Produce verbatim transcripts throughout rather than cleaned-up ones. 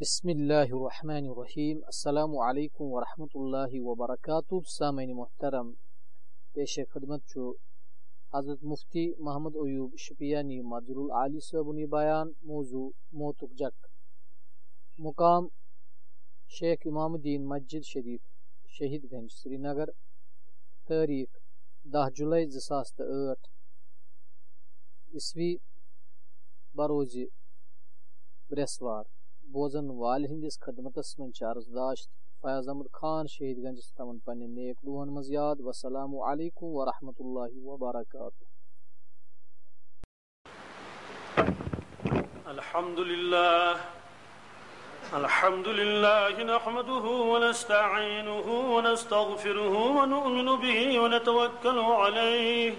بسم اللہ الرحمن الرحیم۔ السلام علیکم ورحمۃ اللہ وبرکاتہ۔ سامعین محترم، پیش خدمت چھُ حضرت مفتی محمد ایوب شپیانی مدر العالی صٲبُن یہِ بیان۔ موضوع: موتُک جک۔ مقام: شیخ امام الدین مسجد شریف، شہید گنج، سرینگر۔ تٲریٖخ: دَہ جُلَے زٕ ساس تہٕ ٲٹھ عیسوی، بروزِ برٛٮ۪سوار۔ بوزن والہِ ہٕنٛدِس خدمتس منٛز چھِ عرض داشت فیاض احمد خان شہید گنجس تھاوان پننٮ۪ن نیک دُعہن منٛز یاد۔ والسلام علیکم ورحمۃ اللہ وبرکاتہ۔ الحمد لله. الحمد لله نحمده ونستعينه ونستغفره ونؤمن به ونتوكل عليه،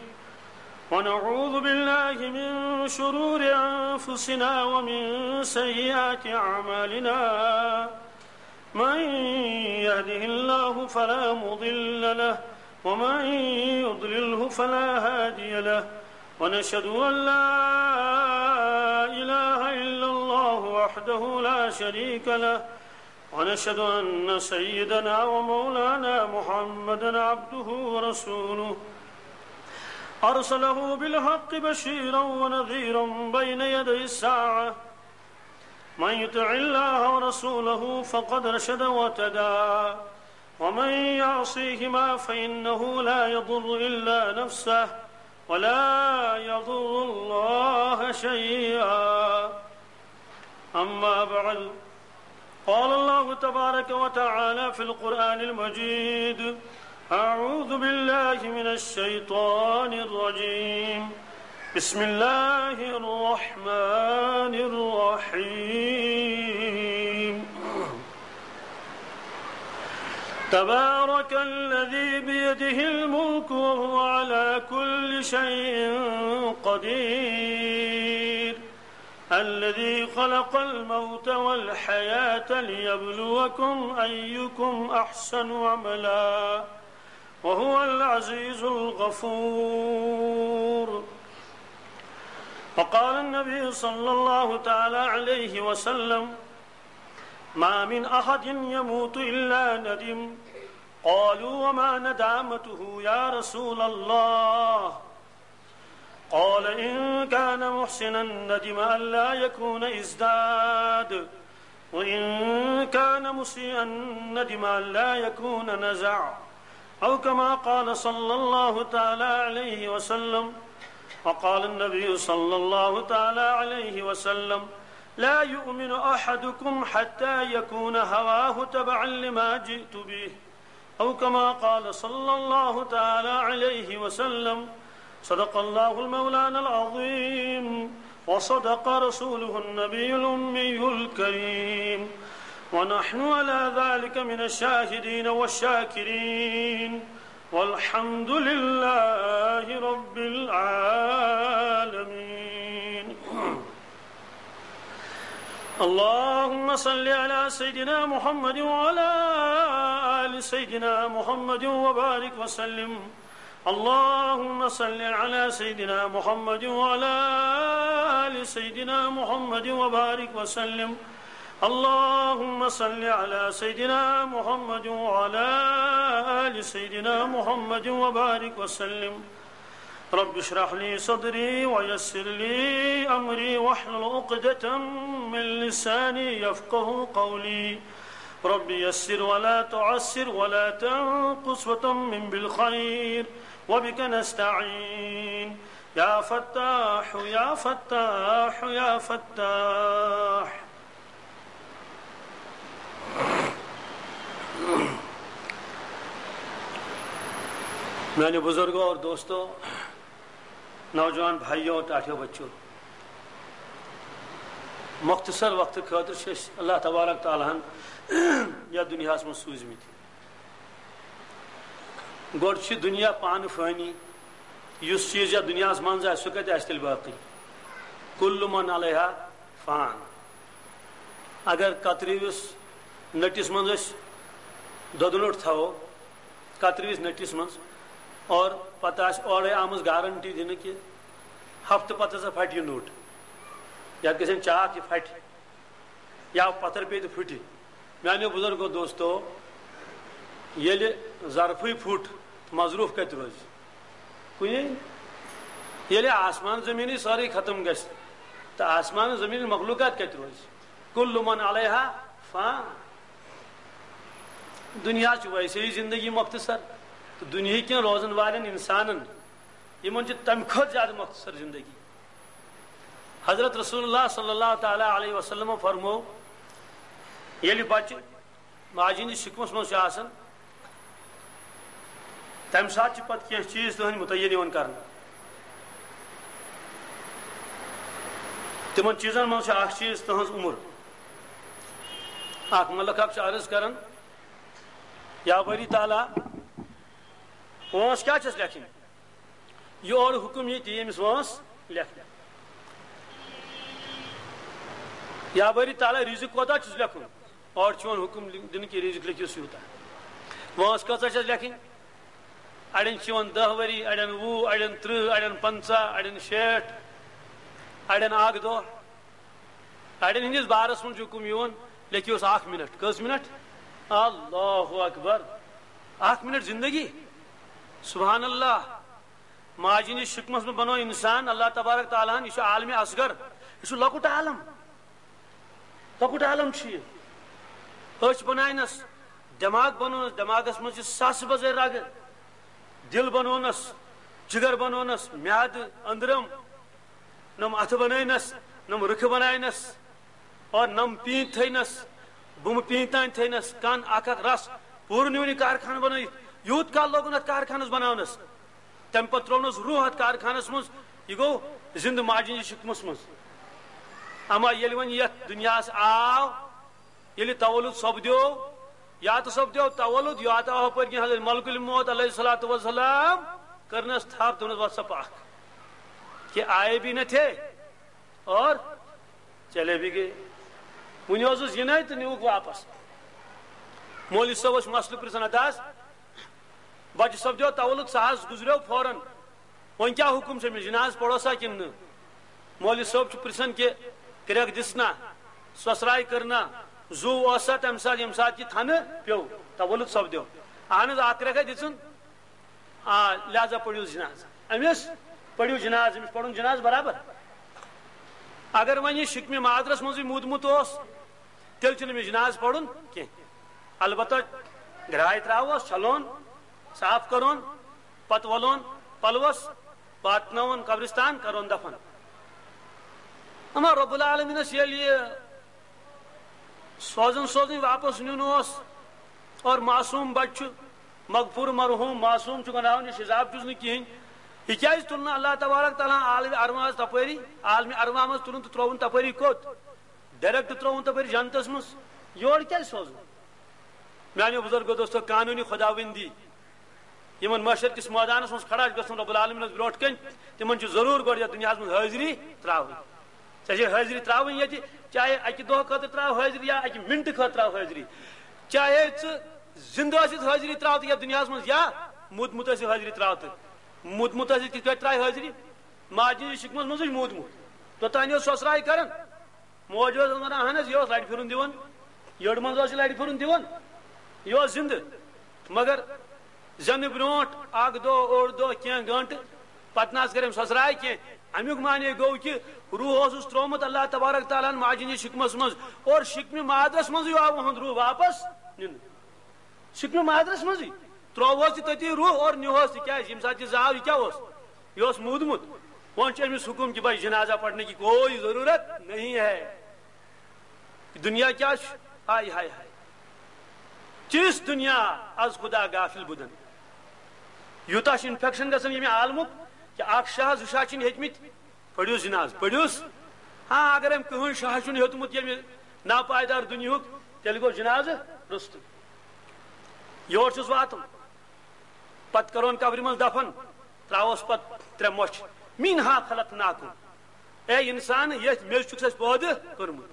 ونعوذ بالله من شرور أنفسنا ومن سيئات أعمالنا. من يهده الله فلا مضل له، ومن يضلله فلا هادي له، ونشهد أن لا إله إلا الله وحده لا شريك له، ونشهد أن سيدنا ومولانا محمدا عبده ورسوله، أرسله بالحق بشيرا ونذيرا بين يدي الساعة، من يطع الله ورسوله فقد رشد واهتدى، ومن يعصيهما فإنه لا يضر إلا نفسه ولا يضر الله شيئا. أما بعد، قال الله تبارك وتعالى في القرآن المجيد: أعوذ بالله من الشيطان الرجيم. بسم الله الرحمن الرحيم. تبارك الذي بيده الملك وهو على كل شيء قدير. الذي خلق الموت والحياة ليبلوكم أيكم أحسن عملا وهو العزيز الغفور. وقال النبي صلى الله تعالى عليه وسلم: ما من أحد يموت إلا ندم. قالوا: وما ندامته يا رسول الله؟ قال: إن كان محسنا ندم ألا يكون ازداد، وإن كان مسيئا ندم ألا يكون نزع، أو كما قال صلى الله تعالى عليه وسلم. وقال النبي صلى الله تعالى عليه وسلم: لا يؤمن أحدكم حتى يكون هواه تبعا لما جئت به، أو كما قال صلى الله تعالى عليه وسلم. صدق الله المولانا العظيم، وصدق رسوله النبي الأمي الكريم، ونحن على ذلك من الشاهدين والشاكرين، والحمد لله رب العالمين. اللهم صل على سيدنا محمد وعلى آل سيدنا محمد وبارك وسلم. اللهم صل على سيدنا محمد وعلى آل سيدنا محمد وبارك وسلم. اللهم صل على سيدنا محمد وعلى آل سيدنا محمد وبارك وسلم. رب اشرح لي صدري ويسر لي أمري واحلل عقدة من لساني يفقه قولي. رب يسر ولا تعسر ولا تنقص وتمم بالخير، وبك نستعين. يا فتاح، يا فتاح، يا فتاح. میانیو بزرگو اور دوستو، نوجوان بھائیو، ٹاٹھیو بچو، مختصر وقت خٲطرٕ چھِ أسۍ اللہ تبارک تعالیٰ ہن یتھ دُنیاہس منٛز سوٗزمٕتۍ۔ گۄڈٕ چھُ دُنیا پانہٕ فٲنی، یُس چیٖز یتھ دُنیاہس منٛز آسہِ، سُہ کتہِ آسہِ تیٚلہِ باقٕے؟ کُلُّ مَنْ عَلَيْهَا فَانٍ۔ اگر کترِوِس نٔٹِس منٛز أسۍ دۄدٕ نوٚٹ تھاوو، کترِوِس نٔٹِس منٛز، اور پتہٕ آسہِ اورے آمٕژ گارنٹی دِنہٕ کہِ ہفتہٕ پتہٕ ہسا پھٹہِ یہِ نوٚٹ، یتھ گژھن چاکھ، یہِ پھٹہِ۔ یا پتھر پیٚیہِ تہٕ پھٕٹہِ۔ میانیو بزرگو دوستو، ییٚلہِ ظرفٕے پھُٹ، مظروف کتہِ روزِ؟ کُنی۔ ییٚلہِ آسمان زمینٕے سٲرٕے ختم گژھِ، تہٕ آسمان زمین مخلوقات کتہِ روزِ؟ کل من علیہا فان۔ دنیا چھُ ویسے ہی زندگی مختصر، تہٕ دُنیہٕکۍ کینٛہہ روزن والٮ۪ن انسانن، یِمن چھِ تمہِ کھۄتہٕ زیادٕ مختصر زندگی۔ حضرت رسول اللہ صلی اللہ تعالیٰ علیہ وسلم فرمو، ییٚلہِ بچہِ ماجہِ ہٕنٛدِس شِکمس منٛز چھُ آسان، تمہِ ساتہٕ چھِ پتہٕ کینٛہہ چیٖز تِہنٛدۍ متعین یِوان کرنہٕ۔ تِمن چیٖزن منٛز چھُ اکھ چیٖز تِہنٛز عمر۔ اکھ ملک اکھ چھُ عرض کران، یا باری تعالیٰ، وٲنٛس کیٛاہ چھَس لیکھٕنۍ؟ یہِ اورٕ حُکُم یی تی أمِس وٲنٛس لیکھنہٕ۔ یا باری تعالیٰ، رِزِق کوتاہ چھُس لیکھُن؟ اورٕ چھُ یِوان حُکُم دِنہٕ کہِ رِزِق لیکھِو سیوٗتاہ۔ وٲنٛس کۭژاہ چھَس لیکھٕنۍ؟ اَڑٮ۪ن چھِ یِوان دَہ ؤری، اَڑٮ۪ن وُہ، اَڑٮ۪ن تٕرٛہ، اَڑٮ۪ن پنٛژاہ، اَڑٮ۪ن شیٹھ، اَڑٮ۪ن اَکھ دۄہ۔ اَڑٮ۪ن ہٕنٛدِس بارَس منٛز چھُ حُکُم یِوان، لیکھِوس اَکھ مِنَٹ۔ کٔژ مِنَٹ؟ اللہ اکبر۔ اَکھ مِنَٹ زندگی۔ سبحان اللہ۔ ماجہِ ہٕنٛدِس شِکمَس منٛز بَنوو اِنسان اللہ تبارک تعالیٰ ہَن، یہِ چھُ عالمِ اصغر، یہِ چھُ لۄکُٹ عالم، لۄکُٹ عالم چھُ یہِ۔ أچھ بَناونَس، دٮ۪ماغ بَنوونَس، دٮ۪ماغَس منٛز چھِ ساسہٕ بَزٲرۍ رَگہٕ، دِل بَنوونَس، جِگر بَنوونَس، میٛادٕ، أنٛدرَم، نَم اَتھٕ بَنٲونَس، نَم رٕکھٕ بَناونَس، اور نَم پیٖنٛتۍ تھٲونَس، بُمہٕ پیٖنٛتۍ تام تھٲونَس، کَن اَکھ اَکھ رَس، پوٗرٕ نیوٗن یہِ کارخانہٕ بَنٲوِتھ۔ یوٗت کال لوگُن اَتھ کارخانَس بَناونَس۔ تَمہِ پَتہٕ ترٛوونَس روح اَتھ کارخانَس منٛز، یہِ گوٚو زِندٕ ماجہِ ہِنٛدِس شِکمَس منٛز۔ اَما ییٚلہِ وۄنۍ یَتھ دُنیاہَس آو، ییٚلہِ تولُد سَپدیو، یاتہٕ سَپدیو تولُد، یاتہٕ آو ہُپٲرۍ کِنۍ حضرت ملک الموت علیہ الصلوۃ والسلام، کٔرنَس تھَپھ، دوٚپنَس، "وَتھ سا پَکھ، کہ آئے بھی نہ تھے اور چلے بھی گئے۔" وُنہِ اوسُس یِنَے تہٕ نیوٗکھ واپَس۔ مولوی صٲب اوس مسلہٕ پرٛژھان، اَدٕ حظ، بَچہٕ سَپدیو تولُد، سُہ حظ گُزریو فوراً۔ وۄنۍ کیٛاہ حُکُم چھُ أمِس، جناز پَرو سا کِنہٕ نہٕ؟ مولوی صٲب چھُ پرٛژھان کہِ کرٛٮ۪کھ دِژ نا، سۄسراے کٔر نا، زُو اوس سا تَمہِ ساتہٕ ییٚمہِ ساتہٕ یہِ تھنہٕ پیوٚو، تولُد سَپدیو؟ اَہن حظ، اَکھ کرٛٮ۪کھا دِژٕن۔ آ، لہذا پٔرِو جناز أمِس، پٔرِو جناز أمِس، پَرُن جناز برابر۔ اگر وۄنۍ یہِ شِکمہِ مادرَس منٛزٕے موٗدمُت اوس، تیٚلہِ چھُنہٕ أمِس جناز پَرُن کینٛہہ۔ البتہ گرٛاے ترٛاووس، چھَلون، صاف کَرون، پتہٕ وَلون پلوس، واتناوون قبرستان، کَرون دفن۔ اما رب العالمینس ییٚلہِ یہِ سوزُن سوزُن واپس نیُن اوس، اور معصوم بچہٕ چھُ، مغفور مرحوم معصوم چھُ، گناہو نِش حساب چھُس نہٕ کِہیٖنۍ، یہِ کیٛازِ تُل نہٕ اللہ تبارک تعالیٰ ہن عالمِ ارواحس تپٲری، عالمِ ارواح منٛز تُلُن تہٕ ترٛووُن تپٲری کوٚت؟ ڈائریکٹ ترٛووُن تپٲرۍ جنتس منٛز، یور کیٛازِ سوزُن؟ میانیو بزرگو دوستو، قانونی خداوندی یِمن محشر کِس مٲدانس منٛز کھڑا چھُ گژھُن رب العالمینس برونٛٹھ کنہِ، تِمن چھُ ضروٗر گۄڈٕ یتھ دُنیاہس منٛز حٲضری ترٛاوٕنۍ۔ ژےٚ چھے حٲضری ترٛاوٕنۍ ییٚتہِ، چاہے اکہِ دۄہ خٲطرٕ ترٛاو حٲضری یا اکہِ منٹہٕ خٲطرٕ ترٛاو حٲضری، چاہے ژٕ زندٕ ٲسِتھ حٲضری ترٛاو تہٕ یتھ دُنیاہس منٛز یا موٗدمُت ٲسِتھ حٲضری ترٛاو تہٕ موٗدمُت ٲسِتھ کِتھ پٲٹھۍ ترٛایہِ حٲضری؟ ماجہِ ہٕنٛدِس شِکمس منٛزٕے موٗدمُت۔ توٚتام اوس سۄسراے کران۔ موج ٲس ونان، اہن حظ، یہِ اوس لرِ پھِرُن دِوان، یٔڑ منٛز اوس یہِ لرِ پھِرُن دِوان، یہِ اوس زِندٕ۔ مگر زٮ۪نہٕ برونٛٹھ اکھ دۄہ، اوٚڑ دۄہ، کینٛہہ گٲنٛٹہٕ پتہٕ نہ حظ کٔر أمۍ سۄسراے کینٛہہ۔ امیُک معنی گوٚو کہِ روح اوسُس ترٛوومُت اللہ تبارک تعالیٰ ہن ماجہِ ہٕنٛدِس شِکمس منٛز، اور شِکمہِ مادرس منٛزٕے آو اُہُنٛد روح واپس نِنہٕ۔ شِکمہِ مادرس منٛزٕے ترٛووہوس یہِ تٔتی روح اور نیوہوس، تِکیٛازِ ییٚمہِ ساتہٕ یہِ زاو، یہِ کیٛاہ اوس؟ یہِ اوس موٗدمُت۔ وۄنۍ چھُ أمِس حُکُم کہِ بھائی جنازہ پڑھنے کی کوئی ضرورت نہیں ہے۔ دنیا کیا چھ؟ ہائے، ہائے، ہائے۔ چیز دنیا از خدا غافل بدن۔ یوٗتاہ چھُ انفیکشن گژھان ییٚمہِ عالمُک کہِ اکھ شاہ، زٕ شاہ چھِنہٕ ہیٚتمٕتۍ۔ پٔرِوس جناز، پٔرِوس۔ ہاں، اگر أمۍ کٕہٕنۍ شاہ چھُنہٕ ہیوٚتمُت ییٚمہِ ناپایدار دُنیاہُک، تیٚلہِ گوٚو جنازٕ روٚستُے۔ یور چھُس واتُن۔ پتہٕ کرون قبرِ منٛز دفن، تراوس پتہٕ ترٛےٚ مۄچھ۔ منہا خلقناکم۔ اے انسان، یتھ میٚژِ چھُکھ اَسہِ پٲدٕ کوٚرمُت۔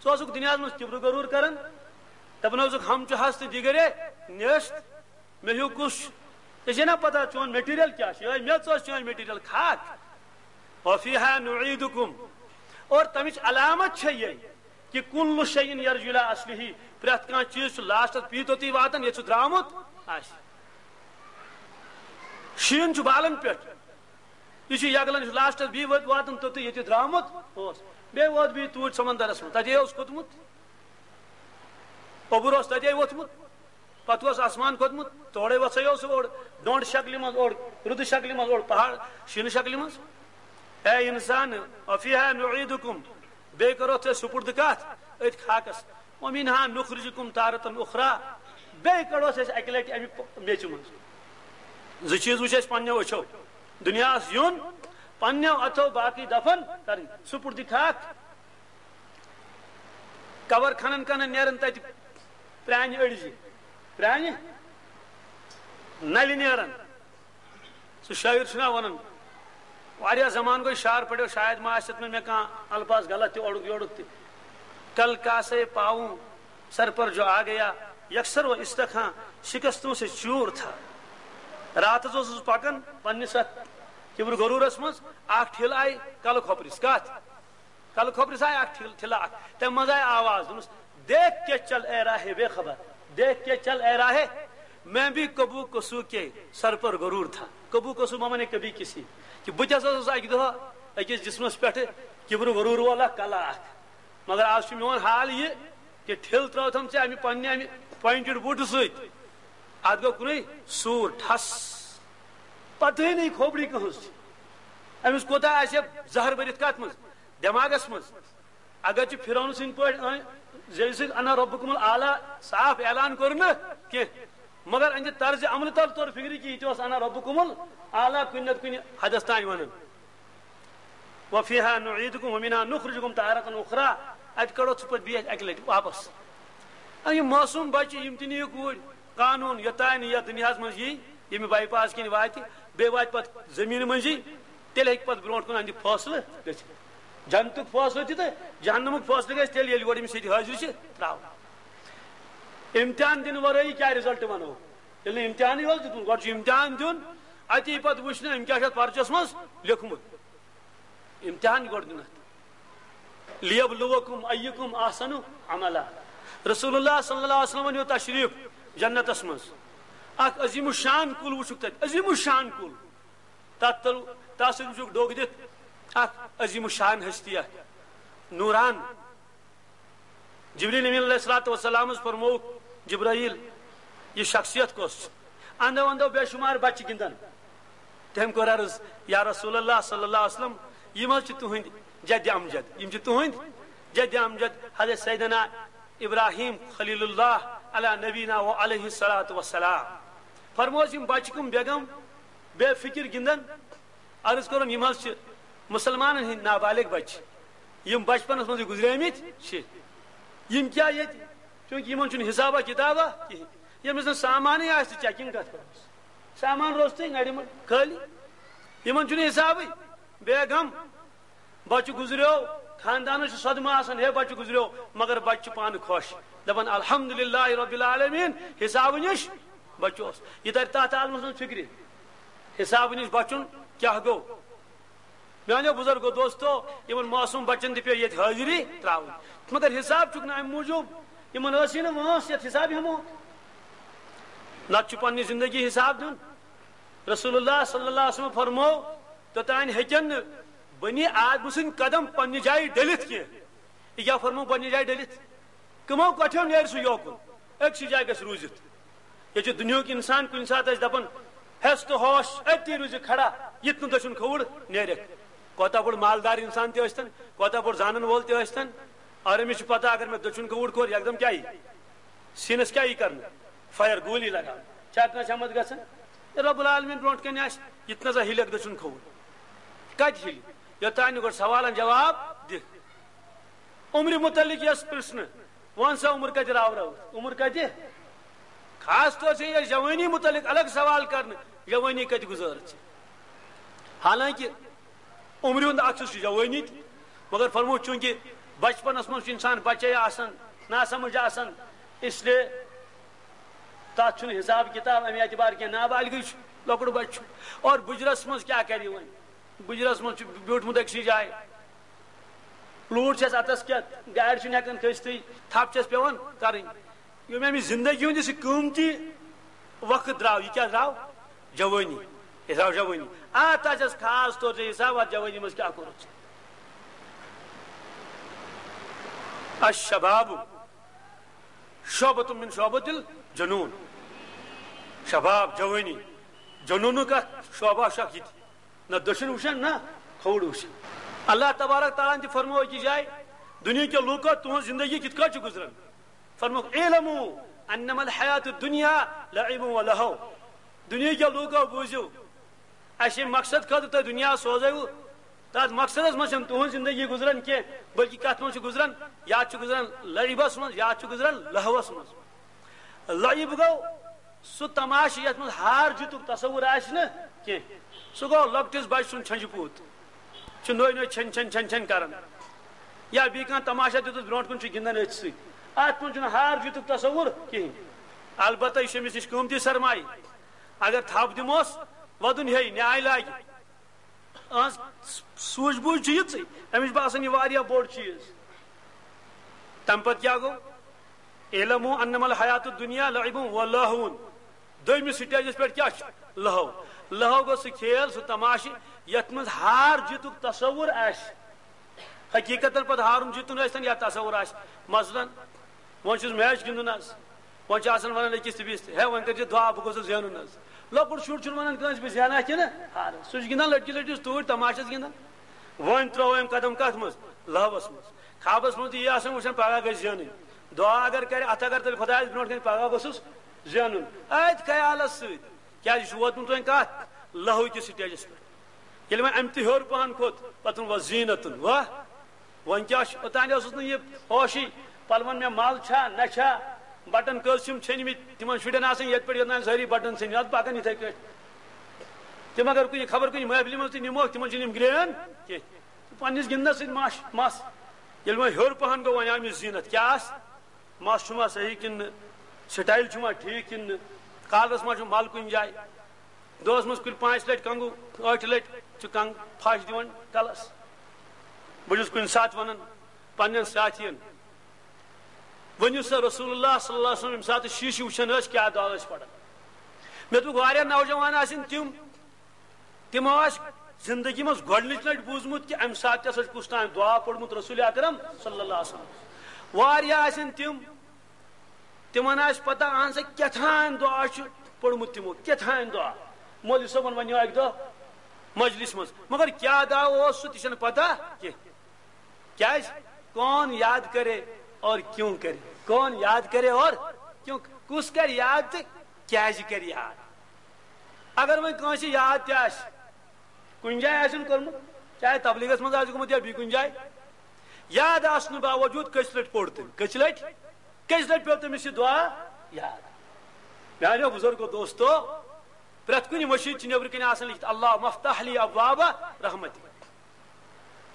ژٕ اوسُکھ دُنیاہس منٛز کِبرٕ غروٗر کران، دپان اوسُکھ، ہم چھِ ہستہٕ دیگرے نیست، مےٚ ہیوٗ کُس چھُ؟ ژےٚ چھے نا پتہ چون مٹیریل کیٛاہ چھُ؟ یِہوٚے میٚژ ٲس چٲنۍ مٹیریل، خاک۔ وفیہا نعیدکم۔ اور تمِچ علامت چھےٚ یہِ کہ کل شیء یرجع الی اصلہ، پرٛٮ۪تھ کانٛہہ چیٖز چھُ لاسٹس پی توٚتُے واتان ییٚتہِ سُہ درٛامُت آسہِ۔ شیٖن چھُ بالن پٮ۪ٹھ، یہِ چھُ یگلان، یہِ چھُ لاسٹس بیٚیہِ وٲتۍ واتان توٚتُے ییٚتہِ درٛامُت اوس۔ بیٚیہِ ووت بیٚیہِ توٗرۍ سمندرس منٛز، تَتے اوس کھوٚتمُت، اوٚبُر اوس تَتے ووٚتھمُت، پتہٕ اوس آسمان کھوٚتمُت، تورے وژھے اوس سُہ اورٕ ڈۄنٛڈ شکلہِ منٛز، اورٕ رُدٕ شکلہِ منٛز، اورٕ پہاڑ شیٖنہٕ شکلہِ منٛز۔ اے انسان، افیہا نعیدکم، بیٚیہِ کرو تۄہہِ سُپرد کتھ أتھۍ خاکس۔ ومنہا نخرجکم تارة اخری، بیٚیہِ کڑوس أسۍ اکہِ لٹہِ امہِ پ-، میٚژِ منٛز۔ زٕ چیٖز وٕچھ اَسہِ پننیو أچھو، دُنیاہس یُن، پننیو اتھو باقٕے دفن کرٕنۍ، سُپرد خاک۔ قبر کھنن کھنن نیرن تتہِ پرانہِ أڑجہِ، پرانہِ نلہِ نیرن۔ سُہ شٲعر چھُنا وَنان، واریاہ زمانہٕ گوٚو شعر پٔرِو، شاید ما آسہِ اَتھ منٛز مےٚ کانٛہہ الفاظ غلط تہِ، اورُک یورُک تہِ۔ کل کاسے پاؤں سر پر جو آ گیا، یکسر و استخاں شکستوں سے چور تھا۔ راتس اوسُس پکان پننِس اتھ کبر غرورس منٛز، اکھ ٹھِل آیہِ کلہٕ کھۄپرِس۔ کتھ؟ کلہٕ کھۄپرِس آیہِ اکھ ٹھِل-، ٹھِلہٕ اکھ۔ تمہِ منٛز آیہِ آواز، دوٚپمَس، "دیکھ کے چل اے راہ بے خبر، دیکھ کے چل اے راہ، میں بھی کبو کسو کے سر پر غرور تھا۔" کبو کسو معنی کبھی کسی، کہِ بہٕ تہِ ہسا اوسُس اکہِ دۄہ أکِس جسمس پٮ۪ٹھ کِبرٕ غرور وول اکھ کلہٕ اکھ۔ مگر آز چھُ میون حال یہِ کہِ ٹھِل ترٲوتھم ژےٚ امہِ پننہِ امہِ پوینٹڈ بوٗٹہٕ سۭتۍ، اتھ گوٚو کُنُے سوٗر ٹھس، پتہٕے نہٕ کھوپڑی کٕہٕنٛز چھِ۔ أمِس کوٗتاہ آسہِ زہر بٔرِتھ کتھ منٛز؟ دٮ۪ماغس منٛز۔ اگر چھِ فرعون سٕنٛدۍ پٲٹھۍ أنۍ زیٚوِ سۭتۍ "انا ربکم الاعلیٰ" صاف اعلان کوٚر نہٕ کینٛہہ، مگر أہنٛدِ طرزِ عملہٕ تل توٚر فِکرِ کہِ یہِ تہِ اوس "انا ربکم الاعلیٰ" کُنہِ نتہٕ کُنہِ حدس تام ونان۔ "وفیہا نعیدکم ومنہا نخرجکم تارة اخری"، اتہِ کڑو ژٕ پتہٕ بیٚیہِ اکہِ لٹہِ واپس۔ اے یِم معصوم بچہِ، یِم تہِ نِیہِ کوٗرۍ، قانون یوٚتانۍ نہٕ یتھ دُنیاہس منٛز یی، ییٚمہِ بائی پاس کِنۍ واتہِ، بیٚیہِ واتہِ پتہٕ زٔمیٖنہِ منٛزٕے، تیٚلہِ ہیٚکہِ پتہٕ برونٛٹھ کُن اَہَنٛدِ فٲصلہٕ گٔژھِتھ۔ جنتُک فٲصلہٕ تہِ تہٕ جہنمُک فٲصلہٕ گژھِ تیٚلہِ، ییٚلہِ گۄڈٕ أمِس ییٚتہِ حٲضِر چھِ ترٛاوُن۔ امتحان دِنہٕ ورٲیی کیٛاہ رِزلٹ وَنو؟ ییٚلہِ نہٕ امتحانٕے اوس دیُتمُت، گۄڈٕ چھُ امتحان دیُن، اَتی پتہٕ وٕچھنہٕ أمۍ کیٛاہ چھُ اَتھ پرچس منٛز لیوٚکھمُت۔ امتحان گۄڈٕ دیُن اَتھ۔ "لیبلوکم ایکم احسن عملا۔" رسول اللہ صلی اللہ علیہ وسلم نیو تشریف جنتس منٛز۔ اکھ عظیم الشان کُل وٕچھُکھ تتہِ، عظیم الشان کُل۔ تتھ تل، تتھ سۭتۍ وٕچھُکھ ڈوٚگ دِتھ اکھ عظیم الشان ہستی اکھ، نوران۔ جبریل امین علیہ الصلوۃ والسلامس فرمووُکھ، "جبرائیل، یہِ شخصیت کۄس چھِ؟" اندو اندو بے شمار بچہِ گِنٛدان۔ تٔمۍ کوٚر عرض، "یا رسول اللہ صلی اللہ علیہ وسلم، یِم حظ چھِ تُہٕنٛدۍ جدِ امجد، یِم چھِ تُہٕنٛدۍ جدِ امجد حضرت سیدنا ابراہیم خلیل اللہ علی نبینا و علیہ الصلوۃ والسلام۔" فرموس، یِم بچہِ کٕم بیگم بے فکر گِنٛدان، عرض کوٚرُن، یِم حظ چھِ مُسلمانن ہٕنٛدۍ نابالغ بچہِ، یِم بچپنس منٛزٕے گُزریمٕتۍ چھِ۔ یِم کیٛاہ ییٚتہِ؟ چوٗنٛکہِ یِمن چھُنہٕ حسابا کِتابا کِہیٖنۍ۔ ییٚمِس نہٕ سامانٕے آسہِ، چیکنگ کتھ کرس؟ سامان روٚستُے، نرِ منٛز خٲلی۔ یِمن چھُنہٕ حسابٕے۔ بیگم، بچہِ گُزریو، خاندانس چھُ صدمہٕ آسان، ہے، بچہِ گُزریو، مگر بچہِ چھُ پانہٕ خۄش، دپان، "الحمدللہ رب العالمین، حسابہٕ نِش بچوس۔" یہِ ترِ تتھ عالمس منٛز فکرِ، حسابہٕ نِش بچُن کیٛاہ گوٚو؟ میانیو بزرگو دوستو، یِمن معصوم بچن تہِ پیٚیہِ ییٚتہِ حٲضری ترٛاوٕنۍ، مگر حساب چھُکھ نہٕ امہِ موٗجوٗب، یِمن ٲسی نہٕ وٲنٛس یتھ حساب ہٮ۪مو۔ نتہٕ چھُ پننہِ زندگی حساب دیُن۔ رسول اللہ صلی اللہ علیہ وسلم فرموو، توٚتانۍ ہیٚکن نہٕ بنی آدم سٕنٛدۍ قدم پننہِ جایہِ ڈٔلِتھ کینٛہہ۔ یہِ کیٛاہ فرموو، پننہِ جایہِ ڈٔلِتھ؟ کٕمو کۄٹھیو نیرِ سُہ یوکُن؟ أکسٕے جایہِ گژھِ روٗزِتھ۔ ییٚتہِ چھُ دُنیہُک اِنسان کُنہِ ساتہٕ اَسہِ دَپان، "ہٮ۪س تہٕ ہوش، أتی روٗزِ کھڑا، یِتھ نہٕ دٔچھُن کھووُر نیرٮ۪کھ۔" کوتاہ بوٚڑ مالدار اِنسان تہِ ٲسۍتن، کوتاہ بوٚڑ زانن وول تہِ ٲسۍتن، اور أمِس چھُ پتہ، اگر مےٚ دٔچھُن کھووُر کوٚر، یکدم کیٛاہ یی؟ سیٖنس کیٛاہ یی کرنہٕ؟ فایر، گوٗلی لگاونہٕ۔ چھا کٲنٛسہِ ہٮ۪متھ گژھان؟ ییٚلہِ رب العالمین برونٛٹھ کنہِ آسہِ، یہِ تہِ نہ سا ہِلٮ۪کھ دٔچھُن کھووُر۔ کتہِ ہِلہِ؟ یوٚتانۍ نہٕ گۄڈٕ سوالن جواب دِکھ۔ عمرِ متعلق یس پرژھنہٕ، وَن سا، عمر کتہِ راو راو؟ عمر کتہِ؟ خاص طور سے یہِ جوٲنی متعلق الگ سوال کرنہٕ، جوٲنی کتہِ گُزٲر ژےٚ؟ حالانکہ عمرِ ہُنٛد عکس چھُ جوٲنی تہِ، مگر فرموو، چوٗنٛکہِ بچپنس منٛز چھُ انسان بچے آسان، ناسمجھ آسان، اس لیے تتھ چھُنہٕ حساب کتاب امہِ اعتبار کینٛہہ، نابالغٕے چھُ، لۄکُٹ بچہِ چھُ۔ اور بُجرس منٛز کیٛاہ کرِ وۄنۍ؟ بُجرس منٛز چھُ بیوٗٹھمُت أکسٕے جایہِ۔ لوٗر چھِ اَسہِ اَتَس کیٛاہ، گاڑِ چھُنہٕ ہٮ۪کان کھٔسۍتھٕے، تھپھ چھِ اَسہِ پٮ۪وان کَرٕنۍ۔ یِم أمِس زِندگی ہُنٛد یُس یہِ قۭمتی وقت درٛاو، یہِ کیٛاہ درٛاو؟ جوٲنی۔ یہِ درٛاو جوٲنی۔ اَتھ آسٮ۪س خاص طور چھُ حساب، اَتھ جوٲنی منٛز کیٛاہ کوٚرُتھ ژےٚ؟ الشباب شعبۃ من شعبۃ الجنون۔ شباب، جوٲنی، جنوٗنُک اکھ شعبہ چھُ اکھ یہِ تہِ۔ نہ دٔچھُن وٕچھان، نہ کھووُر وٕچھان۔ اللہ تبارک تعالیٰ ہن تہِ فرموو أکِس جایہِ، دُنیہکیو لوٗکو، تُہٕنٛز زندگی کِتھ کٲٹھۍ چھِ گُزران؟ فرمووُکھ، "اعلموا انما الحیات الدنیا لعب و لہو۔" دُنیہکیو لوٗکو، بوٗزِو، اَسہِ ییٚمہِ مقصد خٲطرٕ تۄہہِ دُنیا سوزٲوٕ، تَتھ مقصدس منٛز چھَنہٕ تُہٕنٛز زندگی گُزران کینٛہہ، بلکہِ کَتھ منٛز چھِ گُزران؟ یا چھِ گُزران لعبس منٛز، یا چھِ گُزران لہوس منٛز۔ لعب گوٚو سُہ تماشہٕ یَتھ منٛز ہار جیٖتُک تصور آسہِ نہٕ کینٛہہ۔ سُہ گوٚو لۄکٹِس بچہٕ سُنٛد چھۄنجہِ پوٗت، چھُ نوٚے نوٚے چھۄنۍ چھۄنۍ چھۄنۍ چھۄنۍ کران۔ یا بیٚیہِ کانٛہہ تماشہ دیُتُس برونٛٹھ کُن، چھُ گِنٛدان أتھۍ سۭتۍ۔ اَتھ منٛز چھُنہٕ ہار جیٖتُک تصور کِہیٖنۍ۔ البتہ یہِ چھُ أمِس نِش قۭمتی سرمایہِ۔ اگر تھپھ دِموس، وَدُن ہیٚیہِ، نیٛاے لاگہِ۔ اہنٛز سوٗجھ بوٗجھ چھِ یِژٕے، أمِس چھُ باسان یہِ واریاہ بوٚڑ چیٖز۔ تَمہِ پَتہٕ کیٛاہ گوٚو؟ اعلموا انما الحیات الدنیا لعب و لہو۔ دوٚیمِس سٹیجَس پٮ۪ٹھ کیٛاہ چھُ؟ لہو۔ لہو گوٚو سُہ کھیل، سُہ تماشہٕ، یَتھ منٛز ہار جیٖتُک تصور آسہِ۔ حقیٖقتاً پَتہٕ ہارُن جیٖتُن ٲسۍتَن یا تصور آسہِ۔ مثلاً، وۄنۍ چھُس میچ گِنٛدُن حظ۔ وۄنۍ چھِ آسان وَنان أکِس تہٕ بیٚیِس تہِ، "ہے، وۄنۍ کٔرۍزِ دُعا، بہٕ گوٚژھُس زینُن حظ۔" لۄکُٹ شُر چھُنہٕ وَنان کٲنٛسہِ، "بہٕ زینہٕ کِنہٕ ہارٕ۔" سُہ چھُ گِنٛدان لٔٹکِس لٔٹکِس توٗرۍ، تماشَس گِنٛدان۔ وۄنۍ ترٛوو أمۍ قدم کَتھ منٛز؟ لَہوَس منٛز۔ خابَس منٛز تہِ یی آسان وٕچھان، پَگاہ گژھِ زینٕنۍ۔ دُعا اگر کَرِ، اَتھ اگر تیٚلہِ خۄدایَس برونٛٹھ کَنہِ، "پَگاہ گوٚژھُس زینُن"۔ أتھۍ خیالَس سۭتۍ۔ کیٛازِ یہِ چھُ ووتمُت وۄنۍ کَتھ؟ لَہو کِس سٹیجَس پٮ۪ٹھ۔ ییٚلہِ وۄنۍ اَمہِ تہِ ہیوٚر پَہَن کھوٚت، پَتہٕ ووٚن، "وَ زیٖنَتُن، وَ، وۄنۍ کیٛاہ چھُ؟" اوٚتام اوسُس نہٕ یہِ ہوشٕے، پَلوَن مےٚ مَل چھا، نہ چھا، بَٹَن کٔژ چھِم ژھیٚنۍمٕتۍ، تِمَن شُرٮ۪ن آسان یَتھ پٮ۪ٹھ یوٚتام سٲری بَٹَن ژھیٚنۍ، اَتھ پَکان یِتھَے کٲٹھۍ۔ تِم اگر کُنہِ، خبر کُنہِ محفلہِ منٛز تہِ نِموکھ، تِمَن چھِنہٕ یِم گرٛین کینٛہہ۔ پنٛنِس گِنٛدنَس سۭتۍ مَس، مَس۔ ییٚلہِ وۄنۍ ہیوٚر پَہَن گوٚو، وۄنۍ آو أمِس زیٖنَت۔ کیٛاہ آسہِ؟ مَس چھُما صحیح کِنہٕ نہٕ؟ سٹایل چھُما ٹھیٖک کِنہٕ نہٕ؟ کالرَس ما چھُ مَل کُنہِ جایہِ؟ دۄہَس منٛز کُلہِ پانٛژِ لَٹہِ کنٛگو، ٲٹھِ لَٹہِ چھُ کنٛگ پھَش دِوان کَلَس۔ بہٕ چھُس کُنہِ ساتہٕ وَنان پنٛنٮ۪ن ساتھیَن، ؤنِو سا، رسول اللہ صلی اللہ علیہ وسلم ییٚمہِ ساتہٕ شیٖشہٕ وٕچھان ٲسۍ، کیٛاہ دُعا ٲسۍ پَران؟ مےٚ دوٚپُکھ، واریاہ نوجوان آسن تِم، تِمو آسہِ زندگی منٛز گۄڈٕنِچ لَٹہِ بوٗزمُت کہِ اَمہِ ساتہٕ تہِ ہسا چھُ کُس تام دُعا پوٚرمُت رسول اکرم صلی اللہ علیہ وسلم۔ واریاہ آسن تِم، تِمن آسہِ پتہ، اہن سا کیٛاہ تام دُعا چھُ پوٚرمُت تِمو، کیٛاہ تام دُعا۔ مولوی صٲبن ونیو اکہِ دۄہ مجلس منٛز، مگر کیٛاہ دعا اوس سُہ تہِ چھنہٕ پتہ کینٛہہ۔ کیٛازِ؟ کون یاد کرے اور کیوں کرے؟ کون یاد کرے اور کیوں؟ کُس کرِ یاد تہٕ کیٛازِ کرِ یاد؟ اگر وۄنۍ کٲنٛسہِ یاد تہِ آسہِ، کُنہِ جایہِ آسن کوٚرمُت، چاہے تبلیغس منٛز آسہِ گوٚمُت یا بیٚیہِ کُنہِ جایہِ، یاد آسنہٕ باوجوٗد کٔژِ لٹہِ پوٚر تٔمۍ؟ کٔژِ لٹہِ؟ کٔژِ لٹہِ پیوٚو تٔمِس یہِ دُعا یاد؟ میانیو بزرگو دوستو، پرٛٮ۪تھ کُنہِ مٔشیٖد چھِ نیٚبرٕ کَنہِ آسان لیکھِتھ، "اللہم افتح لی ابواب رحمتک۔"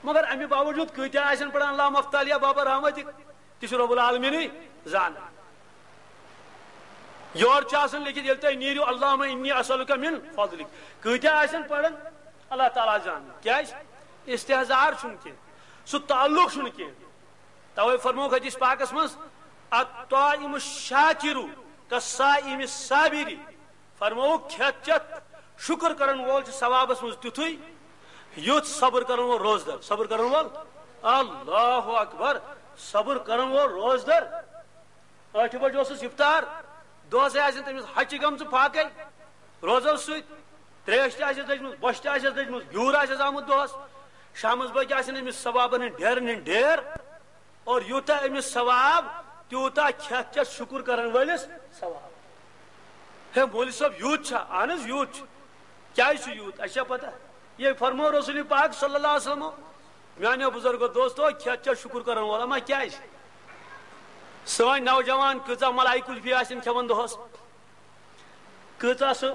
مگر اَمہِ باوجوٗد کۭتیٛاہ آسن پران "اللہم افتح لی ابواب رحمتک"؟ تہِ چھُ رب العالمیٖنٕے زانان۔ یورٕ چھُ آسان لیکھِتھ، "ییٚلہِ تُہۍ نیٖرِو، اللہم انی اسألک من فضلک"۔ کۭتیٛاہ آسن پران، اللہ تعالیٰ زانان۔ کیٛازِ؟ استحضار چھُنہٕ کینٛہہ، سُہ تعلق چھُنہٕ کینٛہہ۔ توے فرمووُکھ حدیث پاکس منٛز، "الطاعم الشاکر کالصائم الصابر"۔ فرمووُکھ، کھٮ۪تھ چٮ۪تھ شُکر کرن وول چھُ ثوابس منٛز تیُتھُے، یُتھ صبر کرن وول روزدر۔ صبر کرن وول، اللہ اکبر، صبر کرن وول روزدر۔ ٲٹھِ بجہِ اوسُس افطار، دۄہسٕے آسن تٔمِس ہچہِ گٔمژٕ فاقے روزو سۭتۍ، تریش تہِ آسٮ۪س دٔجمٕژ، بۄچھِ تہِ آسٮ۪س دٔجمٕژ، گیوٗر آسٮ۪س آمُت دۄہس۔ شامس بٲگۍ آسن أمِس ثوابن ہٕنٛدۍ ڈیرن ہٕنٛدۍ ڈیر، اور یوٗتاہ أمِس ثواب، تیوٗتاہ کھٮ۪تھ چٮ۪تھ شُکُر کرن وٲلِس ثواب۔ ہے مولوی صٲب، یوٗت چھا؟ اہن حظ، یوٗت چھُ۔ کیٛازِ چھُ یوٗت؟ اَسہِ چھا پتہ؟ یہِ فرموو رسول پاک صلی اللہ علیہ وسلم، میانیو بزرگو دوستو، کھٮ۪تھ چٮ۪تھ شُکُر کرن وول۔ اما کیٛازِ؟ سٲنۍ نوجوان کۭژاہ ملائی کلفی آسن کھٮ۪وان دۄہس، کۭژاہ سُہ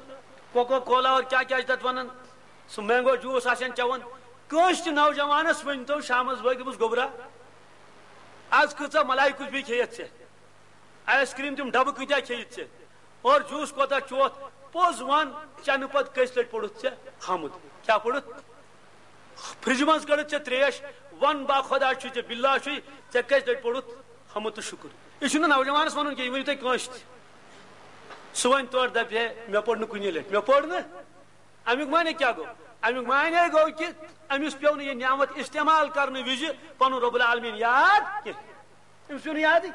کوکا کولا اور کیٛاہ کیٛاہ چھِ تَتھ وَنان، سُہ مینگو جوٗس آسن چٮ۪وان۔ کٲنٛسہِ تہِ نوجوانَس ؤنۍ تو شامَس بٲگۍ، دوٚپُس، "گوٚبرا، آز کۭژاہ ملائی کلفی کھیٚیَتھ ژےٚ؟ آیِس کرٛیٖم تِم ڈَبہٕ کۭتیٛاہ کھیٚیِتھ ژےٚ؟ اور جوٗس کوتاہ چوتھ؟ پوٚز وَن، چٮ۪نہٕ پَتہٕ کٔژِ لَٹہِ پوٚرُتھ ژےٚ حمد؟ کیٛاہ پوٚرُتھ؟ فرجہِ منٛز کٔڑٕتھ ژےٚ ترٛیش، وَن با خۄدا چھُے، ژےٚ باللہ چھُے، ژےٚ کٔژِ لَٹہِ پوٚرُتھ حمد تہٕ شُکُر؟ یہِ چھُنہٕ نوجوانَس وَنُن کینٛہہ، یہِ ؤنِو تُہۍ کٲنٛسہِ تہِ۔ سُہ وَنہِ تورٕ دَپہِ، ہے، مےٚ پوٚر نہٕ کُنی لَٹہِ، مےٚ پوٚر نہٕ۔ اَمیُک معنی کیٛاہ گوٚو؟ اَمیُک معنی گوٚو کہِ أمِس پیوٚو نہٕ یہِ نعمت استعمال کرنہٕ وِزِ پَنُن رب العالمین یاد کینٛہہ۔ أمِس پیوٚو نہٕ یادٕے۔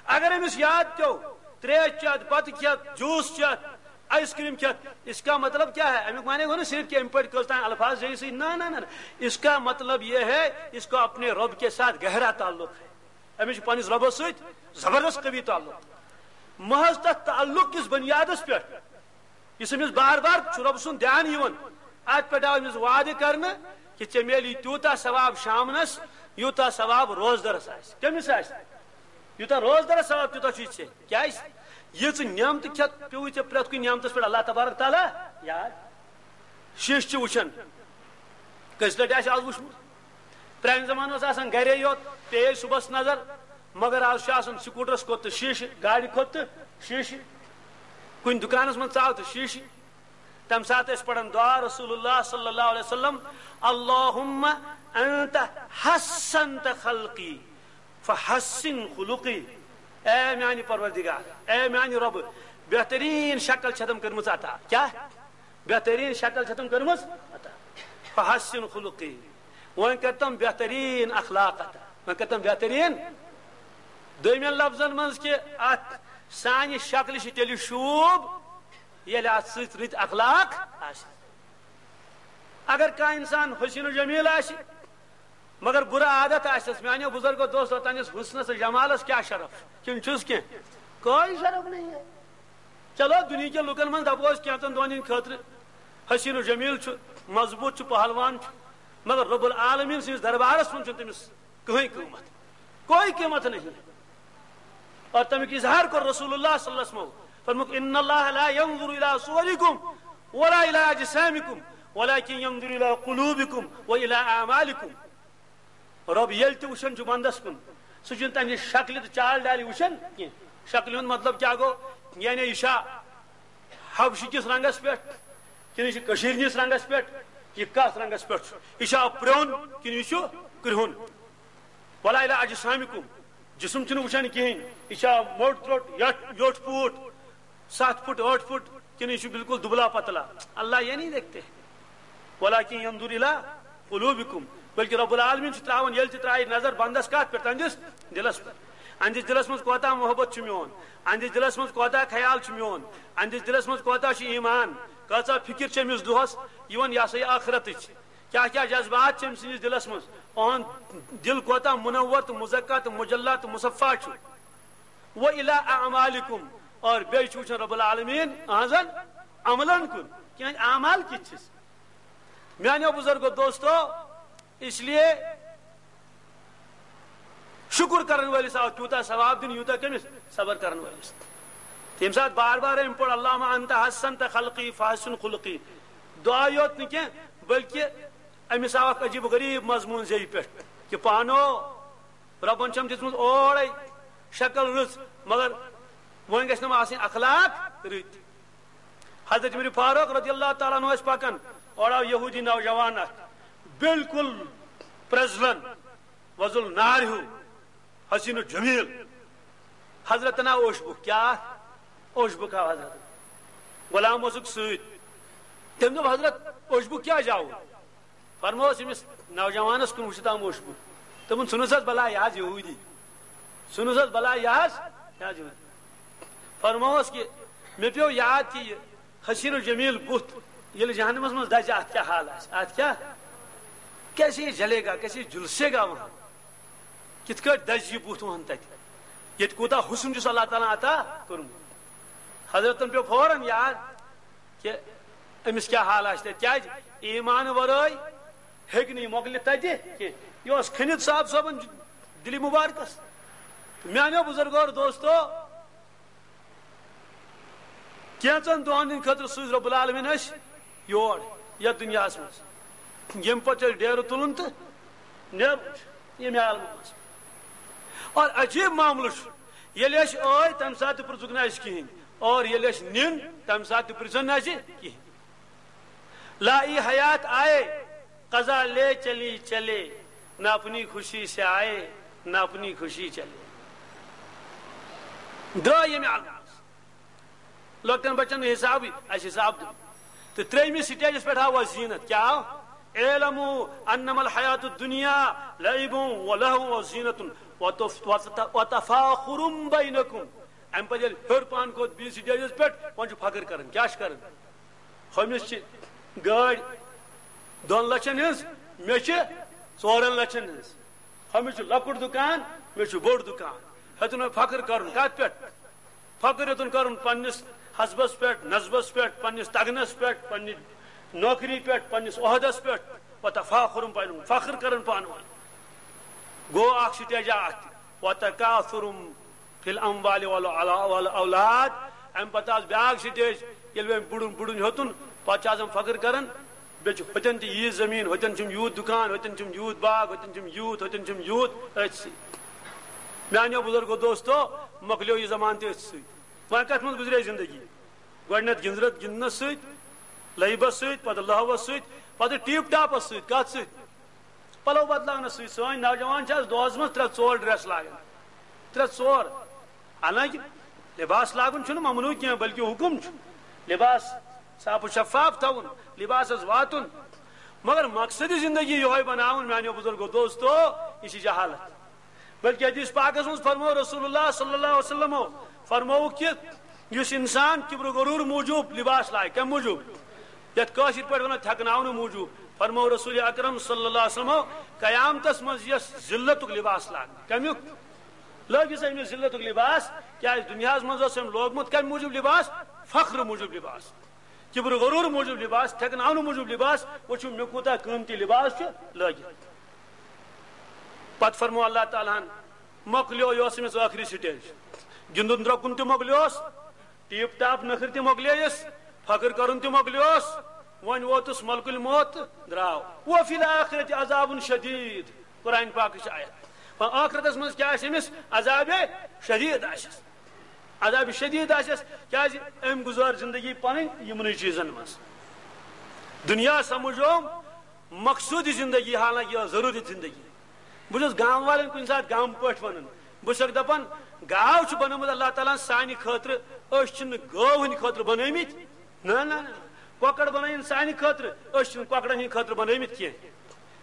اگر أمِس یاد پیوٚو، تریش چٮ۪تھ، بَتہٕ کھٮ۪تھ، جوٗس چٮ۪تھ، آئس کریم کھٮ۪تھ، اس کا مطلب کیا ہے؟ اَمیُک معنی گوٚو نہٕ صرف کہِ أمۍ پٲٹھۍ کٔژ تام الفاظ زیٖنۍ سۭتۍ۔ نہ، نہ، نہ، نہ۔ اس کا مطلب یہ ہے، اس کو اپنے رب کے ساتھ گہرا تعلق ہے۔ أمِس چھُ پننِس رۄبَس سۭتۍ زبردست قوی تعلق۔ محض تَتھ تعلق کِس بُنیادَس پٮ۪ٹھ، یُس أمِس بار بار چھُ رۄب سُنٛد دھیان یِوان، اَتھ پٮ۪ٹھ آو أمِس وعدٕ کرنہٕ کہِ ژےٚ میلی تیوٗتاہ ثواب شامنَس، یوٗتاہ ثواب روزدَرَس آسہِ۔ کٔمِس آسہِ؟ یوٗتاہ روزدَرَس ثواب، تیوٗتاہ چھُے ژےٚ۔ کیٛازِ؟ یہِ ژٕ نعمتہٕ کھٮ۪تھ پیوٚوُے ژےٚ پرٛٮ۪تھ کُنہِ نعمتَس پٮ۪ٹھ اللہ تبارک تعالیٰ یاد۔ شیٖشہٕ چھِ وٕچھان۔ کٔژِ لَٹہِ آسہِ آز وٕچھمُت؟ پرٛانہِ زمانہٕ اوس آسان گَرے یوت، پیٚیے صُبحَس نظر، مگر آز چھُ آسان سکوٗٹرَس کھوٚت تہٕ شیٖشہٕ، گاڑِ کھوٚت تہٕ شیٖشہٕ، کُنہِ دُکانَس منٛز ژاو تہٕ شیٖشہٕ۔ تَمہِ ساتہٕ ٲسۍ پَران دُعا رسول اللہ صلی اللہ علیہ وسلم، اللہم انت حسنت خلقی فحسن خلقی۔ اے میانہِ پروردگار، اے میانہِ رۄبہٕ، بہتریٖن شکل چھےٚ تٔمۍ کٔرمٕژ عطا۔ کیٛاہ؟ بہتریٖن شکل چھےٚ تٔمۍ کٔرمٕژ عطا۔ فحسن خلقی۔ وۄنۍ کر تٔمۍ بہتریٖن اخلاق عطا۔ وۄنۍ کر تٔمۍ بہتریٖن۔ دوٚیمٮ۪ن لفظن منٛز کہِ اتھ سانہِ شکلہِ چھِ تیٚلہِ شوٗب، ییٚلہِ اتھ سۭتۍ رٕتۍ اخلاق آسن۔ اگر کانٛہہ انسان حسین و جمیل آسہِ، مگر بُرٕ عادت آسٮ۪س، میانیو بزرگو دوستو، تہنٛدِس حسنس تہٕ جمالس کیٛاہ شرف چھُ؟ کِنہٕ چھُس کینٛہہ؟ کوئی شرف نہیں ہے۔ چلو، دُنیہکٮ۪ن لُکن منٛز دپو أسۍ کینٛژن دۄہن ہٕنٛدِ خٲطرٕ حسین و جمیل چھُ، مضبوط چھُ، پہلوان چھُ، مگر رب العالمین سٕنٛدِس دربارس منٛز چھُنہٕ تٔمِس کٕہٕنۍ قۭمتھ، کوئی قیمت نہیں۔ اور تمیُک اظہار کوٚر رسول اللہ صلی اللہ علیہ وسلم۔ فرمووُکھ، ان اللہ لا ينظر الى صوركم ولا الى اجسامكم ولكن ينظر الى قلوبكم والى اعمالكم۔ رب ییٚلہِ تہِ وٕچھان چھُ بندس کُن، سُہ چھُنہٕ تمہِ شکلہِ تہٕ چال ڈالہِ وٕچھان کینٛہہ۔ شکلہِ ہُنٛد مطلب کیٛاہ گوٚو؟ یعنی یہِ چھا حبشہِ کِس رنگس پٮ۪ٹھ، کِنہٕ یہِ چھُ کٔشیٖرِ ہِنٛدِس رنگس پٮ۪ٹھ؟ یہِ کتھ رنگس پٮ۪ٹھ چھُ؟ یہِ چھا پرٛون کِنہٕ یہِ چھُ کرٛہُن؟ ولا الی اجسامکم، جسم چھُنہٕ وٕچھان کِہیٖنۍ۔ یہِ چھا موٚٹ تروٚٹ، یٹھ، یوٚٹھ پوٗٹ، ستھ فُٹ، ٲٹھ فُٹ، کِنہٕ یہِ چھُ بالکل دُبلا پتلا؟ اللہ یہ نہیں دیکھتے۔ ولکن ينظر الى قلوبكم، بلکہ رب العالمین چھُ تراوان، ییٚلہِ تہِ ترایہِ نظر بندس کتھ پٮ۪ٹھ؟ تہنٛدِس دلس پٮ۪ٹھ۔ اہنٛدِس دلس منٛز کوتاہ محبت چھُ میون، اہنٛدِس دلس منٛز کوتاہ خیال چھُ میون، اہنٛدِس دلس منٛز کوتاہ چھُ ایمان، کۭژاہ فکر چھِ أمِس دۄہس یِوان، یہِ ہسا یہِ آخرتٕچ۔ کیٛاہ کیٛاہ جذبات چھِ أمۍ سٕنٛدِس دِلس منٛز؟ أہُنٛد دِل کوتاہ منور تہٕ مزکہ تہٕ مجلہ تہٕ مصفہ چھُ۔ و الی اعمالکم، اور بیٚیہِ چھُ وٕچھان رب العالمین أہنٛزن عملن کُن، کیٛاہ اعمال کِتھ چھِس؟ میانیو بزرگو دوستو، اس لیے شُکُر کرن وٲلِس آو تیوٗتاہ ثواب دِنہٕ، یوٗتاہ کٔمِس؟ صبر کرن وٲلِس۔ تَمہِ ساتہٕ بار بار أمۍ پوٚر، اللہم انت حسنت خلقی فحسن خلقی۔ دعا یوت نہٕ کینٛہہ، بلکہِ أمِس آو اکھ عجیب غریب مضموٗن زیٚوِ پٮ۪ٹھ کہِ پانو رۄبن چھم دِژمٕژ اورے شکل رٕژ، مگر وۄنۍ گژھِ نہٕ آسٕنۍ اخلاق رٕتۍ۔ حضرت عمر فاروق رضی اللہ تعالیٰ عنہ ٲسۍ پکان، اورٕ آو یہودی نوجوان اکھ، بالکل پرزلن، وزل نار ہیوٗ، حسین و جمیل۔ حضرتن آو اوشبُک، کیٛاہ اوشبُک آو حضرت؟ غلام اوسُکھ سۭتۍ۔ تٔمۍ دوٚپ، حضرت، اوشبُک کیٛازِ آوُ؟ فرمووُس أمِس نوجوانس کُن، وٕچھِتھ آو اوشبُک۔ دوٚپُن، ژھٕنُس حظ بلاے، یہِ حظ یہودی۔ ژھٕنُس حظ بلاے، یہِ حظ، یہِ حظ یہودی۔ فرمووُس کہِ مےٚ پیوٚو یاد کہِ یہِ حسین و جمیل بُتھ ییٚلہِ جہنمس منٛز دزِ، اتھ کیٛاہ حال آسہِ؟ اتھ کیٛاہ، کیسے جلے گا، کیسے جلسے گا وہاں؟ کِتھ کٲٹھۍ دزِ یہِ بُتھ وہن تتہِ، ییٚتہِ کوٗتاہ حُسن چھُس اللہ تعالیٰ ہن عطا کوٚرمُت؟ حضرتن پیوٚو فوراً یاد کہِ أمِس کیٛاہ حال آسہِ تتہِ، کیٛازِ ایمان ورٲے ہیٚکہِ نہٕ یہِ مۄکلِتھ تتہِ کینٛہہ۔ یہِ اوس کھٔنِتھ صاحب صٲبن دِلہِ مُبارکس۔ میانیو بُزرگو اور دوستو، کینٛژن دۄہن ہٕنٛدِ خٲطرٕ سوٗز رۄب العالمین أسۍ یور، یتھ دُنیاہس منٛز، ییٚمہِ پتہٕ چھُ اَسہِ ڈیرٕ تُلُن تہٕ نیرُن چھُ ییٚمہِ عالمہٕ منٛز۔ اور عجیب معاملہٕ چھُ، ییٚلہِ أسۍ ٲے، تمہِ ساتہٕ تہِ پرٛژھُکھ نہٕ اَسہِ کِہیٖنۍ، اور ییٚلہِ أسۍ نِن، تمہِ ساتہٕ تہِ پرٛژھن نہٕ اَسہِ کِہیٖنۍ۔ لا ای حیات آئے، قضا لے چلی چلے، نہ اپنی خوشی سے آئے، نہ اپنی خوشی چلے۔ درٛاے ییٚمہِ عالمہٕ منٛز۔ لۄکٹٮ۪ن بچن نہٕ حسابٕے، اَسہِ حساب دیُن۔ تہٕ ترٛیٚیمِس سٹیجس پٮ۪ٹھ آو اَسہِ زیٖنت۔ کیٛاہ آو؟ اعلموا انما الحیات الدنیا لعب و لہو و زینت و تف-، و تف-، و تفاخر بینکم۔ اَمہِ پتہٕ ییٚلہِ ہیوٚر پہن کھوٚت بیٚیِس سٹیجس پٮ۪ٹھ، وۄنۍ چھُ فخر کران۔ کیٛاہ چھُ کران؟ ہُمِس چھِ گٲڑۍ دۄن لچھن ہٕنٛز، مےٚ چھِ ژورن لچھن ہٕنٛز۔ ہُمِس چھُ لۄکُٹ دُکان، مےٚ چھُ بوٚڑ دُکان۔ ہیوٚتُن وۄنۍ فخر کرُن۔ کتھ پٮ۪ٹھ؟ فخر ہیوٚتُن کرُن پننِس حسبس پٮ۪ٹھ، نسبس پٮ۪ٹھ، پننِس تگنس پٮ۪ٹھ، پننہِ نوکری پٮ۪ٹھ، پننِس عہدس پٮ۪ٹھ۔ وتفاخر بینکم، فخر کران پانہٕ ؤنۍ۔ گوٚو اکھ سٹیجا اتھ تہِ۔ وتکاثر فی الاموال والاولاد۔ امہِ پتہٕ آس بیاکھ سٹیج، ییٚلہِ وۄنۍ بُڑُن بُڑُن ہیوٚتُن، پتہٕ چھِ آسان فخر کران، بیٚیہِ چھُ ہُتٮ۪ن تہِ ییٖژ زٔمیٖن، ہُتٮ۪ن چھُم یوٗت دُکان، ہُتٮ۪ن چھُم یوٗت باغ، ہُتٮ۪ن چھُم یوٗت، ہُتٮ۪ن چھُم یوٗت۔ أتھۍ سۭتۍ، میانیو بُزرگو دوستو، مۄکلیو یہِ زمانہٕ تہِ أتھۍ سۭتۍ۔ وۄنۍ کتھ منٛز گُزرے زندگی؟ گۄڈٕنٮ۪تھ گِنٛزرت گِنٛدنس سۭتۍ، لعبس سۭتۍ، پتہٕ لہوس سۭتۍ، پتہٕ ٹیپ ٹاپس سۭتۍ۔ کتھ سۭتۍ؟ پلو بدلاونس سۭتۍ۔ سٲنۍ نوجوان چھِ آز دۄہس منٛز ترٛےٚ ژور ڈریس لاگان، ترٛےٚ ژور۔ حالانکہ لباس لاگُن چھُنہٕ ممنوع کینٛہہ، بلکہ حکم چھُ لباس صاف و شفاف تھاوُن، لباسس واتُن۔ مگر مقصد زندگی یِہوے بناوُن، میانیو بزرگو دوستو، یہِ چھِ جہالت۔ بلکہ حدیث پاکس منٛز فرموو رسول اللہ صلی اللہ علیہ وسلمو، فرمووُکھ کہ یُس انسان کبر و غرور موٗجوٗب لباس لاگہِ، کمہِ موٗجوٗب؟ یتھ کٲشِر پٲٹھۍ ونو تھٮ۪کناونہٕ موٗجوٗب، فرموو رسول اکرم صلی اللہ علیہ وسلمو، قیامتس منٛز یِیَس ذلتُک لباس لاگنہٕ۔ کمیُک؟ لٲگِس أمِس ذلتُک لباس، کیازِ دُنیاہس منٛز اوس أمۍ لوگمُت کمہِ موٗجوٗب لباس؟ فخر موٗجوٗب لباس، کبر و غرور موٗجوٗب لباس، تھٮ۪کناونہٕ موٗجوٗب لباس۔ وٕچھِو مےٚ کوٗتاہ قۭمتی لباس چھُ لٲگِتھ۔ پتہٕ فرموو اللہ تعالیٰ ہن، مۄکلیو، یہِ اوس أمِس ٲخری سٹیج۔ گِنٛدُن درٛۄکُن تہِ مۄکلیوس، ٹیپ ٹاپ نٔخٕر تہِ مۄکلییس، فخر کرُن تہِ مۄکلیوس۔ وۄنۍ ووتُس ملک الموت، درٛاو۔ وفی الآخرۃ عذاب شدید، قرآن پاکٕچ آیت۔ وۄنۍ ٲخرتس منٛز کیٛاہ آسہِ أمِس؟ عذاب شدید آسٮ۪س، عذاب شدید آسٮ۪س۔ کیٛازِ؟ أمۍ گُزٲر زندگی پنٕنۍ یِمنٕے چیٖزن منٛز۔ دُنیا سمجھوم مقصوٗدی زندگی، حالانکہ یہِ ٲس ضروٗری زندگی۔ بہٕ چھُس گام والٮ۪ن کُنہِ ساتہٕ گامہٕ پٲٹھۍ ونان، بہٕ چھُسکھ دپان، گاو چھُ بنومُت اللہ تعالیٰ ہن سانہِ خٲطرٕ، أسۍ چھِنہٕ گٲو ہٕنٛدِ خٲطرٕ بنٲومٕتۍ۔ نہ، نہ، نہ، کۄکر بنٲوِن سانہِ خٲطرٕ، أسۍ چھِنہٕ کۄکرن ہٕنٛدِ خٲطرٕ بنٲومٕتۍ کینٛہہ۔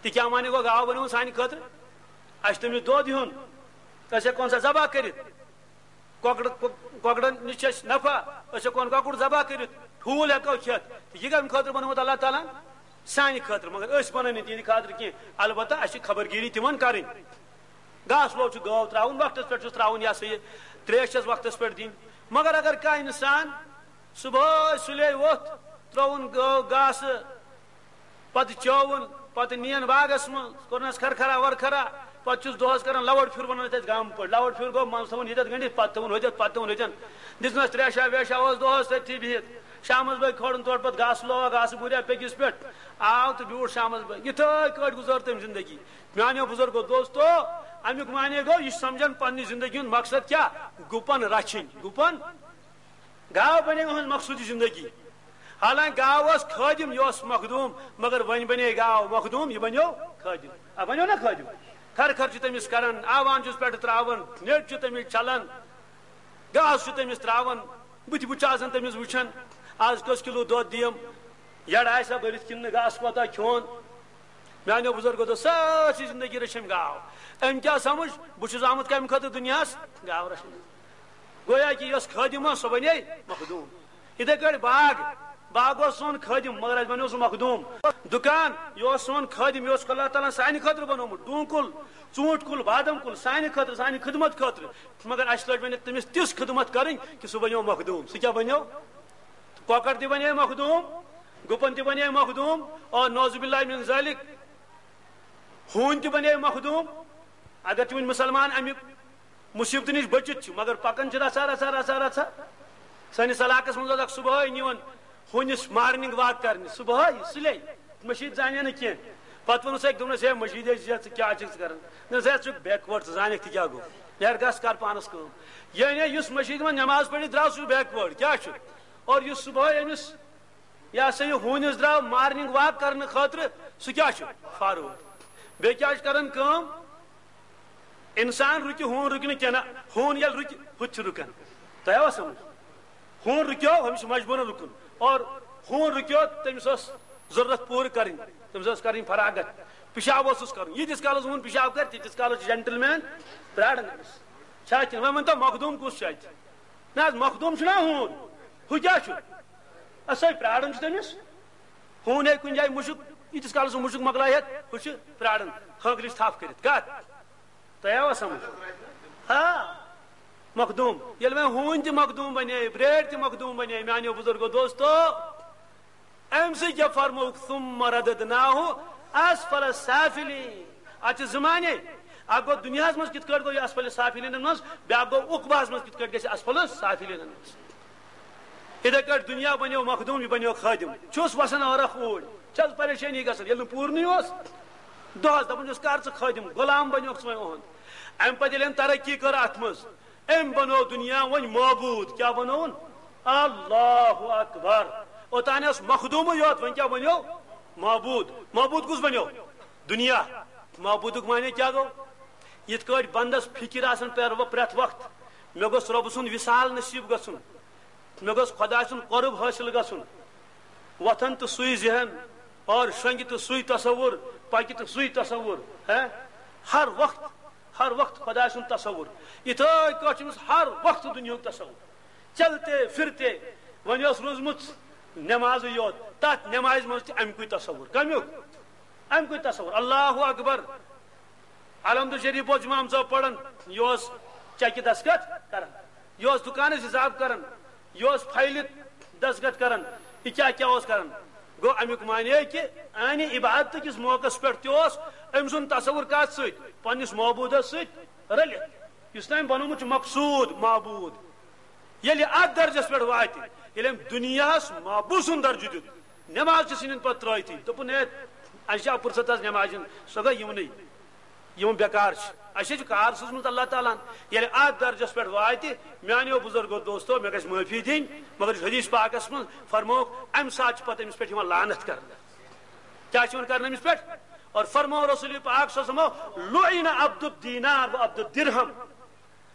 تہِ کیٛاہ معنی گوٚو، گاو بنٲوٕن سانہِ خٲطرٕ؟ اَسہِ چھُ تٔمِس دۄد ہیوٚن، أسۍ ہٮ۪کون سۄ ذبح کٔرِتھ۔ کۄکرٕ، کۄ-، کۄکرن نِش چھِ اَسہِ نفع، أسۍ ہٮ۪کون کۄکُر ذبح کٔرِتھ، ٹھوٗل ہٮ۪کو کھٮ۪تھ۔ تہٕ یہِ کَمہِ خٲطرٕ بنومُت اللہ تعالیٰ ہن؟ سانہِ خٲطرٕ، مگر أسۍ بنٲوۍ نہٕ تِہنٛدِ خٲطرٕ کینٛہہ۔ البتہ اَسہِ چھِ خبرگیٖری تِمن کرٕنۍ۔ گاسہٕ لوو چھُ گٲو ترٛاوُن، وقتس پٮ۪ٹھ چھُس ترٛاوُن، یہِ ہسا یہِ ترٛیش چھَس وقتس پٮ۪ٹھ دِنۍ۔ مگر اگر کانٛہہ انسان صبحٲے سُلے ووٚتھ، ترٛووُن گٲو گاسہٕ، پتہٕ چٲوُن، پتہٕ نِیَن باغس منٛز، کوٚرنَس کھرکھرا ورکھرا، پتہٕ چھُس دۄہس کران لوڈ پھیُر، وَنان أسۍ گامہٕ پٲٹھۍ، لوڈ پھیُر گوٚو، منٛزٕ تھاوُن ییٚتٮ۪تھ گٔنڈِتھ، پتہٕ تھاوُن ہُتٮ۪تھ، پتہٕ تھاوُن ہُتٮ۪ن۔ دِژنَس ترٛیشا ویشا، اوس دۄہس تٔتھی بِہِتھ۔ شامس بٲگۍ کھولُن تورٕ پتہٕ گاسہٕ لووا، گاسہٕ بوٗریا پیٚکِس پٮ۪ٹھ، آو تہٕ بیوٗٹھ شامس بٲگۍ۔ یِتھٲے کٲٹھۍ گُزٲر تٔمۍ زندگی۔ میانیو بزرگو دوستو، امیُک معنی گوٚو، یہِ چھُ سمجھان پننہِ زندگی ہُنٛد مقصد کیٛاہ؟ گُپن رچھِنۍ، گُپن۔ گاو بنے أہنٛز مقصوٗدی زندگی۔ حالانکہ گاو ٲس خٲدِم، یہِ اوس مخدوٗم، مگر وۄنۍ بنے گاو مخدوٗم، یہِ بنیو خٲدِم۔ آ، بنیو نا خٲدِم؟ کھر کھر چھُ تٔمِس کران، آوان چھُس پٮ۪ٹھٕ ترٛاوان، نیٚٹ چھُ تٔمِس چھلان، گاسہٕ چھُ تٔمِس ترٛاوان، بٕتھِ بُتھِ چھُ آسان تٔمِس وٕچھان، آز کٔژ کِلوٗ دۄد دِیم، یَڑ آسہِ ہا بٔرِتھ کِنہٕ نہٕ، گاسہٕ کوتاہ کھیوٚن۔ میانیو بُزرگو دوٚپ، سٲرسٕے زندگی رٔچھ أمۍ گاو۔ أمۍ کیٛاہ سمجھ؟ بہٕ چھُس آمُت کَمہِ خٲطرٕ دُنیاہَس؟ گاو رَچھنہِ۔ گویا کہِ یۄس خٲدِم ٲس، سۄ بنے مخدوٗم۔ یِتھَے کٲٹھۍ باغ، باغ اوس سون خٲدِم، مگر اَسہِ بنیو سُہ مخدوٗم۔ دُکان، یہِ اوس سون خٲدِم، یہِ اوس اللہ تعالیٰ ہَن سانہِ خٲطرٕ بنومُت۔ ڈوٗنۍ کُل، ژوٗنٛٹھۍ کُل، بادام کُل، سانہِ خٲطرٕ، سانہِ خدمت خٲطرٕ۔ مگر اَسہِ لٔج وۄنۍ تٔمِس تِژھ خدمت کَرٕنۍ کہِ سُہ بنیو مخدوٗم۔ سُہ کیٛاہ بنیو؟ کۄکر تہِ بنے مخدوٗم، گُپن تہِ بنے مخدوٗم، اور نعوذ باللہ من ذالک، ہوٗنۍ تہِ بنے مخدوٗم۔ اگر تہِ وۄنۍ مُسلمان اَمہِ مُصیبتہٕ نِش بٔچِتھ چھِ، مگر پکان چھِ رژھا، رژھا، رژھا، رژھا۔ سٲنِس علاقس منٛز اوس اکھ صبحٲے نِوان ہوٗنِس morning walk کرنہِ، صبحٲے، سُلے۔ مٔشیٖد زانہِ نہٕ کینٛہہ۔ پتہٕ ووٚنُس أکۍ، دوٚپنَس، "ہے، مٔشیٖد ہے چھِ ژٕ کیٛاہ چھُکھ ژٕ کران؟" دوٚپنَس، "ہے، ژٕ چھُکھ backward، ژٕ زانَکھ تہِ کیٛاہ گوٚو؟ یارٕ، گژھ کر پانَس کٲم۔" یعنی یُس مٔشیٖدِ منٛز نٮ۪ماز پٔرِتھ درٛاو، سُہ چھُ backward۔ کیٛاہ چھُ؟ اور یُس صُبحٲے أمِس، یہِ ہسا یہِ ہوٗنِس درٛاو morning walk کرنہٕ خٲطرٕ، سُہ کیٛاہ چھُ؟ Forward۔ بیٚیہِ کیٛاہ چھُ کران کٲم؟ انسان رُکہِ، ہوٗن رُکہِ نہٕ کینٛہہ، نہ، ہوٗن ییٚلہِ رُکہِ، ہُہ تہِ چھُ رُکان۔ تۄہہِ آوا سمجھ؟ ہوٗن رُکیو، ہُمِس چھُ مجبوٗرن رُکُن۔ اور ہوٗن رُکیو، تٔمِس ٲس ضروٗرت پوٗرٕ کرٕنۍ، تٔمِس ٲس کرٕنۍ فراغت، پِشاب اوسُس کرُن۔ ییٖتِس کالس ہوٗن پِشاب کرِ، تیٖتِس کالس چھُ جنٹلمین پراران أمِس۔ چھا کِنہٕ؟ وۄنۍ ؤنۍ تو، مخدوٗم کُس چھُ اتہِ؟ نہ حظ، مخدوٗم چھُنہ ہوٗن، ہُہ کیٛاہ چھُ؟ أسۍ ہے پراران چھِ تٔمِس۔ ہوٗن ہیٚکہِ کُنہِ جایہِ مُشُک، ییٖتِس کالس سُہ مُشُک مۄکلایہِ ہٮ۪تھ، ہُہ چھُ پراران، ہٲنٛکلِس تھپھ کٔرِتھ۔ کتھ؟ تۄہہِ آوا سمجھ؟ آ، مخدوٗم۔ ییٚلہِ وۄنۍ ہوٗنۍ تہِ مخدوٗم بنے، برٛیڈ تہِ مخدوٗم بنے، میانیو بُزرگو دوستو، امہِ سۭتۍ کیٛاہ فرمووُکھ؟ ثم رددناه اسفل سافلین۔ اتھ چھِ زٕ معنی۔ اکھ گوٚو دُنیاہس منٛز کِتھ کٲٹھۍ گوٚو یہِ اسفل سافلینن منٛز، بیٛاکھ گوٚو عقباہس منٛز کِتھ کٲٹھۍ گژھِ اسفل سافلینن منٛز۔ یِتھے کٲٹھۍ دُنیا بنیو مخدوٗم، یہِ بنیو خٲدِم۔ چھُس وسان ٲرکھ اوٗرۍ، چھَس پریشٲنی گژھان، ییٚلہِ نہٕ پوٗرنٕے اوس۔ دۄہس دپان چھُس، کر ژٕ خٲدِم، غلام بنیوکھ ژٕ وۄنۍ اُہُنٛد۔ امہِ پتہٕ ییٚلہِ أمۍ ترقی کٔر اتھ منٛز، أمۍ بنوو دُنیا وۄنۍ معبوٗد۔ کیٛاہ بنووُن؟ اللہ اکبر۔ اوٚتانۍ اوس مخدوٗمٕے یوت، وۄنۍ کیٛاہ بنیو؟ معبوٗد۔ معبوٗد کُس بنیو؟ دُنیا۔ معبوٗدُک معنی کیٛاہ گوٚو؟ یِتھ کٲٹھۍ بندس فکر آسان پرٛ-، پرٛٮ۪تھ وقتہٕ، مےٚ گوٚژھ رۄبہٕ سُنٛد وصال نصیٖب گژھُن، مےٚ گوٚژھ خۄداے سُنٛد قۄرب حٲصِل گژھُن۔ وۄتھان تہٕ سُے ذہن، اور شۄنٛگہِ تہٕ سُے تصوُر، پکہِ تہٕ سُے تصوُر۔ ہے، ہر وقت، ہر وقت خۄداے سُنٛد تصوُر۔ یِتھے کٲٹھۍ چھُ أمِس ہر وقت دُنیاہُک تصوُر۔ چلتے پھرتے وۄنۍ ٲس روٗزمٕژ نٮ۪مازٕے یوت، تتھ نٮ۪مازِ منٛز تہِ اَمہِ کُے تصوُر۔ کمیُک؟ اَمہِ کُے تصوُر۔ اللہ اکبر۔ الحمد شریف اوس امام صٲب پران، یہِ اوس چیکہِ دستخط کران، یہِ اوس دُکانس حساب کران، یہِ اوس فایلہِ دستخط کران، یہِ کیٛاہ کیٛاہ اوس کران؟ گوٚو امیُک معنی کہِ انہِ عبادت کِس موقعس پٮ۪ٹھ تہِ اوس أمۍ سُنٛد تصوُر کتھ سۭتۍ؟ پننِس معبوٗدس سۭتۍ رٔلِتھ، یُس تٔمۍ بنوومُت چھُ مقصوٗد، معبوٗد۔ ییٚلہِ اتھ درجس پٮ۪ٹھ واتہِ، ییٚلہِ أمۍ دُنیاہس معبوٗد سُنٛد درجہٕ دیُت، نٮ۪ماز تہِ ژھٕنِن پتہٕ ترٲوتھٕے۔ دوٚپُن، ہے، اَسہِ چھِ اپُرصت آز نٮ۪مازِ ہُنٛد، سۄ گٔے یِمنٕے، یِم بیکار چھِ۔ اَسہِ چھِ کار سوٗزمُت اللہ تعالیٰ ہن۔ ییٚلہِ اتھ درجس پٮ۪ٹھ واتہِ، میانیو بُزرگو دوستو، مےٚ گژھِ معٲفی دِنۍ، مگر یہِ چھُ حدیث پاکس منٛز فرمووُکھ، امہِ ساتہٕ چھِ پتہٕ أمِس پٮ۪ٹھ یِوان لعنت کرنہٕ۔ کیٛاہ چھِ یِوان کرنہٕ أمِس پٮ۪ٹھ؟ اور فرموو رسول پاک صلی اللہ علیہ وسلم، لعن عبد الدینار و عبد الدرہم۔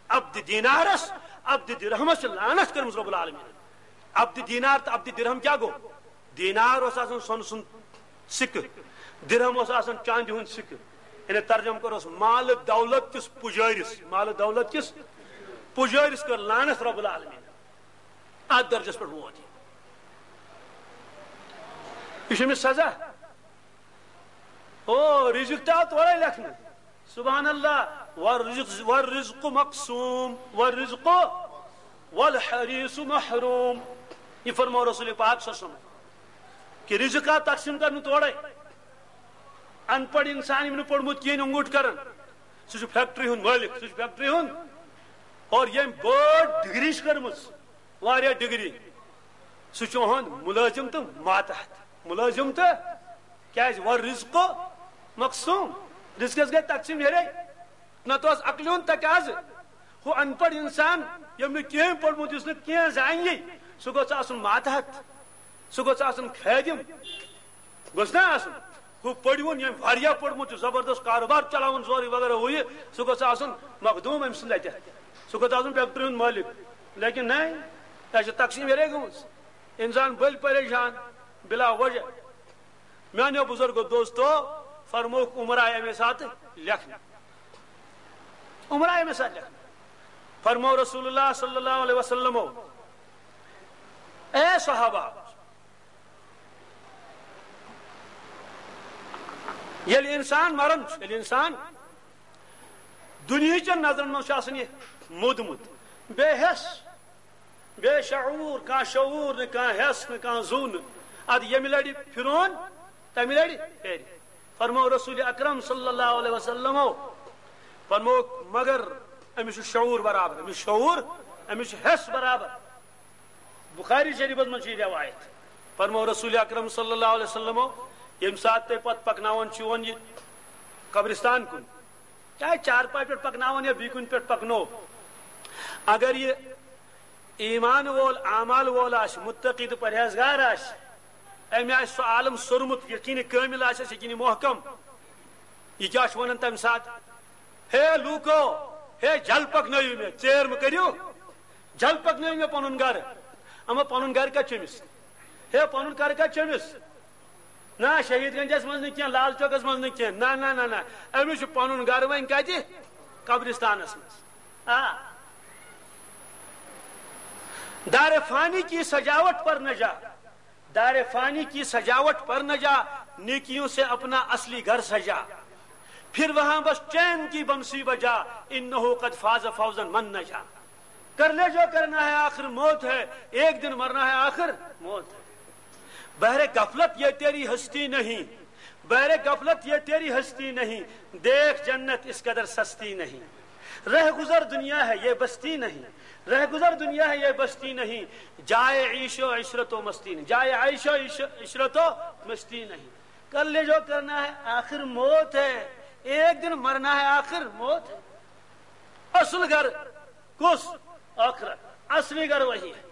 عبد دینارس، عبد درہمس چھِ لعنت کٔرمٕژ رب العالمین۔ عبد دینار تہٕ عبد درہم کیٛاہ گوٚو؟ دینار اوس آسان سۄنہٕ سُنٛد سِکہٕ، درہم اوس آسان چاندِ ہُنٛد سِکہٕ۔ یعنی ترجمہٕ کوٚرُس، مال دولت کِس پُجٲرِس، مال دولت کِس پُجٲرِس کٔر لعنت رب العالمین۔ اتھ درجس پٮ۪ٹھ ووت یہِ۔ یہِ چھُ أمِس سزا۔ او، رزق تہِ آو تورے لیکھنہٕ۔ سبحان اللہ۔ والرزق، والرزق مقسوم، والرزق والحریص محروم۔ یہِ فرموو رسول پاک صلی اللہ علیہ وسلم کہ رزق آو تقسیم کرنہٕ تورے۔ ان پڑھ انسان، ییٚمۍ نہٕ پوٚرمُت کِہیٖنۍ، انگوٗٹھ کران، سُہ چھُ فیکٹری ہُنٛد مٲلِک، سُہ چھُ فیکٹری ہُنٛد، اور ییٚمۍ بٔڑ ڈگری چھِ کٔرمٕژ، واریاہ ڈگری، سُہ چھُ یِہُنٛد مُلٲزِم تہٕ ماتحت۔ مُلٲزِم تہٕ کیٛازِ؟ والرزق مقسوم، رزقس گٔے تقسیٖم یِہے۔ نتہٕ اوس عقلہِ ہُنٛد تقاضہٕ، ہُہ ان پڑھ انسان، ییٚمۍ نہٕ کینٛہہ پوٚرمُت، یُس نہٕ کینٛہہ زانہِ، سُہ گوٚژھ آسُن ماتحت، سُہ گوٚژھ آسُن خٲدِم، گوٚژھ نا آسُن؟ ہُہ پٔرۍوُن، ییٚمۍ واریاہ پوٚرمُت چھُ، زبردست کاروبار چلاوان، سورُے وغیرہ ہُہ یہِ، سُہ گوٚژھ آسُن مخدوٗم أمۍ سُنٛد اَتٮ۪تھ۔ سُہ گوٚژھ آسُن فیکٹری ہُنٛد مٲلِک۔ لیکن نہ، یہِ چھِ تقسیٖم یِہے گٔمٕژ۔ اِنسان بٔلۍ پریشان بلا وجہ۔ میٛانیو بُزرگو دوستو، فرمووُکھ، عمر آے اَمے ساتہٕ لیکھنہٕ۔ عمر آے اَمے ساتہٕ لیکھنہٕ۔ فرموو رسول اللہ صلی اللہ علیہ وسلمو، اے صحابہ، ییٚلہِ اِنسان مران چھُ، ییٚلہِ اِنسان دُنیہٕچٮ۪ن نظرن منٛز چھُ آسان یہِ موٗدمُت، بے حٮ۪س، بے شعوٗر، کانٛہہ شعوٗر نہٕ، کانٛہہ حٮ۪س نہٕ، کانٛہہ زُو نہٕ، اَدٕ ییٚمہِ لَٹہِ پھِرون، تَمہِ لَٹہِ پھِرِ۔ فرموو رسول اکرم صلی اللہ علیہ وسلمو فرموو، مگر أمِس چھُ شعوٗر برابر، أمِس چھُ شعوٗر، أمِس چھُ حٮ۪س برابر۔ بخاری شریفس منٛز چھِ یہِ روایت۔ فرموو رسول اکرم صلی اللہ علیہ وسلمو، ییٚمہِ ساتہٕ تُہۍ پتہٕ پکناوان چھِون یہِ قبرستان کُن، چاہے چارپاے پٮ۪ٹھ پکناوان یا بیٚیہِ کُنہِ پٮ۪ٹھ پکنو، اگر یہِ ایمان وول، اعمال وول آسہِ، متقی تہٕ پرہیزگار آسہِ، أمۍ آسہِ سُہ عالم سوٚرمُت، یقین کٲمل آسٮ۪س، یقین محکم، یہِ کیٛاہ چھُ وَنان تَمہِ ساتہٕ؟ ہے لوٗکو، ہے جل پَکنٲیِو مےٚ، ژیر مہٕ کٔرِو، جل پَکنٲیِو مےٚ پَنُن گَرٕ۔ اَما پَنُن گَرٕ کَتہِ چھُ أمِس؟ ہے پَنُن گَرٕ کَتہِ چھُ أمِس؟ نہ، شہید گنجس منٛز نہٕ کینٛہہ، لال چوکس منٛز نہٕ کینٛہہ، نہ نہ نہ نہ، أمِس چھُ پَنُن گَرٕ وۄنۍ کَتہِ؟ قبرستانَس منٛز۔ آ۔ دار فانی کی سجاوٹ پر نہ جا، دار فانی کی سجاوٹ پر نہ جا، نیکیوں سے اپنا اصلی گھر سجا۔ پھر وہاں بس چین کی بنسی بجا، انہ قد فاز فوزا من نجا۔ کر لے جو کرنا ہے، آخر موت ہے، ایک دن مرنا ہے، آخر موت ہے۔ بہر غفلت یہ تیری ہستی نہیں، بہر غفلت یہ تیری ہستی نہیں، دیکھ جنت اس قدر سستی نہیں۔ رہ گزر دنیا ہے یہ بستی نہیں، رہ گزر دنیا ہے یہ بستی نہیں، جائے عیش و عشرت و مستی نہیں، جائے عیش و عش-، عشرت و مستی نہیں۔ کر لے جو کرنا ہے، آخر موت ہے، ایک دن مرنا ہے، آخر موت ہے۔ اصل گھر کُس؟ ٲخرت۔ اصلی گھر وہی ہے۔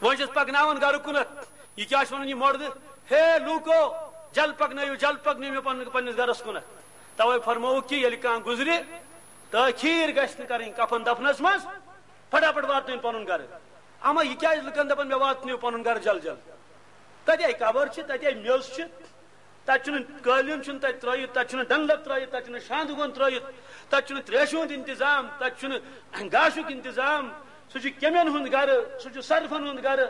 وۄنۍ چھِس پکناوان گرٕ کُنتھ۔ یہِ کیٛاہ چھُ وَنان یہِ مۄردٕ؟ ہے لوٗکو، جل پکنٲیِو، جل پکنٲیِو مےٚ پنُن، پننِس گرس کُنتھ۔ توے فرمووُکھ کہِ ییٚلہِ کانٛہہ گُزرِ، تٲخیٖر گژھِ نہٕ کَرٕنۍ کفن دفنس منٛز، پھٹافٹ واتنٲیِن پنُن گرٕ۔ اما یہِ کیٛازِ لُکن دپان مےٚ واتنٲیِو پنُن گرٕ جل جل؟ تتے قبر چھِ، تتے میٚژ چھِ، تتہِ چھُنہٕ قٲلیٖن چھُنہٕ تتہِ ترٲیِتھ، تتہِ چھُنہٕ ڈنلپ ترٲیِتھ، تتہِ چھُنہٕ شاندٕ گۄن ترٲیِتھ، تتہِ چھُنہٕ تریشہِ ہُنٛد انتظام، تتہِ چھُنہٕ گاشُک انتظام۔ سُہ چھُ کیٚمٮ۪ن ہُنٛد گرٕ، سُہ چھُ صرفن ہُنٛد گرٕ،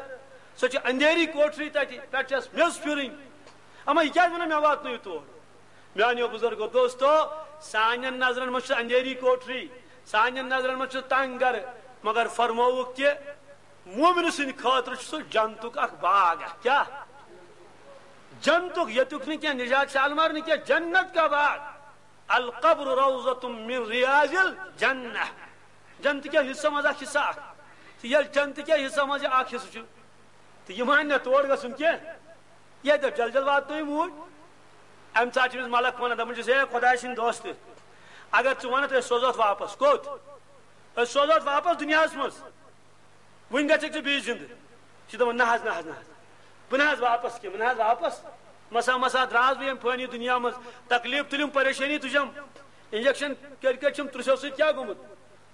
سۄ چھِ اندھیری کوٹھری، تتہِ پٮ۪ٹھ چھس میٚژ پھِرٕنۍ۔ اما یہِ کیٛازِ ونان مےٚ واتنٲیِو تور؟ میانیو بزرگو دوستو، سانٮ۪ن نظرن منٛز چھُ اندھیری کوٹھری، سانٮ۪ن نظرن منٛز چھُ تنگ گرٕ، مگر فرمووُکھ کہِ مومن سٕنٛدِ خٲطرٕ چھُ سُہ جنتُک اکھ باغ۔ اکھ کیٛاہ؟ جنتُک، ییٚتیُک نہٕ کینٛہہ، نجات شالمار نہٕ کینٛہہ، جنت کا باغ۔ القبر روضۃ من ریاض الجنہ۔ جنتہٕ کٮ۪و حصو منٛز اکھ حصہٕ اکھ۔ تہٕ ییٚلہِ جنتہٕ کٮ۪و حصو منٛز یہِ اکھ حصہٕ چھُ، تہٕ یہِ مانہِ نہ تور گژھُن کینٛہہ، یہِ دَپہِ جل جل واتنٲیِو اوٗرۍ۔ اَمہِ ساتہٕ چھِ أمِس ملک وَنان، دَپان چھِس، "ہے خۄداے سٕنٛدۍ دوستہٕ، اگر ژٕ وَنَتھ أسۍ سوزوتھ واپس، کوٚت؟ أسۍ سوزوتھ واپس دُنیاہَس منٛز۔" وُنہِ گژھکھ ژٕ بیٚیہِ زِندٕ۔ یہِ چھُ دَپان، "نہ حظ، نہ حظ، نہ حظ، بہٕ نہ حظ واپس کینٛہہ، بہٕ نہ حظ واپس۔ مسا مسا درٛاس بہٕ ییٚمہِ فٲنی دُنیا منٛز، تکلیٖف تُلِم، پریشٲنی تُجم، انجیکشن کٔرۍ کٔرۍ چھُم ترٛژھو سۭتۍ کیٛاہ گوٚمُت؟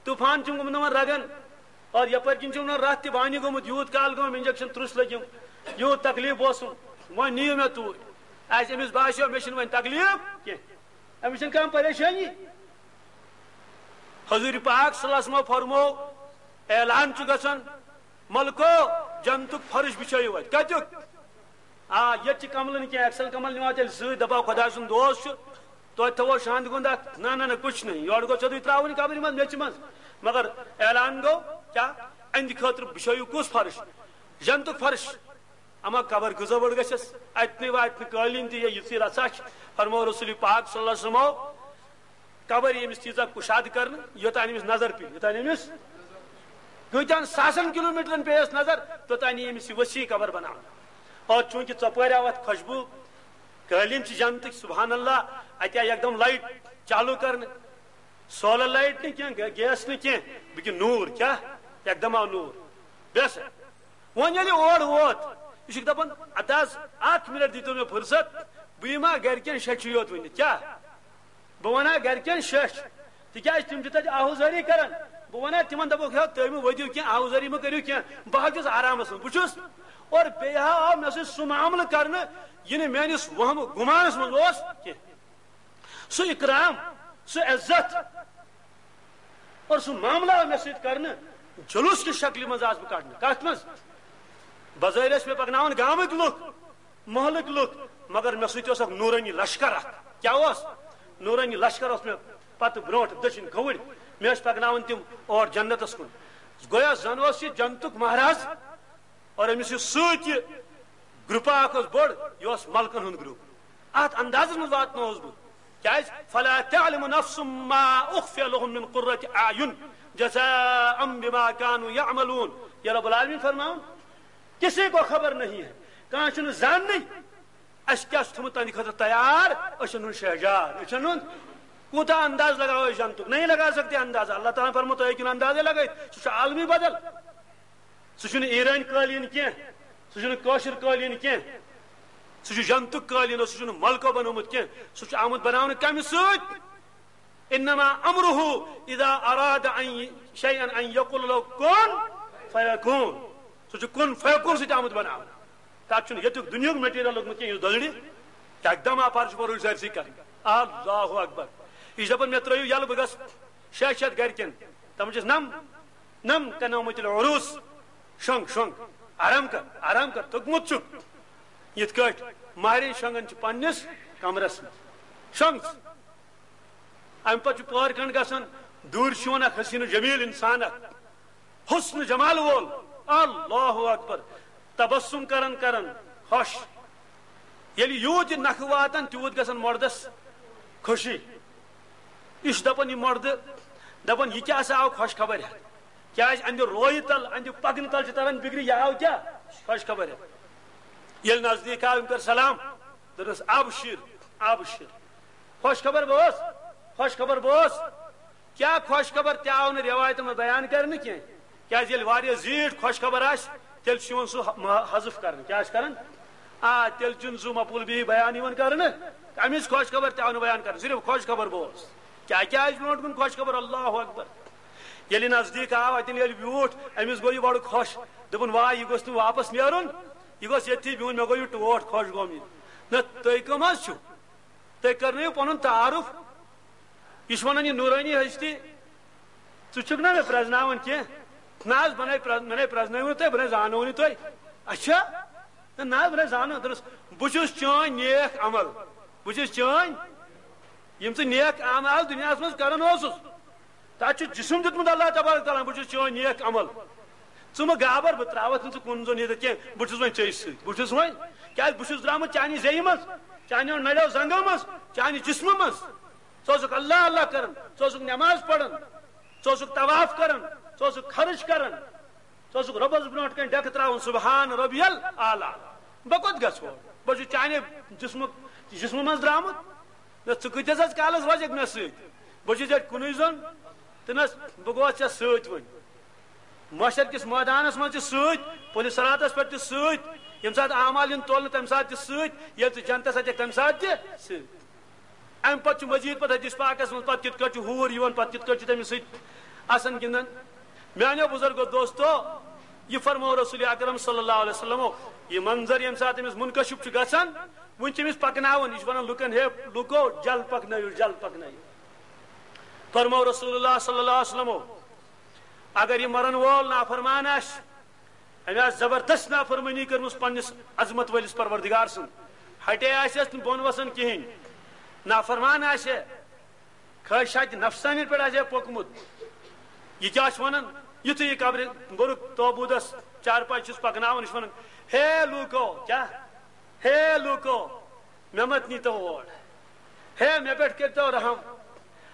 طوفان چھُم گوٚمُت یِمن رگن، اور یپٲرۍ کِنۍ چھُم یِمن رتھ تہِ بانہِ گوٚمُت، یوٗت کال گوٚوم انجیکشن ترٛژھ لٔگِم، یوٗت تکلیٖف اوسُم، وۄنۍ نِیِو مےٚ توٗرۍ۔" آسہِ أمِس باسیو، مےٚ چھُنہٕ وۄنۍ تکلیٖف کینٛہہ، أمِس چھَنہٕ کانٛہہ پریشٲنی۔ حضور پاک صلی اللہ علیہ وسلم فرمو، اعلان چھُ گژھان، "ملکو، جنتُک فرش بچھٲیِو اَتہِ۔" کَتیُک؟ آ، ییٚتہِ چھِ کملہٕ نہٕ کینٛہہ، ایکسل کمل نِوان تیٚلہِ سۭتۍ، دَپان خۄداے سُنٛد دوست چھُ، توتہِ تھاوو شاندِ گُنٛد اَتھ۔ نہ، نہ، نہ، کچھ نہیں، یورٕ گوٚو سیوٚدُے ترٛاوُن قبرِ منٛز، میٚژِ منٛز۔ مگر اعلان گوٚو، کیٛاہ؟ اَہنٛدِ خٲطرٕ بچھٲیِو کُس فرش؟ جنتُک فرش۔ اما قبر کۭژاہ بٔڑ گژھٮ۪س؟ اتنٕے واتہِ نہٕ قٲلیٖن تہِ، یا یُتھُے رژھا چھِ۔ فرموو رسول پاک صلی اللہ علیہ وسلمو، قبر ییٚمِس تیٖژاہ کُشاد کرنہٕ، یوٚتام أمِس نظر پیٚیہِ، یوٚتام أمِس کۭتیٛاہن ساسن کلوٗمیٹرن پیٚیس نظر، توٚتام یی أمِس یہِ ؤسیع قبر بناونہٕ۔ اور چوٗنٛکہِ ژۄپٲرۍ آو اتھ خوشبوٗ، قٲلیٖن چھِ جنتٕکۍ، سبحان اللہ، اتہِ آیہِ یکدم لایٹ چالوٗ کرنہٕ، سولر لایٹ نہٕ کینٛہہ، گے-، گیس نہٕ کینٛہہ، بلکہِ نوٗر، کیٛاہ؟ یکدم آو نوٗر۔ بیٚیہِ ہسا وۄنۍ ییٚلہِ اور ووت، یہِ چھُکھ دَپان، "اَدٕ حظ، اَکھ مِنٹ دیٖتو مےٚ فُرصت، بہٕ یِمہٕ ہا گَرِکٮ۪ن شیٚچھِ یوت ؤنِتھ۔" کیٛاہ؟ بہٕ وَنہٕ ہا گَرِکٮ۪ن شیٚچھ، تِکیٛازِ تِم چھِ تَتہِ آہوزٲری کَران۔ بہٕ وَنہٕ ہا تِمَن، دَپَکھ، "ہے، تُہۍ مہٕ ؤدِو کینٛہہ، آہوزٲری مہٕ کٔرِو کینٛہہ، بہٕ ہا چھُس آرامَس منٛز، بہٕ چھُس۔" اور بیٚیہِ ہا آو مےٚ سۭتۍ سُہ معاملہٕ کَرنہٕ، یہِ نہٕ میٛٲنِس وَہمہٕ گُمانَس منٛز اوس کینٛہہ۔ سُہ اکرام، سُہ عزت اور سُہ معاملہ آو مےٚ سۭتۍ کرنہٕ، جلوس کہِ شکلہِ منٛز آس بہٕ کڑنہٕ۔ کتھ منٛز؟ بظٲہر ٲسۍ مےٚ پکناوان گامٕکۍ لُکھ، محلٕکۍ لُکھ، مگر مےٚ سۭتۍ اوس اکھ نورانی لشکر اکھ۔ کیٛاہ اوس؟ نورانی لشکر اوس مےٚ پتہٕ برونٛٹھ دٔچھِنۍ کھووٕرۍ۔ مےٚ ٲسۍ پکناوان تِم اور جنتس کُن۔ گویا زن اوس یہِ جنتُک مہراز۔ اور أمِس یُس سۭتۍ یہِ گروپا اکھ اوس بوٚڑ، یہِ اوس ملکن ہُنٛد گروپ۔ اتھ اندازس منٛز واتنووس بہٕ۔ کیازِ؟ "فلا تعلم نفس ما اخفی لهم من قرة اعین جزاء بما كانوا يعملون۔" یہ رب العالمین فرماوان، کسی کو خبر نہیں ہے، کانٛہہ چھُنہٕ زاننٕے، اسہِ کیٛاہ چھُ تھوٚمُت تہنٛدِ خٲطرٕ تیار، أچھن ہُنٛد شہجار، أچھن ہُنٛد۔ کوٗتاہ انداز لگاوو أسۍ جنتُک؟ نہیں لگا سکتے اندازہ۔ اللہ تعالیٰ فرموو، تُہۍ ہیٚکِو نہٕ اندازے لگٲیِتھ، سُہ چھُ عالمی بدل۔ سُہ چھُنہٕ ایرٲنۍ قٲلیٖن کینٛہہ، سُہ چھُنہٕ کٲشُر قٲلیٖن کینٛہہ۔ سُہ چھُ جنتُک قٲلیٖن، سُہ چھُنہٕ ملکو بنومُت کینٛہہ، سُہ چھُ آمُت بناونہٕ کمہِ سۭتۍ؟ انما امره اذا اراد ان شیئا ان یقول له کن فیکون۔ سُہ چھُ کن فیکون سۭتۍ آمُت بناونہٕ۔ تتھ چھُنہٕ ییٚتیُک دُنیہُک material لوٚگمُت کینٛہہ، یُس دۄدرِ۔ یکدم آ فرش بروش سٲرسٕے کرٕنۍ۔ اللہ اکبر۔ یہِ چھُ دپان، مےٚ ترٲیِو یلہٕ، بہٕ گژھٕ شیٚے شیٚتھ گرِکٮ۪ن۔ تِمن چھِس نم، نم کنومت العروس۔ شۄنٛگ، شۄنٛگ، آرام کر، آرام کر، توٚگمُت چھُکھ۔ یِتھ کٲٹھۍ مہرِنۍ شۄنٛگان چھِ پننِس کمرس منٛز۔ شۄنٛگ ژٕ۔ امہِ پتہٕ چھُ پٲر کھنٛڈ گژھان، دوٗرِ چھُ یِوان اکھ حسین و جمیل انسان، اکھ حسن جمال وول۔ اللہ اکبر۔ تبسم کران کران خۄش۔ ییٚلہِ یوٗت یہِ نکھٕ واتان، تیوٗت گژھان مردس خوشی۔ یہِ چھُ دپان، یہِ مردٕ دپان، یہِ کیٛاہ سا آو خۄش خبر ہٮ۪تھ؟ کیٛازِ اندِ رویہِ تل، اندِ پکنہٕ تل چھِ تران بِگرِ، یہِ آو کیٛاہ؟ خۄش خبر ہٮ۪تھ۔ ییٚلہِ نزدیٖک آو، أمۍ کٔر سلام، دوٚپنس، ابشر، ابشر، خۄش خبر بوز، خۄش خبر بوز۔ کیٛاہ خۄش خبر تہِ آو نہٕ رٮ۪وایتن منٛز بیان کرنہٕ کینٛہہ، کیٛازِ ییٚلہِ واریاہ زیٖٹھ خۄش خبر آسہِ، تیٚلہِ چھُ یِوان سُہ م-، حذف کرنہٕ۔ کیٛاہ چھُ کران؟ آ، تیٚلہِ چھُنہٕ سُہ مفعول بِہی بیان یِوان کرنہٕ، اَمِچ خۄش خبر تہِ آو نہٕ بیان کرنہٕ، صرف خۄش خبر بوز۔ کیٛاہ، کیٛازِ برونٛٹھ کُن خۄش خبر؟ اللہ اکبر۔ ییٚلہِ نزدیٖک آو، اَتٮ۪ن ییٚلہِ بیوٗٹھ، أمِس گوٚو یہِ بڑٕ خۄش، دوٚپُن، واے، یہِ گوٚژھ نہٕ واپس نیرُن، یہِ گوٚژھ ییٚتھی بِہُن، مےٚ گوٚو یہِ ٹوٹھ خۄش گوٚم یہِ۔ نہ، تُہۍ کٕم حظ چھِو؟ تُہۍ کرنٲیِو پنُن تعارُف۔ یہِ چھُ ونان، یہِ نورانی ہستی، ژٕ چھُکھ نا مےٚ پرزناوان کینٛہہ؟ نہ حظ، بہٕ نے پرز-، مےٚ نے پرزنٲوِو نہٕ تُہۍ، بہٕ نے زانو نہٕ تُہۍ۔ اچھا؟ نہ، نہ حظ، بہٕ نے زانو۔ دوٚپُس، بہٕ چھُس چٲنۍ نیک عمل، بہٕ چھُس چٲنۍ، یِم ژٕ نیک اعمال دُنیاہس منٛز کران اوسُس، تتھ چھُ جسم دیُتمُت اللہ تبارک تعالیٰ ہن، بہٕ چھُس چٲنۍ نیک عمل۔ ژٕ مہٕ گابر، بہٕ ترٛاوَتھ نہٕ ژٕ کُن زوٚن ییٚتٮ۪تھ کینٛہہ، بہٕ چھُس وۄنۍ ژےٚ سۭتۍ، بہٕ چھُس وۄنۍ، کیٛازِ بہٕ چھُس درٛامُت چانہِ زیٚیہِ منٛز، چانیو نرٮ۪و زنٛگو منٛز، چانہِ جسمہٕ منٛز۔ ژٕ اوسُکھ اللہ اللہ کران، ژٕ اوسُکھ نماز پران، ژٕ اوسُکھ طواف کران، ژٕ اوسُکھ خرٕچ کران، ژٕ اوسُکھ رۄبس برونٛٹھ کنہِ ڈٮ۪کہٕ ترٛاوان، سبحان ربی الاعلیٰ۔ بہٕ کوٚت گژھٕ ہور؟ بہٕ چھُس چانہِ جسمہٕ، جسمہٕ منٛز درٛامُت۔ نہ، ژٕ کۭتِس حظ کالس روزکھ مےٚ سۭتۍ؟ بہٕ چھُس ییٚتہِ کُنُے زوٚن۔ تہٕ نہ، بہٕ گوس ژےٚ سۭتۍ وۄنۍ۔ محشر کِس مٲدانس منٛز تہِ سۭتۍ، پُلہِ صراطس پٮ۪ٹھ تہِ سۭتۍ، ییٚمہِ ساتہٕ اعمال یِن تولنہٕ، تَمہِ ساتہٕ تہِ سۭتۍ، ییٚلہِ ژٕ جنتس اژکھ، تَمہِ ساتہٕ تہِ سۭتۍ۔ امہِ پتہٕ چھُ مزید پتہٕ حدیث پاکس منٛز، پتہٕ کِتھ کٲٹھۍ چھُ ہوٗر یِوان، پتہٕ کِتھ کٲٹھۍ چھُ تٔمِس سۭتۍ آسان گِنٛدان۔ میانیو بزرگو دوستو، یہِ فرموو رسول اکرم صلی اللہ علیہ وسلمو، یہِ منظر ییٚمہِ ساتہٕ أمِس منکشف چھُ گژھان، وُنہِ چھِ أمِس پکناوان، یہِ چھُ ونان لُکن، ہے لُکو، جل پکنٲیِو، جل پکنٲیِو۔ فرموو رسول اللہ صلی اللہ علیہ وسلمو، اگر یہِ مرن وول نافرمان آسہِ، أمۍ آسہِ زبردست نافرمٲنی کٔرمٕژ پننِس عظمت وٲلِس پروردگار سُنٛد، ہٹے آسٮ۪س نہٕ بۄن وسان کِہیٖنۍ، نافرمان آسہِ، خٲہِشاتِ نفسانیت پٮ۪ٹھ آسہِ پوٚکمُت۔ یہِ کیٛاہ چھُ وَنان؟ یُتھُے یہِ قبرِ بُرُک تابوٗتَس چارپاے چھُس پَکناوان، یہِ چھُ وَنان، ہے لوٗکو، کیٛاہ؟ ہے لوٗکو، مےٚ مت نیٖتو اور۔ ہے، مےٚ پٮ۪ٹھ کٔرۍتو رحم۔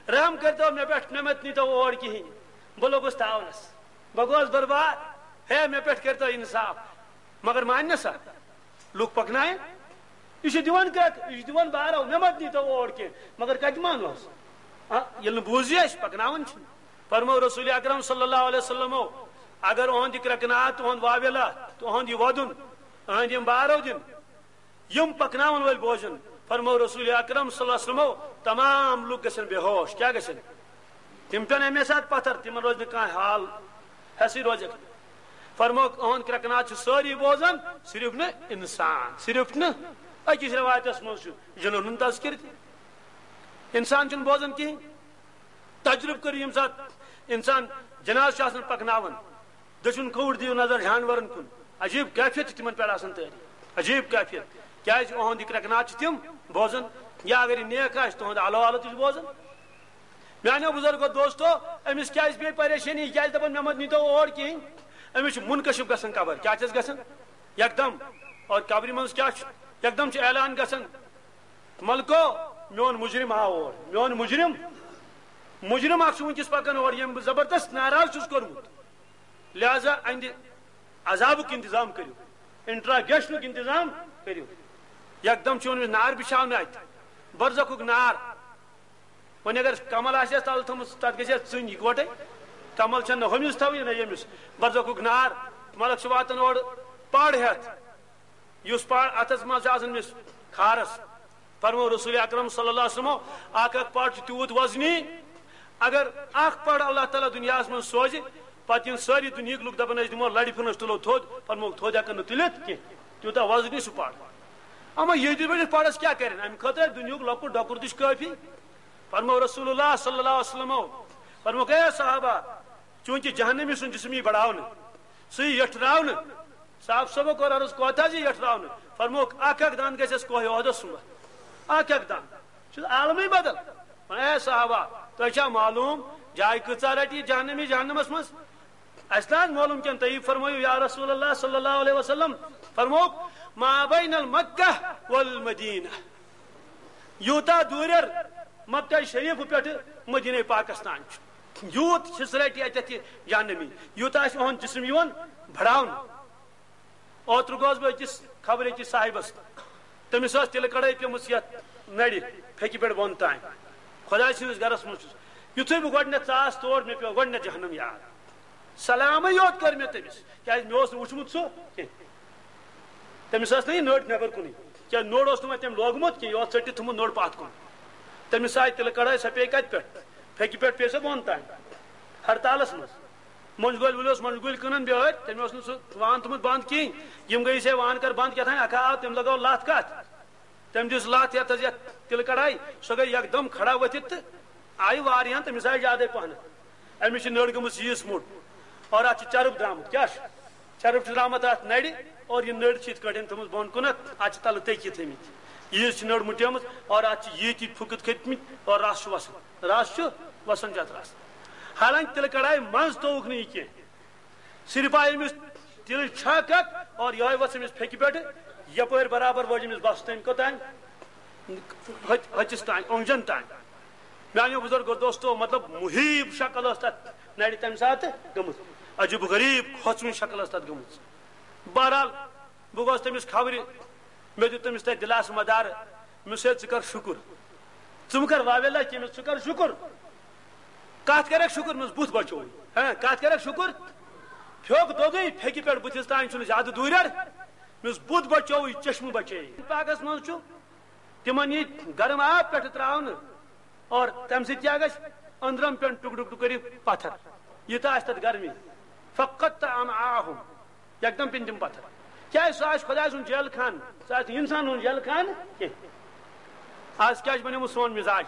رحم کٔرۍتو مےٚ پٮ۪ٹھ، مےٚ مت نیٖتو اور کِہیٖنۍ۔ بہٕ لوٚگُس تاونَس۔ بہٕ گوس برباد۔ ہے، مےٚ پٮ۪ٹھ کٔرۍتو اِنصاف۔ مگر مانہِ نہ سا۔ لُکھ پکنایہِ۔ یہِ چھُ دِوان کرٛٮ۪کھ، یہِ چھُ دِوان بارو، مےٚ مت نیٖتو اور کینٛہہ۔ مگر کتہِ مانوس؟ آ، ییٚلہِ نہٕ بوٗزی اَسہِ، پکناوان چھِنہٕ۔ فرموو رسول اکرم صلی اللہ علیہ وسلمو، اگر اُہُنٛد یہِ کرٛٮ۪کہٕ ناد، تُہُنٛد واویلا، تُہُنٛد یہِ وَدُن، أہنٛدۍ یِم بارو دِن، یِم پکناون وٲلۍ بوزن، فرموو رسول اکرم صلی اللہ علیہ وسلمو، تمام لُکھ گژھن بے ہوش۔ کیٛاہ گژھن؟ تِم پٮ۪ن اَمے ساتہٕ پتھر، تِمن روزِ نہٕ کانٛہہ حال، حیثٕے روزٮ۪کھ نہٕ۔ فرمووُکھ، أہُنٛد کرٛٮ۪کہٕ ناد چھِ سٲری بوزان، صرف نہٕ اِنسان، صرف نہٕ، أکِس رٮ۪وایتس منٛز چھُ جِنن ہُنٛد تذکرٕ تہِ۔ اِنسان چھُنہٕ بوزان کِہیٖنۍ۔ تجرُبہٕ کٔرِو، ییٚمہِ ساتہٕ اِنسان جنازٕ چھُ آسان پکناوان، دٔچھُن کھووُر دِیِو نظر جانورن کُن، عجیب کیفیت چھِ تِمن پٮ۪ٹھ آسان تٲری، عجیب کیفیت۔ کیٛازِ؟ أہُنٛد یہِ کرٛٮ۪کہٕ ناد چھِ تِم بوزان، یا اگر یہِ نیک آسہِ، تُہُنٛد حال حالت تہِ چھِ بوزان۔ میانیو بزرگو دوستو، أمِس کیٛازِ پیٚیہِ پریشٲنی؟ یہِ کیٛازِ دپان، مےٚ مت نیٖتو اور کِہیٖنۍ؟ أمِس چھُ منکشف گژھان قبر۔ کیٛاہ چھَس گژھان؟ یکدم۔ اور قبرِ منٛز کیٛاہ چھُ؟ یکدم چھُ اعلان گژھان، ملکو، میون مجرم آو اور، میون مجرم، مجرم اکھ چھُ وٕنکیٚس پکان اور، ییٚمۍ بہٕ زبردست ناراض چھُس کوٚرمُت۔ لہذا اہندِ عذابُک انتظام کٔرِو، انٹراگیشنُک انتظام کٔرِو۔ یکدم چھُ أمِس نار بِچھاونہٕ اتہِ، برزخُک نار۔ وۄنۍ اگر کمل آسہِ ہس تل تھٲومٕژ، تتھ گژھِ ہس ژٕنۍ اکوٹے۔ کمل چھنہٕ نہ ہُمِس تھاوٕنۍ نہ ییٚمِس۔ برزخُک نار، ملک چھُ واتان اورٕ پڑ ہٮ۪تھ۔ یُس پڑ اتھس منٛز چھُ آسان أمِس کھارس، فرمو رسول اکرم صلی اللہ علیہ وسلمو، اکھ اکھ پڑ چھُ تیوٗت وزنی، اگر اکھ پڑ اللہ تعالیٰ دُنیاہس منٛز سوزِ، پتہٕ یِن سٲری دُنیہٕکۍ لُکھ دپان، أسۍ دِمو لڑِ پھِرنس، تُلو تھوٚد، فرموکھ، تھوٚد ہٮ۪کن نہٕ تُلِتھ کینٛہہ، تیوٗتاہ وزنی سُہ پڑ۔ اما ییٚتہِ پٮ۪ٹھ پڑس کیٛاہ کرن؟ امہِ خٲطرٕ آسہِ دُنیہُک لۄکُٹ ڈۄکُر تہِ چھُ کٲفی۔ فرمو رسول اللہ صلی اللہ علیہ وسلمو، فرموکھ، اے صحابہ، چونکہ جہنمی سُنٛد جسم یی بڑاونہٕ، سُہ یی یٹھراونہٕ۔ صاحب صٲبو کوٚر عرض، کوتاہ زِ یٹھراونہٕ؟ فرموکھ، اکھ اکھ دند گژھٮ۪س کوہ احدس سُمبتھ۔ اکھ اکھ دند۔ چھُ عالمٕے بدل۔ وۄنۍ اے صحابہ، تۄہہِ چھا معلوم جاے کۭژاہ رٹہِ یہِ جہنمی جہنمس منٛز؟ اسہِ نہ حظ معلوم کینٛہہ، تُہی فرمٲیِو یا رسول اللہ صلی اللہ علیہ وسلم۔ فرموکھ، ما بین المکہ والمدینہ، یوٗتاہ دوٗرٮ۪ر مکہ شریف پٮ۪ٹھٕ مدینہ پاکستان چھُ، یوٗت حصہٕ رٹہِ اتٮ۪تھ یہِ جہنمی، یوٗتاہ آسہِ اُہُنٛد جسم یِوان بڑاونہٕ۔ اوترٕ گوس بہٕ أکِس خبرٕ أکِس صاحبس، تٔمِس ٲس تِلہٕ کڑٲے پیمٕژ یتھ نرِ پھیٚکہِ پٮ۪ٹھ بۄن تام۔ خۄداے سٕنٛدِس گرس منٛز چھُس، یُتھُے بہٕ گۄڈٕنیتھ ژاس تور، مےٚ پیوٚو گۄڈٕنیتھ جہنم یاد۔ سلامٕے یوت کٔر مےٚ تٔمِس، کیازِ مےٚ اوس نہٕ وُچھمُت سُہ کینٛہہ۔ تٔمِس ٲس نہٕ یہِ نٔر نٮ۪بر کُنُے، کیازِ نوٚر اوس نہٕ وۄنۍ تٔمۍ لوگمُت کینٛہہ، یہِ اوس ژٔٹِتھ تھوٚمُت نوٚر پتھ کُن۔ تٔمِس آیہِ تِلہٕ کڑٲے، سۄ پیٚیہِ کتہِ پٮ۪ٹھ؟ پھیٚکہِ پٮ۪ٹھ پیٚیہِ سۄ بۄن تام، ہرتالس منٛز۔ مۄنجہِ گۄلۍ وٲلۍ اوس مۄنجہِ گُلۍ کٕنان بیٲرۍ، تٔمۍ اوس نہٕ سُہ وان تھوٚمُت بنٛد کِہیٖنۍ۔ یِم گٔیہِ ہے وان کر بنٛد کیٛاہ تام، اکھا آو، تٔمۍ لگٲو لتھ کتھ۔ تٔمۍ دِژ لتھ یتھ حظ، یتھ تِلہٕ کڑاے، سۄ گٔے یکدم کھڑا ؤتھِتھ تہٕ آیہِ واریاہن، تٔمِس آیہِ زیادے پہن۔ أمِس چھِ نٔر گٔمٕژ ییٖژ موٚٹ اور اتھ چھُ چرٕب درامُت۔ کیٛاہ چھُ؟ چرٕب چھُ درامُت اتھ نرِ اور یہِ نٔر چھِ یِتھ کٲٹھۍ تھٲومٕژ بۄن کُنتھ، اتھ چھِ تلہٕ تٔکۍ تھٲومٕتۍ۔ ییٖژ چھِ نٔر مُٹیمٕژ اور اتھ چھِ ییٖتۍ پھُکٕتھ کھٔتۍ مٕتۍ اور رس چھُ وسان۔ رس چھُ وسان چھُ اتھ رس۔ حالانکہ تِلہٕ کڑاے منٛز تووُکھ نہٕ یہِ کینٛہہ۔ صرف آیہِ أمِس تِلٕچ چھکھ اکھ اور یِہوٚے ؤژھ أمِس پھیٚکہِ پٮ۪ٹھ یپٲرۍ برابر وٲج أمِس بس تام، کوٚتام؟ ہۄتہِ-، ہۄتِس تام، اوٚنٛگجن تام۔ میانیو بزرگو دوستو، مطلب، مُہیٖب شکل ٲس تتھ نرِ تمہِ ساتہٕ گٔمٕژ۔ عجیب و غریب کھوژوٕنۍ شکل ٲس تتھ گٔمٕژ۔ بہرحال، بہٕ گوس تٔمِس خبرِ، مےٚ دیُت تٔمِس تتہِ دِلاسہٕ مدارٕ، مےٚ ووٚنُس، ہے، ژٕ کر شُکُر۔ ژٕ مہٕ کر واویلا کینٛہہ، مےٚ ووٚنُس، ژٕ کر شُکُر۔ کتھ کرکھ شُکُر؟ مےٚ ووٚنُس، بُتھ بچووُے۔ ہاں، کتھ کرکھ شُکُر؟ پھیوٚک دوٚدُے، پھیٚکہِ پٮ۪ٹھ بُتھِس تام چھُنہٕ زیادٕ دوٗرٮ۪ر۔ مےٚ ووٚنُس، بُتھ بچووُے، چشمہٕ بچے۔ پاکس منٛز چھُ تِمن یہِ گرم آب پٮ۪ٹھٕ تراونہٕ اور تمہِ سۭتۍ کیٛاہ گژھِ؟ أنٛدرم پٮ۪ن ٹُکڑٕ ٹُکڑٕ کٔرِتھ پتھر۔ یہِ تہِ آسہِ تتھ گرمی۔ فقط امعاہم۔ یکدم پِن تِم پتھر۔ کیازِ؟ سُہ آسہِ خۄداے سُنٛد جیل خانہٕ، سُہ آسہِ نہٕ انسان ہُنٛد جیل خانہٕ کینٛہہ۔ آز کیٛاہ چھُ بنیومُت سون مزاج؟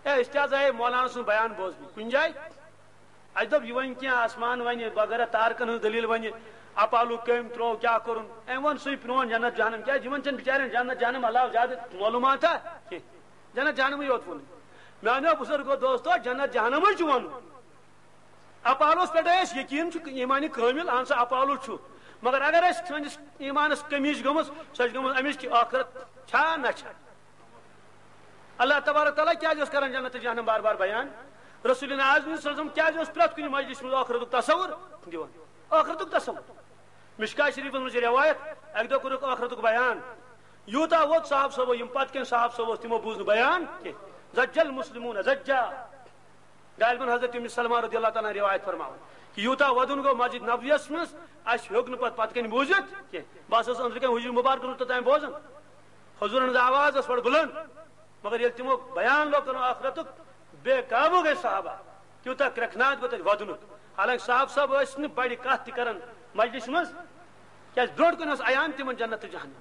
اے، أسۍ تہِ حظ آیے مولانا سُنٛد بیان بوزنہِ کُنہِ جایہِ۔ اَسہِ دوٚپ، یہِ وَنہِ کینٛہہ آسمان وَنہِ، بغٲر تارکن ہٕنٛز دٔلیٖل وَنہِ، اپالو کٔمۍ ترٛوو، کیٛاہ کوٚرُن؟ أمۍ ووٚن سُے پرٛون جنت جہنم۔ کیٛازِ؟ یِمن چھَنہٕ بِچارٮ۪ن جنت جہنم علاوٕ زیادٕ معلوٗماتا کینٛہہ۔ جنت جہنمٕے یوت ووٚنُن۔ میٛانیو بُزرگو دوستو، جنت جہنمٕے چھُ وَنُن۔ اپالوس پٮ۪ٹھ اَسہِ یقیٖن چھُ، ایٖمانِ کٲمِل، اہن سا، اپالو چھُ۔ مگر اگر اَسہِ سٲنِس ایٖمانَس کٔمی چھِ گٔمٕژ، سۄ چھِ گٔمٕژ اَمِچ کہِ ٲخرت چھا نہ چھا۔ اللہ تبارک تعالیٰ کیٛازِ اوس کران جنت تہٕ جہنم بار بار بیان؟ رسول اعظم صلی اللہ علیہ وسلم کیٛازِ اوس پرٛٮ۪تھ کُنہِ مجلسہِ منٛز ٲخرتُک تصور دِوان؟ ٲخرتُک تصور۔ مشکا شریفس منٛز چھِ رٮ۪وایت، اَکہِ دۄہ کوٚرُکھ ٲخرتُک بیان۔ یوٗتاہ ووت صاحب صٲبو، یِم پتہٕ کٮ۪ن صاحب صٲب ٲسۍ، تِمو بوٗز نہٕ بیان کینٛہہ۔ زجل مسلمون زجا۔ غالباً حضرت ام سلمہ رضی اللہ تعالیٰ عنہ روایت فرماوان کہ یوٗتاہ ودُن گوٚو مسجد نبویس منٛز، اَسہِ ہیوٚک نہٕ پتہٕ پتہٕ کنہِ بوٗزِتھ کینٛہہ۔ بہٕ ہسا اوسُس أنٛدرٕ کنہِ حجرِ مبارکس منٛز توٚتام بوزان۔ حضورن ہٕنٛز آواز ٲس بڑٕ بُلند، مگر ییٚلہِ تِمو بیان لوگ کرُن ٲخرتُک، بے قابو گٔے صحابہ۔ تیوٗتاہ کرٛٮ۪کھ ناد گوٚو تتہِ ودنُک۔ حالانکہ صاحب صٲب ٲسۍ نہٕ بڑِ کتھ تہِ کران مجلسہِ منٛز، کیازِ برونٛٹھ کُن اوس عیان تِمن جنت تہٕ جہنم۔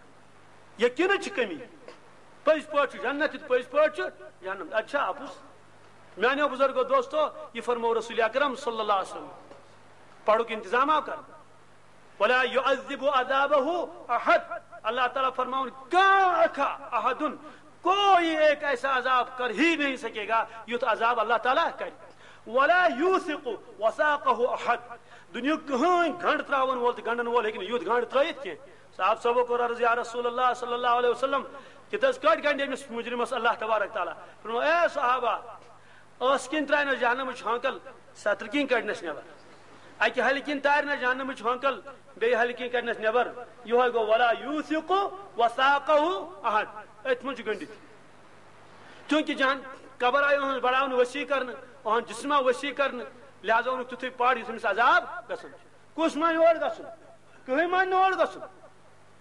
یقیناً چھِ کمی۔ پٔزۍ پٲٹھۍ چھُ جنت تہٕ پٔزۍ پٲٹھۍ چھُ جہنم۔ اَتہِ چھا اَپُز؟ میانیو بزرگو دوستو، یہِ فرموو رسول اکرم صلی اللہ علیہ وسلم۔ پڑھُک انتظام آو کرنہٕ۔ ولا يعذب عذابه احد۔ اللہ تعالیٰ فرماوان، کانٛہہ اکھا، احدن، کوئی ایک ایسا عذاب کر ہی نہیں سکے گا یُتھ عذاب اللہ تعالیٰ کرِ۔ ولا يوثق وثاقه احد۔ دُنیہُک کٕہٕنۍ گنڈ تراون وول تہٕ گنڈن وول ہیٚکہِ نہٕ یُتھ گنڈ ترٲیِتھ کینٛہہ۔ صاحب صٲبو کوٚر عرض، یا رسول اللہ صلی اللہ علیہ وسلم، کِتھ حظ کٲٹھۍ گنڈِ أمِس مجرمس اللہ تبارک تعالیٰ؟ فرموو، اے صحابہ، ٲس کِنۍ ترٛاونس جہنمٕچ ہانکل، سترٕ کِنۍ کڑنس نٮ۪بر۔ اکہِ ہلہِ کِنۍ تارِ نس جہنمٕچ ہانکل، بیٚیہِ ہلہِ کِنۍ کڑنس نٮ۪بر۔ یِہوے گوٚو ولا یوثق وثاقه احد۔ أتھۍ منٛز چھُ گٔنڈِتھ۔ چونکہ جہن قبر آیہِ أہنٛز بڑاونہٕ، وسیع کرنہٕ، أہنٛد جسم آو وسیع کرنہٕ، لہذا اوٚنُکھ تیُتھُے پڑ یُتھ أمِس عذاب گژھُن چھُ۔ کُس مانہِ اور گژھُن؟ کٕہٕنۍ مانہِ نہٕ اور گژھُن۔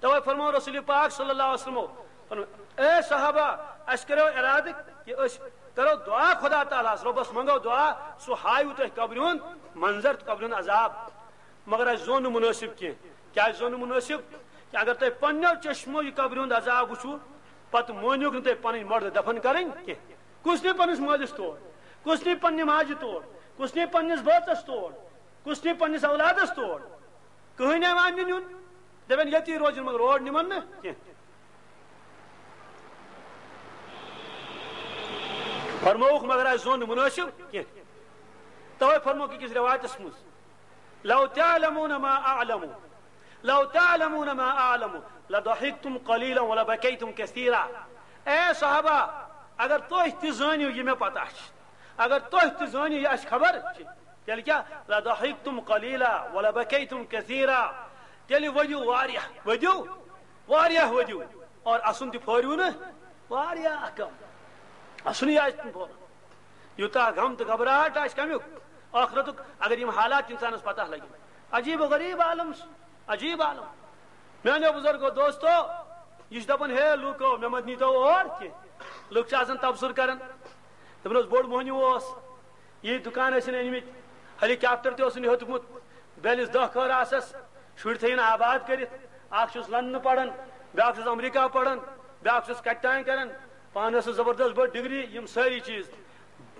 توے فرمو رسول پاک صلی اللہ علیہ وسلمو، فرمو، اے صحابہ، اسہِ کریو ارادٕ کہِ أسۍ کرو دعا خدا تعالیٰ ہس، رۄبس منگو دعا، سُہ ہاوِ تۄہہِ قبرِ ہُنٛد منظر تہٕ قبرِ ہُنٛد عذاب۔ مگر اسہِ زون نہٕ منٲسِب کینٛہہ۔ کیازِ زون نہٕ منٲسِب؟ کہ اگر تۄہہِ پننیو چشمو یہِ قبرِ ہُنٛد عذاب وٕچھو، پتہٕ مٲنِو نہٕ تُہۍ پنٕنۍ مردٕ دفن کرٕنۍ کینٛہہ۔ کُس نی پننِس مٲلِس تور؟ کُس نی پننہِ ماجہِ تور؟ کُس نی پننِس بٲژس تور؟ کُس نی پننِس اولادس تور؟ کٕہٕنۍ نہٕ مانہِ نیُن۔ دپن ییٚتی روزِ، مگر اور نِمن نہٕ کینٛہہ۔ فرمووُکھ، مگر اسہِ زون نہٕ منٲسِب کینٛہہ۔ توے فرمووُکھ أکِس رِوایتس منٛز، "لو تعلمون ما اعلم، لو تعلمون ما اعلم، لضحكتم قليلا ولبكيتم كثيرا۔" اے صحابہ، اگر تُہۍ تہِ زٲنِو یہِ مےٚ پتہ چھِ، اگر تُہۍ تہِ زٲنِو یہِ اَسہِ خبر چھِ، تیٚلہِ کیٛاہ؟ "لضحكتم قليلا ولبكيتم كثيرا۔" تیٚلہِ ؤدِو واریاہ، ؤدِو واریاہ، ؤدِو، اور اسُن تہِ پھٲرِو نہٕ واریاہ کم۔ اسُن یہِ آسہِ نہٕ پھورُن۔ یوٗتاہ غم تہٕ گھبراہٹ آسہِ کمیُک؟ ٲخرتُک۔ اگر یِم حالات اِنسانس پتہ لگن۔ عجیب و غریب عالم، عجیب عالم۔ میانیو بزرگو دوستو، یہِ چھُ دپان، ہے لوٗکو، مےٚ مت نیٖتو اور کینٛہہ۔ لُکھ چھِ آسان تبصرٕ کران۔ دپان اوس، بوٚڑ موہنیو اوس، یہِ دُکان ٲسِن أنۍ مٕتۍ، ہیلی کاپٹر تہِ اوسُن ہیوٚتمُت، بیلِس دَہ کھٲر آسس، شُرۍ تھٲیِن آباد کٔرِتھ، اکھ چھُس لندنہٕ پران، بیاکھ چھُس امریکہ پران، بیاکھ چھُس کتہِ تام کران، پانس ٲس زبردست بٔڑ ڈگری، یِم سٲری چیٖز،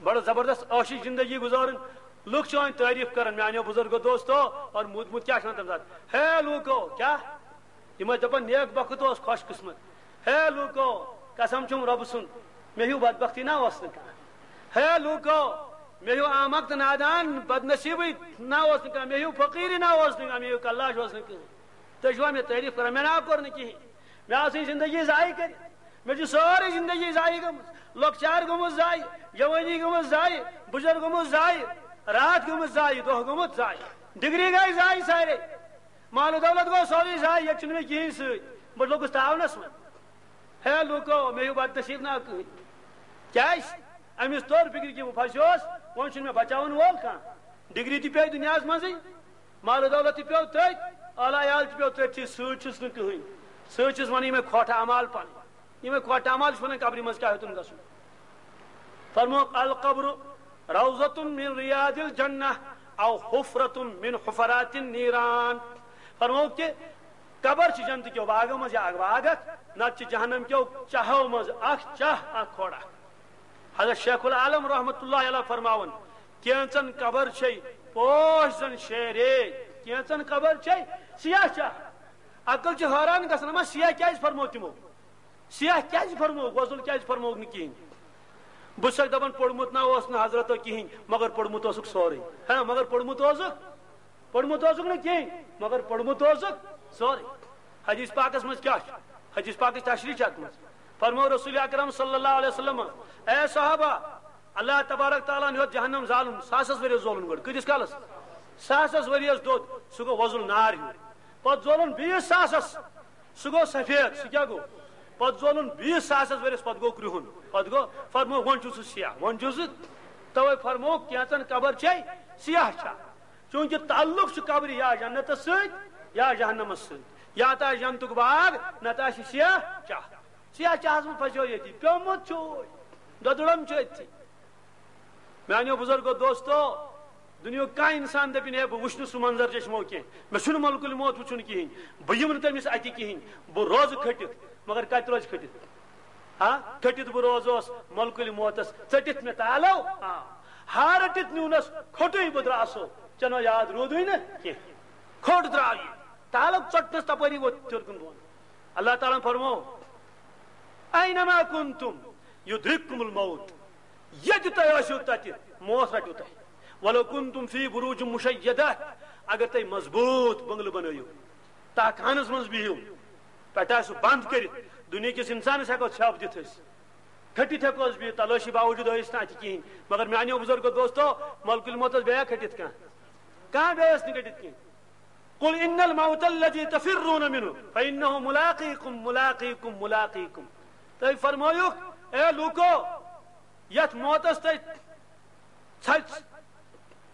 بڑٕ زبردست عٲشی زندگی گُزارٕنۍ۔ لُکھ چھِ وۄنۍ تعریٖف کران، میانیو بزرگو دوستو، اور موٗدمُت کیٛاہ چھُ وَنان تَمہِ ساتہٕ؟ ہے لوٗکو، کیٛاہ؟ یِم ٲسۍ دَپان، "نیک بخت اوس خوش قسمت۔" ہے لوٗکو، قسم چھُم رۄبہٕ سُنٛد، مےٚ ہیوٗ بدبختی نا اوس نہٕ کانٛہہ۔ ہے لوٗکو، مےٚ ہیوٗ احمق تہٕ نادان بدنصیٖبٕے نا اوس نہٕ کانٛہہ، مےٚ ہیوٗ فقیٖرٕے نا اوس نہٕ کانٛہہ، مےٚ ہیوٗ کلاش اوس نہٕ کٕہٕنۍ۔ تُہۍ چھِوا مےٚ تعریٖف کران؟ مےٚ نا کوٚر نہٕ کِہیٖنۍ۔ مےٚ آسٕے زندگی ضایع کٔرِتھ۔ مےٚ چھِ سٲرٕے زندگی ضایع گٔمٕژ۔ لۄکچار گوٚمُت ضایع، جوٲنی گٔمٕژ ضایع، بُجر گوٚمُت ضایع، راتھ گٔمٕژ ضایع، دۄہ گوٚمُت ضایع، ڈگری گٔے ضایع سارے۔ مال و دولت گوٚو سورُے ضایع، ییٚتہِ چھُنہٕ مےٚ کِہیٖنۍ سۭتۍ۔ بہٕ لوٚگُس تاونَس منٛز۔ ہے لوٗکو، مےٚ ہیوٗ بدنصیٖب نا کٕہٕنۍ۔ کیٛازِ؟ أمِس توٚر فِکرِ کہِ بہٕ پھَسیوس، وۄنۍ چھُنہٕ مےٚ بچاوَن وول کانٛہہ۔ ڈگری تہِ پیٚیہِ دُنیاہَس منٛزٕے، مال و دولت تہِ پیوٚو تٔتھۍ، اعلیٰ عیال تہِ پیوٚو تٔتھۍ، سۭتۍ چھُس نہٕ کٕہٕنۍ۔ سۭتۍ چھُس وَنان یِمَے کھۄٹھ اعمال پَنٕنۍ۔ یِمَے کھۄٹھ اعمال چھِ وَنان قبرِ منٛز کیٛاہ ہیوٚتُن گژھُن۔ فرمووُکھ، "القبر روضة من رياض الجنة أو حفرة من حفرات النيران۔" فرمووُکھ کہِ قبر چھِ جنتہٕ کیو باغو منٛز یا اکھ باغ اکھ، نتہٕ چھِ جہنم کیو چاہو منٛز اکھ چاہ، اکھ کھۄڑ اکھ۔ حضرت شیخ العالم رحمت اللہ علیہ فرماوان، کینژن قبر چھے پوش زن شیرے، کینژن قبر چھے سیاہ چاہ۔ عقل چھِ حٲران گژھان، اما سیاہ کیازِ فرمو تِمو؟ سیاہ کیازِ فرمووُکھ؟ وۄزُل کیازِ فرمووُکھ نہٕ کِہیٖنۍ؟ بہٕ چھُسکھ دَپان، پوٚرمُت نہ اوس نہٕ حضرتو کِہیٖنۍ، مگر پوٚرمُت اوسُکھ سورُے۔ ہاں، مگر پوٚرمُت اوسُکھ، پوٚرمُت اوسُکھ نہٕ کِہیٖنۍ، مگر پوٚرمُت اوسُکھ سورُے۔ حدیث پاکس منٛز کیٛاہ چھُ؟ حدیث پاکٕچ تشریح چھِ اَتھ منٛز۔ فرموو رسول اکرم صلی اللہ علیہ وسلم، اے صحابہ، اللہ تبارک تعالیٰ ہن ہیوٚت جہنم زالُن، ساسس ؤرِیس زولُن گۄڈٕ۔ کۭتِس کالس؟ ساسس ؤرِیس دوٚد، سُہ گوٚو وۄزُل نار ہیوٗ۔ پتہٕ زولُن بیٚیِس ساسس، سُہ گوٚو سفید، سُہ کیٛاہ گوٚو؟ پتہٕ زولُن بیٚیِس ساسس ؤرِیس، پتہٕ گوٚو کرٛہُن۔ پتہٕ گوٚو، فرموو، وۄنۍ چھُ سُہ سیاہ، وۄنۍ چھُ سُہ۔ توے فرموو، کینٛژن قبر چھے سیاہ چھا؟ چوٗنٛکہِ تعلق چھُ قبرِ یا جنتس سۭتۍ یا جہنمس سۭتۍ، یا تہٕ آسہِ جنتُک باغ، نتہٕ آسہِ سیاہ چاہ۔ سیاہ چاہس منٛز پھسیو ییٚتی، پیومُت چھُ، دۄدُرم چھُ أتھی۔ میانیو بزرگو دوستو، دُنیاہُک کانٛہہ انسان دپہِ نہٕ، "ہے، بہٕ وٕچھِ نہٕ سُہ منظر چشمو کینٛہہ، مےٚ چھُنہٕ ملکُل موت وٕچھُن کِہیٖنۍ، بہٕ یِمہٕ نہٕ تٔمِس اَتھِ کِہیٖنۍ، بہٕ روزٕ کھٔٹِتھ، مگر کتہِ روزِ کھٔٹِتھ؟ ہا، کھٔٹِتھ بہٕ روزوس ملکُل موتس، ژٔٹِتھ مےٚ تالو، آ، ہار رٔٹِتھ نیونس کھوٚٹُے بہٕ درٛاسو، ژےٚ نو یاد روٗدُے نہٕ کینٛہہ، کھوٚٹ درٛاو یہِ، تالو ژوٚٹنس تپٲری ووت تھیوٚر کُن بۄن۔" اللہ تعالیٰ ہن فرموو، "اینما کنتم یدرککم الموت۔" ییٚتہِ تُہۍ ٲسِو تَتہِ، موت رَٹِو تۄہہِ۔ "ولو کنتم فی بروج مشیدہ۔" اگر تُہۍ مضبوٗط بنگلہٕ بنٲیِو، تاہ خانس منٛز بِہِو، پٮ۪ٹھٕ آسِو بنٛد کٔرِتھ، دُنیہکِس انسانس ہٮ۪کو ژھٮ۪پھ دِتھ أسۍ، کھٔٹِتھ ہٮ۪کو أسۍ بِہِتھ، تلٲشی باوجود ٲسۍ نہٕ اَتہِ کِہیٖنۍ۔ مگر میانیو بُزرگو دوستو، ملکُل موتس بیٚیہِ کھٔٹِتھ کانٛہہ؟ کانٛہہ بیٚیہِ ٲس نہٕ کھٔٹِتھ کِہیٖنۍ۔ "قل ان الموت الذي تفرون منه فانه ملاقيكم، ملاقيكم، ملاقيكم۔" تُہۍ فرمٲیِو، اے لوٗکو، یتھ موتس تُہۍ ژھۄ-،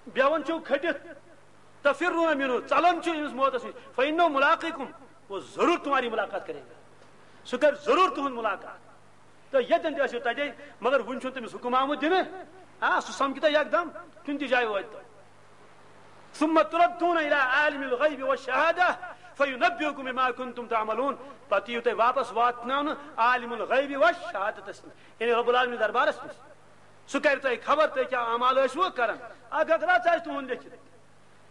بیہوان چھِو کھٔٹِتھ، تفرون منه، ژلان چھِو أمِس موتس نِش، فانه ملاقيكم، وہ ضرور تمہاری ملاقات کرے گا، سُہ کرِ ضرور تُہُنٛد ملاقات۔ تہٕ ییٚتٮ۪ن تہِ ٲسِو تَتے، مگر وُنہِ چھُنہٕ تٔمِس حُکُم آمُت دِنہٕ۔ آ، سُہ سَمکھِ تۄہہِ یکدم، کُنہِ تہِ جایہِ وٲتۍ تو۔ ثم تردون إلى عالم الغيب والشهادة فينبئكم بما كنتم تعملون۔ پتہٕ یِیِو تُہۍ واپس واتناونہٕ عالم الغیب و شہادتس نِش، یعنی رب العالمین دربارس نِش۔ سُہ کرِ تۄہہِ خبر تُہۍ کیٛاہ اعمال ٲسوٕ کران۔ اکھ اکھ رژھ آسہِ تُہُنٛد لیکھِتھ،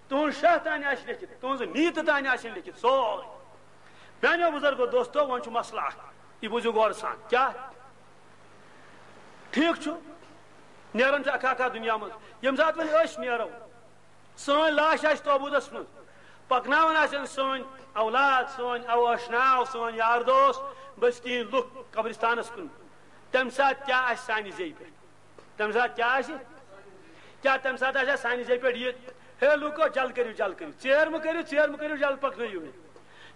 تُہُنٛد شاہ تانۍ آسہِ لیکھِتھ، تُہٕنٛز نیٖتہٕ تانۍ آسن لیکھِتھ، سورُے۔ میانیو بزرگو دوستو، وۄنۍ چھُ مسلہٕ اکھ، یہِ بوٗزِو غورٕ سان۔ کیٛاہ؟ ٹھیٖک چھُ، نیران چھُ اکھ اکھ دُنیا منٛز۔ ییٚمہِ ساتہٕ وۄنۍ أسۍ نیرو، سٲنۍ لاش آسہِ تابوٗتس منٛز، پکناوان آسن سٲنۍ اولاد، سٲنۍ او اشناو، سٲنۍ یار دوس، بستین لُکھ قبرستانس کُن، تمہِ ساتہٕ کیٛاہ آسہِ سانہِ زیٚیہِ پٮ۪ٹھ؟ تمہِ ساتہٕ کیٛاہ آسہِ؟ کیٛاہ تمہِ ساتہٕ آسہِ سانہِ زیٚیہِ پٮ۪ٹھ یہِ، ہے لوٗکو، جل کٔرِو، جل کٔرِو، ژیر مہٕ کٔرِو، ژیر مہٕ کٔرِو، جل پکنٲیِو مےٚ؟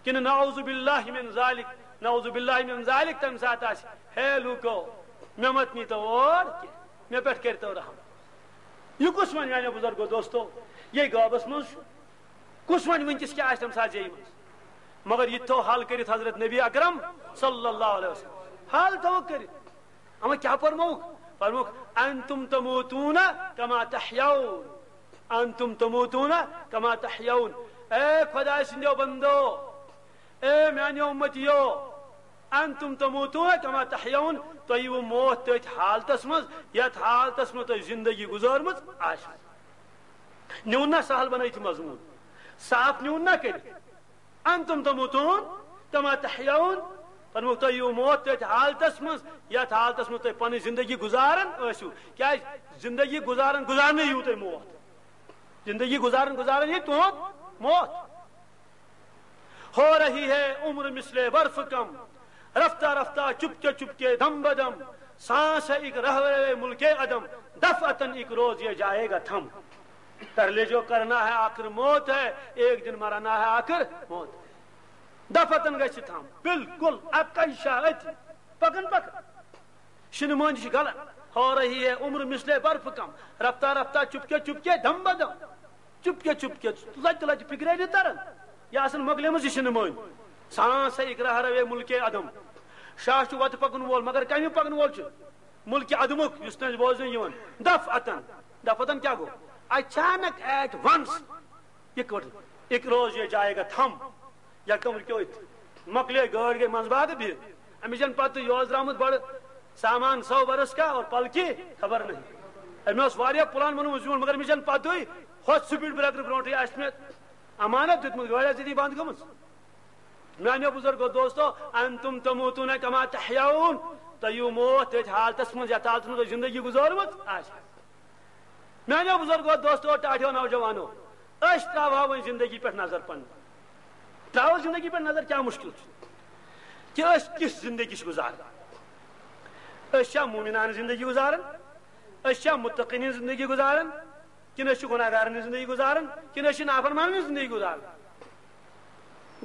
کِنہٕ نعوذ باللہ من ذالک، نعوذ باللہ من ذالک، تمہِ ساتہٕ آسہِ، ہے لوٗکو، مےٚ مت نیٖتو اور کینٛہہ، مےٚ پٮ۪ٹھ کٔرۍتو رحم۔ یہِ کُس وَنہِ میٛانیو بُزرگو دوستو؟ یے غٲبَس منٛز چھُ۔ کُس وَنہِ وٕنکیٚس کیٛاہ آسہِ تَمہِ ساتہٕ زیٚیہِ منٛز؟ مگر یہِ تہِ تھوٚو حل کٔرِتھ حضرت نبی اکرم صلی اللہ علیہ وسلم۔ حل تھوٚوُکھ کٔرِتھ۔ اما کیٛاہ فرمووُکھ؟ فرمووُکھ، "انتم تموتون کما تحیون، انتم تموتون کما تحیون۔" اے خۄداے سٕنٛدیو بندو، اے میانیو امتیو، انتم تموتون کما تحیون، تُہۍ یِیِو موت تٔتھۍ حالتس منٛز، یتھ حالتس منٛز تۄہہِ زندگی گُزٲرمٕژ آسہِ۔ نیوٗن نا سہل بنٲوِتھ مضموٗن، صاف نیوٗن نا کٔرِتھ۔ انتم تموتون کما تحیون، فرمووُکھ تُہۍ یِیِو موت تٔتھۍ حالتس منٛز، یتھ حالتس منٛز تُہۍ پنٕنۍ زندگی گُزاران ٲسِو۔ کیازِ؟ زندگی گُزاران گُزارنٕے یِیِو تُہۍ موت۔ زندگی گُزاران گُزاران یی تُہُنٛد موت۔ ہو رہی ہے عمر مثل برف کم، رفتہ رفتہ چپکے چپکے دم بدم، سانس ہے ایک رہروے ملک عدم، دفعتاً ایک روز یہ جائے گا تھم۔ پہلے جو کرنا ہے آخر موت ہے، ایک دن مرنا ہے آخر موت۔ دفعتاً گژھِ تھم، بالکل اکے شاہ أتی، پکان پکان۔ شِنہٕ مٔنٛزۍ چھِ گلان۔ ہو رہی ہے عمر مثل برف کم، رفتہ رفتہ چپکے چپکے دم بدم۔ چپکے چپکے، لتہِ لتہِ فکرے نہٕ تران۔ یہِ آسان مۄکلیمٕژ یہِ شِنہٕ مٔنٛزۍ۔ سانس ہے اقرار ہے ملک عدم۔ شاہ چھُ وتہِ پکن وول، مگر کمہِ پکن وول چھُ؟ ملک عدمُک، یُس نہٕ اَسہِ بوزنہٕ یِوان۔ دفعتاً، دفعتاً کیٛاہ گوٚو؟ اچانک، at once، یِتھ کٲٹھۍ، ایک روز یہ جائے گا تھم۔ یکدم رُکیو أتھۍ۔ مۄکلے گٲڑۍ، گٔے منٛزباگ بِہِتھ۔ أمِس چھَنہٕ پَتہٕ، یہِ اوس درٛامُت بَڑٕ سامان سو برس کا اور پل کی خبر نہیں۔ أمۍ اوس واریاہ پلان بنوومُت زیُن، مگر أمِس چھَنہٕ پَتہٕے، ہۄتھ speed breaker برونٛٹھٕے آسہِ مےٚ امانت دیُتمُت، گٲڑۍ آسہِ أتی بنٛد گٔمٕژ۔ میٛانیو بُزرگو دوستو، انتم تموتون کما تحیون، تۄہہِ یِیِو موت تٔتھۍ حالتس منٛز، یتھ حالتس منٛز تۄہہِ زندگی گُزٲرمٕژ آسہِ۔ میانیو بزرگو، دوستو، ٹاٹھیو نوجوانو، أسۍ تراوہو وۄنۍ زندگی پٮ۪ٹھ نظر پننہِ۔ تراوو زندگی پٮ۪ٹھ نظر، کیٛاہ مُشکل چھُ؟ کہِ أسۍ کِژھ زندگی چھِ گُزاران؟ أسۍ چھا مومنانہٕ زندگی گُزاران؟ أسۍ چھا متقین ہٕنٛز زندگی گُزاران؟ کِنہٕ أسۍ چھِ گناہگارن ہٕنٛز زندگی گُزاران؟ کِنہٕ أسۍ چھِ نافرمانن ہٕنٛز زندگی گُزاران؟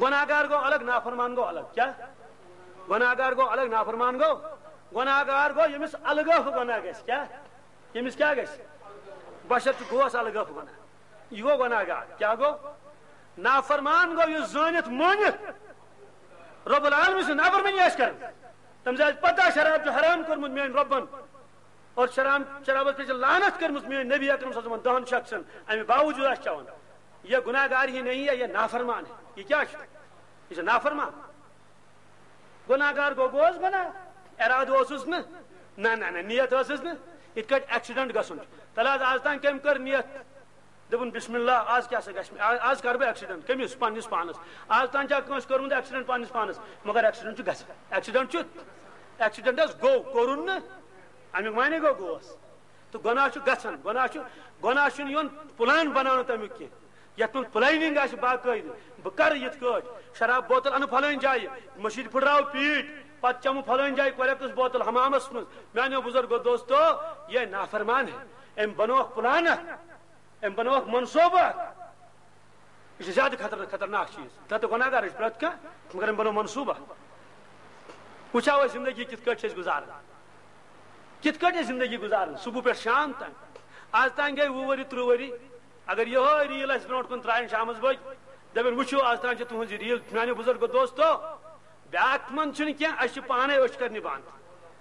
گناہگار گوٚو الگ، نافرمان گوٚو الگ۔ کیٛاہ؟ گناہگار گوٚو الگ، نافرمان گوٚو۔ گناہگار گوٚو ییٚمِس الگٲف گناہ گژھِ۔ کیٛاہ؟ ییٚمِس کیٛاہ گژھِ؟ بشرطِ گوس الگٲف گناہ۔ یہِ گوٚو گناہگار۔ کیٛاہ گوٚو؟ نافرمان گوٚو یُس زٲنِتھ مٲنِتھ رب العالمین سٕنٛز نافرمٲنی آسہِ کران۔ تٔمِس آسہِ پتہ شراب چھُ حرام کوٚرمُت میٲنۍ رۄبن، اور شراب، شرابس پٮ۪ٹھ چھِ لعنت کٔرمٕژ میٲنۍ نبی اکرم صلی اللہ علیہ وسلمن، دہن شخصن، امہِ باوجود آسہِ چٮ۪وان۔ یہ گناہگار ہی نہیں ہے، یہ نافرمان ہے۔ یہ کیٛاہ چھُ؟ یہ چھُ نافرمان۔ گناہگار گوٚو، گوٚوس گناہ، ارادٕ اوسُس نہٕ، نہ، نہ، نہ، نیت ٲسٕس نہٕ۔ یِتھ کٲٹھۍ accident گژھُن چھُ۔ تَلہٕ حظ، آز تام کٔمۍ کٔر نیت؟ دوٚپُن، "بسم اللہ، آز کیٛاہ سا گژھِ مےٚ؟ آ-، آز کَرٕ بہٕ accident۔" کٔمِس؟ پنٛنِس پانَس۔ آز تام چھا کٲنٛسہِ کوٚرمُت accident پنٛنِس پانَس؟ مگر accident چھُ گژھان۔ Accident چھُ، accident حظ گوٚو، کوٚرُن نہٕ۔ اَمیُک معنی گوٚو، گوٚوس۔ تہٕ گۄناہ چھُ گژھان، گۄناہ چھُ، گۄناہ چھُنہٕ یِوان plan بناونہٕ تَمیُک کینٛہہ۔ یَتھ منٛز planning آسہِ باقٲعدٕ، بہٕ کَرٕ یِتھ کٲٹھۍ، شراب بوتل اَنہٕ پھلٲنۍ جایہِ، مٔشیٖد پھٕٹراوٕ پیٖٹ، پَتہٕ چَمہٕ پھلٲنۍ جایہِ correct بوتل حمامَس منٛز۔ میٛانیو بُزرگو دوستو، یہِ نافرمان ہے، أمۍ بنووُکھ plan اکھ، أمۍ بنووُکھ منصوٗبہٕ اکھ۔ یہِ چھُ زیادٕ خطر-، خطرناک چیٖز۔ تَتھ تہٕ گۄناہگار چھُ پرٛٮ۪تھ کانٛہہ، مگر أمۍ بنوو منصوٗبہٕ اکھ۔ وٕچھو أسۍ زندگی کِتھ کٲٹھۍ چھِ أسۍ گُزاران، کِتھ کٲٹھۍ أسۍ زندگی گُزاران صُبح پٮ۪ٹھ شام تام۔ آز تام گٔے وُہ ؤری، تٕرٛہ ؤری۔ اگر یِہوٚے reel اَسہِ برونٛٹھ کُن ترٛایَن شامَس بٲگۍ، دپان، وٕچھِو، از تام چھِ تُہٕنٛز یہِ ریٖل، میانیو بُزرگو دوستو، بیٛاکھ منٛد چھُنہٕ کینٛہہ، اَسہِ چھِ پانَے أچھ کرنہِ بنٛد۔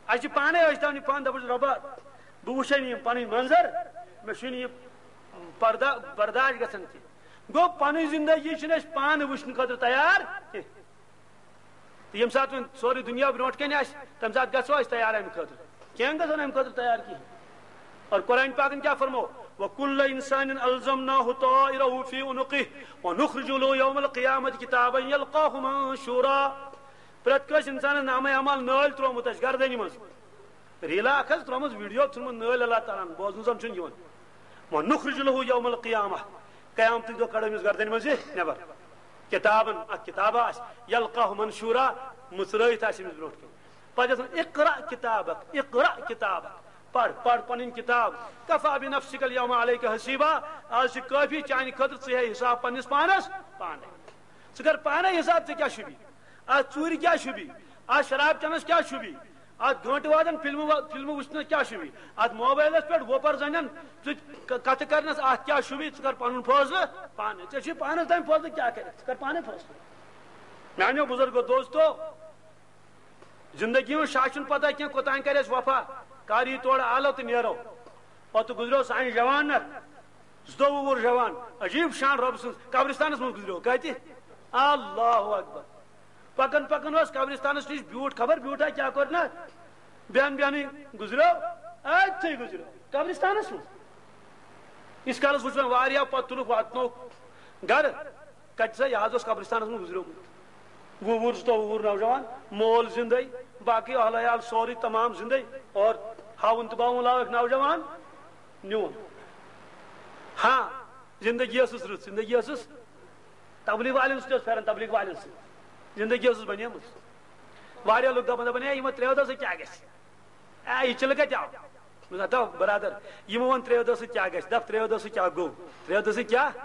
اَسہِ چھِ پانَے أچھ تھاونہِ بنٛد، دَپان چھِ، "رۄبا، بہٕ وٕچھے نہٕ یِم پَنٕنۍ منظر، مےٚ چھُنہٕ یہِ پردہ برداشت گژھان کینٛہہ۔" گوٚو، پَنٕنۍ زندگی چھِنہٕ أسۍ پانہٕ وٕچھنہٕ خٲطرٕ تیار کینٛہہ۔ تہٕ ییٚمہِ ساتہٕ وۄنۍ سورُے دُنیا برونٛٹھ کَنہِ آسہِ، تَمہِ ساتہٕ گژھو أسۍ تیار اَمہِ خٲطرٕ؟ کینٛہہ گژھو نہٕ اَمہِ خٲطرٕ تیار کِہیٖنۍ۔ اور قرآن پاکن کیا فرمو؟ "وَكُلَّ إِنسَانٍ أَلْزَمْنَاهُ طَائِرَهُ فِي عُنُقِهِ وَنُخْرِجُ لَهُ يَوْمَ الْقِيَامَةِ كِتَابًا يَلْقَاهُ مَنشُورًا۔" پرٛٮ۪تھ کٲنٛسہِ اِنسانَس نامہ اعمال نٲلۍ ترٛوومُت اَسہِ گردنہِ منٛز۔ ریٖلا اَکھ حظ ترٛٲومٕژ، ویٖڈیو ژھُنمُت نٲلۍ اللہ تعالیٰ ہَن، بوزنہٕ زَن چھُنہٕ یِوان۔ "وَنُخْرِجُ لَهُ يَوْمَ الْقِيَامَةِ"، قیامتٕکۍ دۄہ کَڑو أمِس گردنہِ منٛز یہِ نٮ۪بر۔ کِتابًا، اَکھ کِتابہ آسہِ، "يَلْقَاهُ مَنشُورًا"، مٕژرٲیِتھ آسہِ أمِس برونٛٹھ کَنہِ۔ پَتہٕ چھِ آسان، "اقرأ کتابک، اقرأ کتابک"، پَر، پَر پَنٕنۍ کِتاب۔ "کفی بنفسک الیوم علیک حسیبا"، آز چھِ کٲفی چانہِ خٲطرٕ، ژٕ ہے حِساب پنٛنِس پانَس پانَے۔ ژٕ کر پانَے حِساب، ژےٚ کیٛاہ چھُ بیٚیہِ؟ اَتھ ژوٗرِ کیٛاہ چھُ بیٚیہِ؟ اَتھ شراب چٮ۪نَس کیٛاہ چھُ بیٚیہِ؟ اَتھ گٲنٛٹہٕ وادَن فِلمہٕ وا-، فِلمہٕ وٕچھنَس کیٛاہ چھُ بیٚیہِ؟ اَتھ موبایلَس پٮ۪ٹھ وۄپَر زَنٮ۪ن سۭتۍ ک-، کَتھٕ کَرنَس، اَتھ کیٛاہ چھُ بیٚیہِ؟ ژٕ کر پَنُن فٲصلہٕ پانَے۔ ژےٚ چھُے پانَس تام فٲصلہٕ کیٛاہ کَرِ، ژٕ کر پانَے فٲصلہٕ۔ میٛانیو بُزرگو دوستو، زندگی ہُنٛد شاہ چھُنہٕ پتہ کینٛہہ، کوٚتام کرِ اَسہِ وفا، کر یی تورٕ آلو تہٕ نیرو۔ پتہٕ گُزریو سانہِ جوان نہ، زٕتووُہ وُہُر جوان، عجیب شان رۄب سٕنٛز، قبرستانس منٛز گُزریو۔ کتہِ؟ اللہ اکبر۔ پکان پکان اوس قبرستانس نِش، بیوٗٹھ، خبر بیوٗٹھا کیٛاہ کوٚر نہ، بیہن بیہنٕے گُزریو، أتھٕے گُزریو قبرستانس منٛز۔ ییٖتِس کالس وٕچھ مےٚ واریاہ، پتہٕ تُلُکھ واتنووُکھ گرٕ۔ کتہِ سا؟ یہِ حظ اوس قبرستانس منٛز گُزریومُت۔ وُہ وُہُر، زٕتووُہ وُہُر نوجوان، مول زندے، باقٕے اہل عیال سورُے تمام زندے، اور ہاوُن تہٕ باوُن لایق نوجوان نیوٗن۔ ہاں، زندگی ٲسٕس رٕژ، زندگی ٲسٕس، تبلیغ والٮ۪ن سۭتۍ اوس پھیران، تبلیغ والٮ۪ن سۭتۍ زندگی ٲسٕس بنیمٕژ۔ واریاہ لُکھ دپان، دپان، "ہے، یِمو ترٛیو دۄہو سۭتۍ کیٛاہ گژھِ؟ اے، یہِ چِلہٕ کتہِ آو؟" مےٚ دوٚپ، "ہتو برادر، یِمو ووٚن ترٛیو دۄہو سۭتۍ کیٛاہ گژھِ؟ دپ، ترٛیو دۄہو سۭتۍ کیٛاہ گوٚو؟ ترٛیو دۄہو سۭتۍ کیٛاہ؟ مےٚ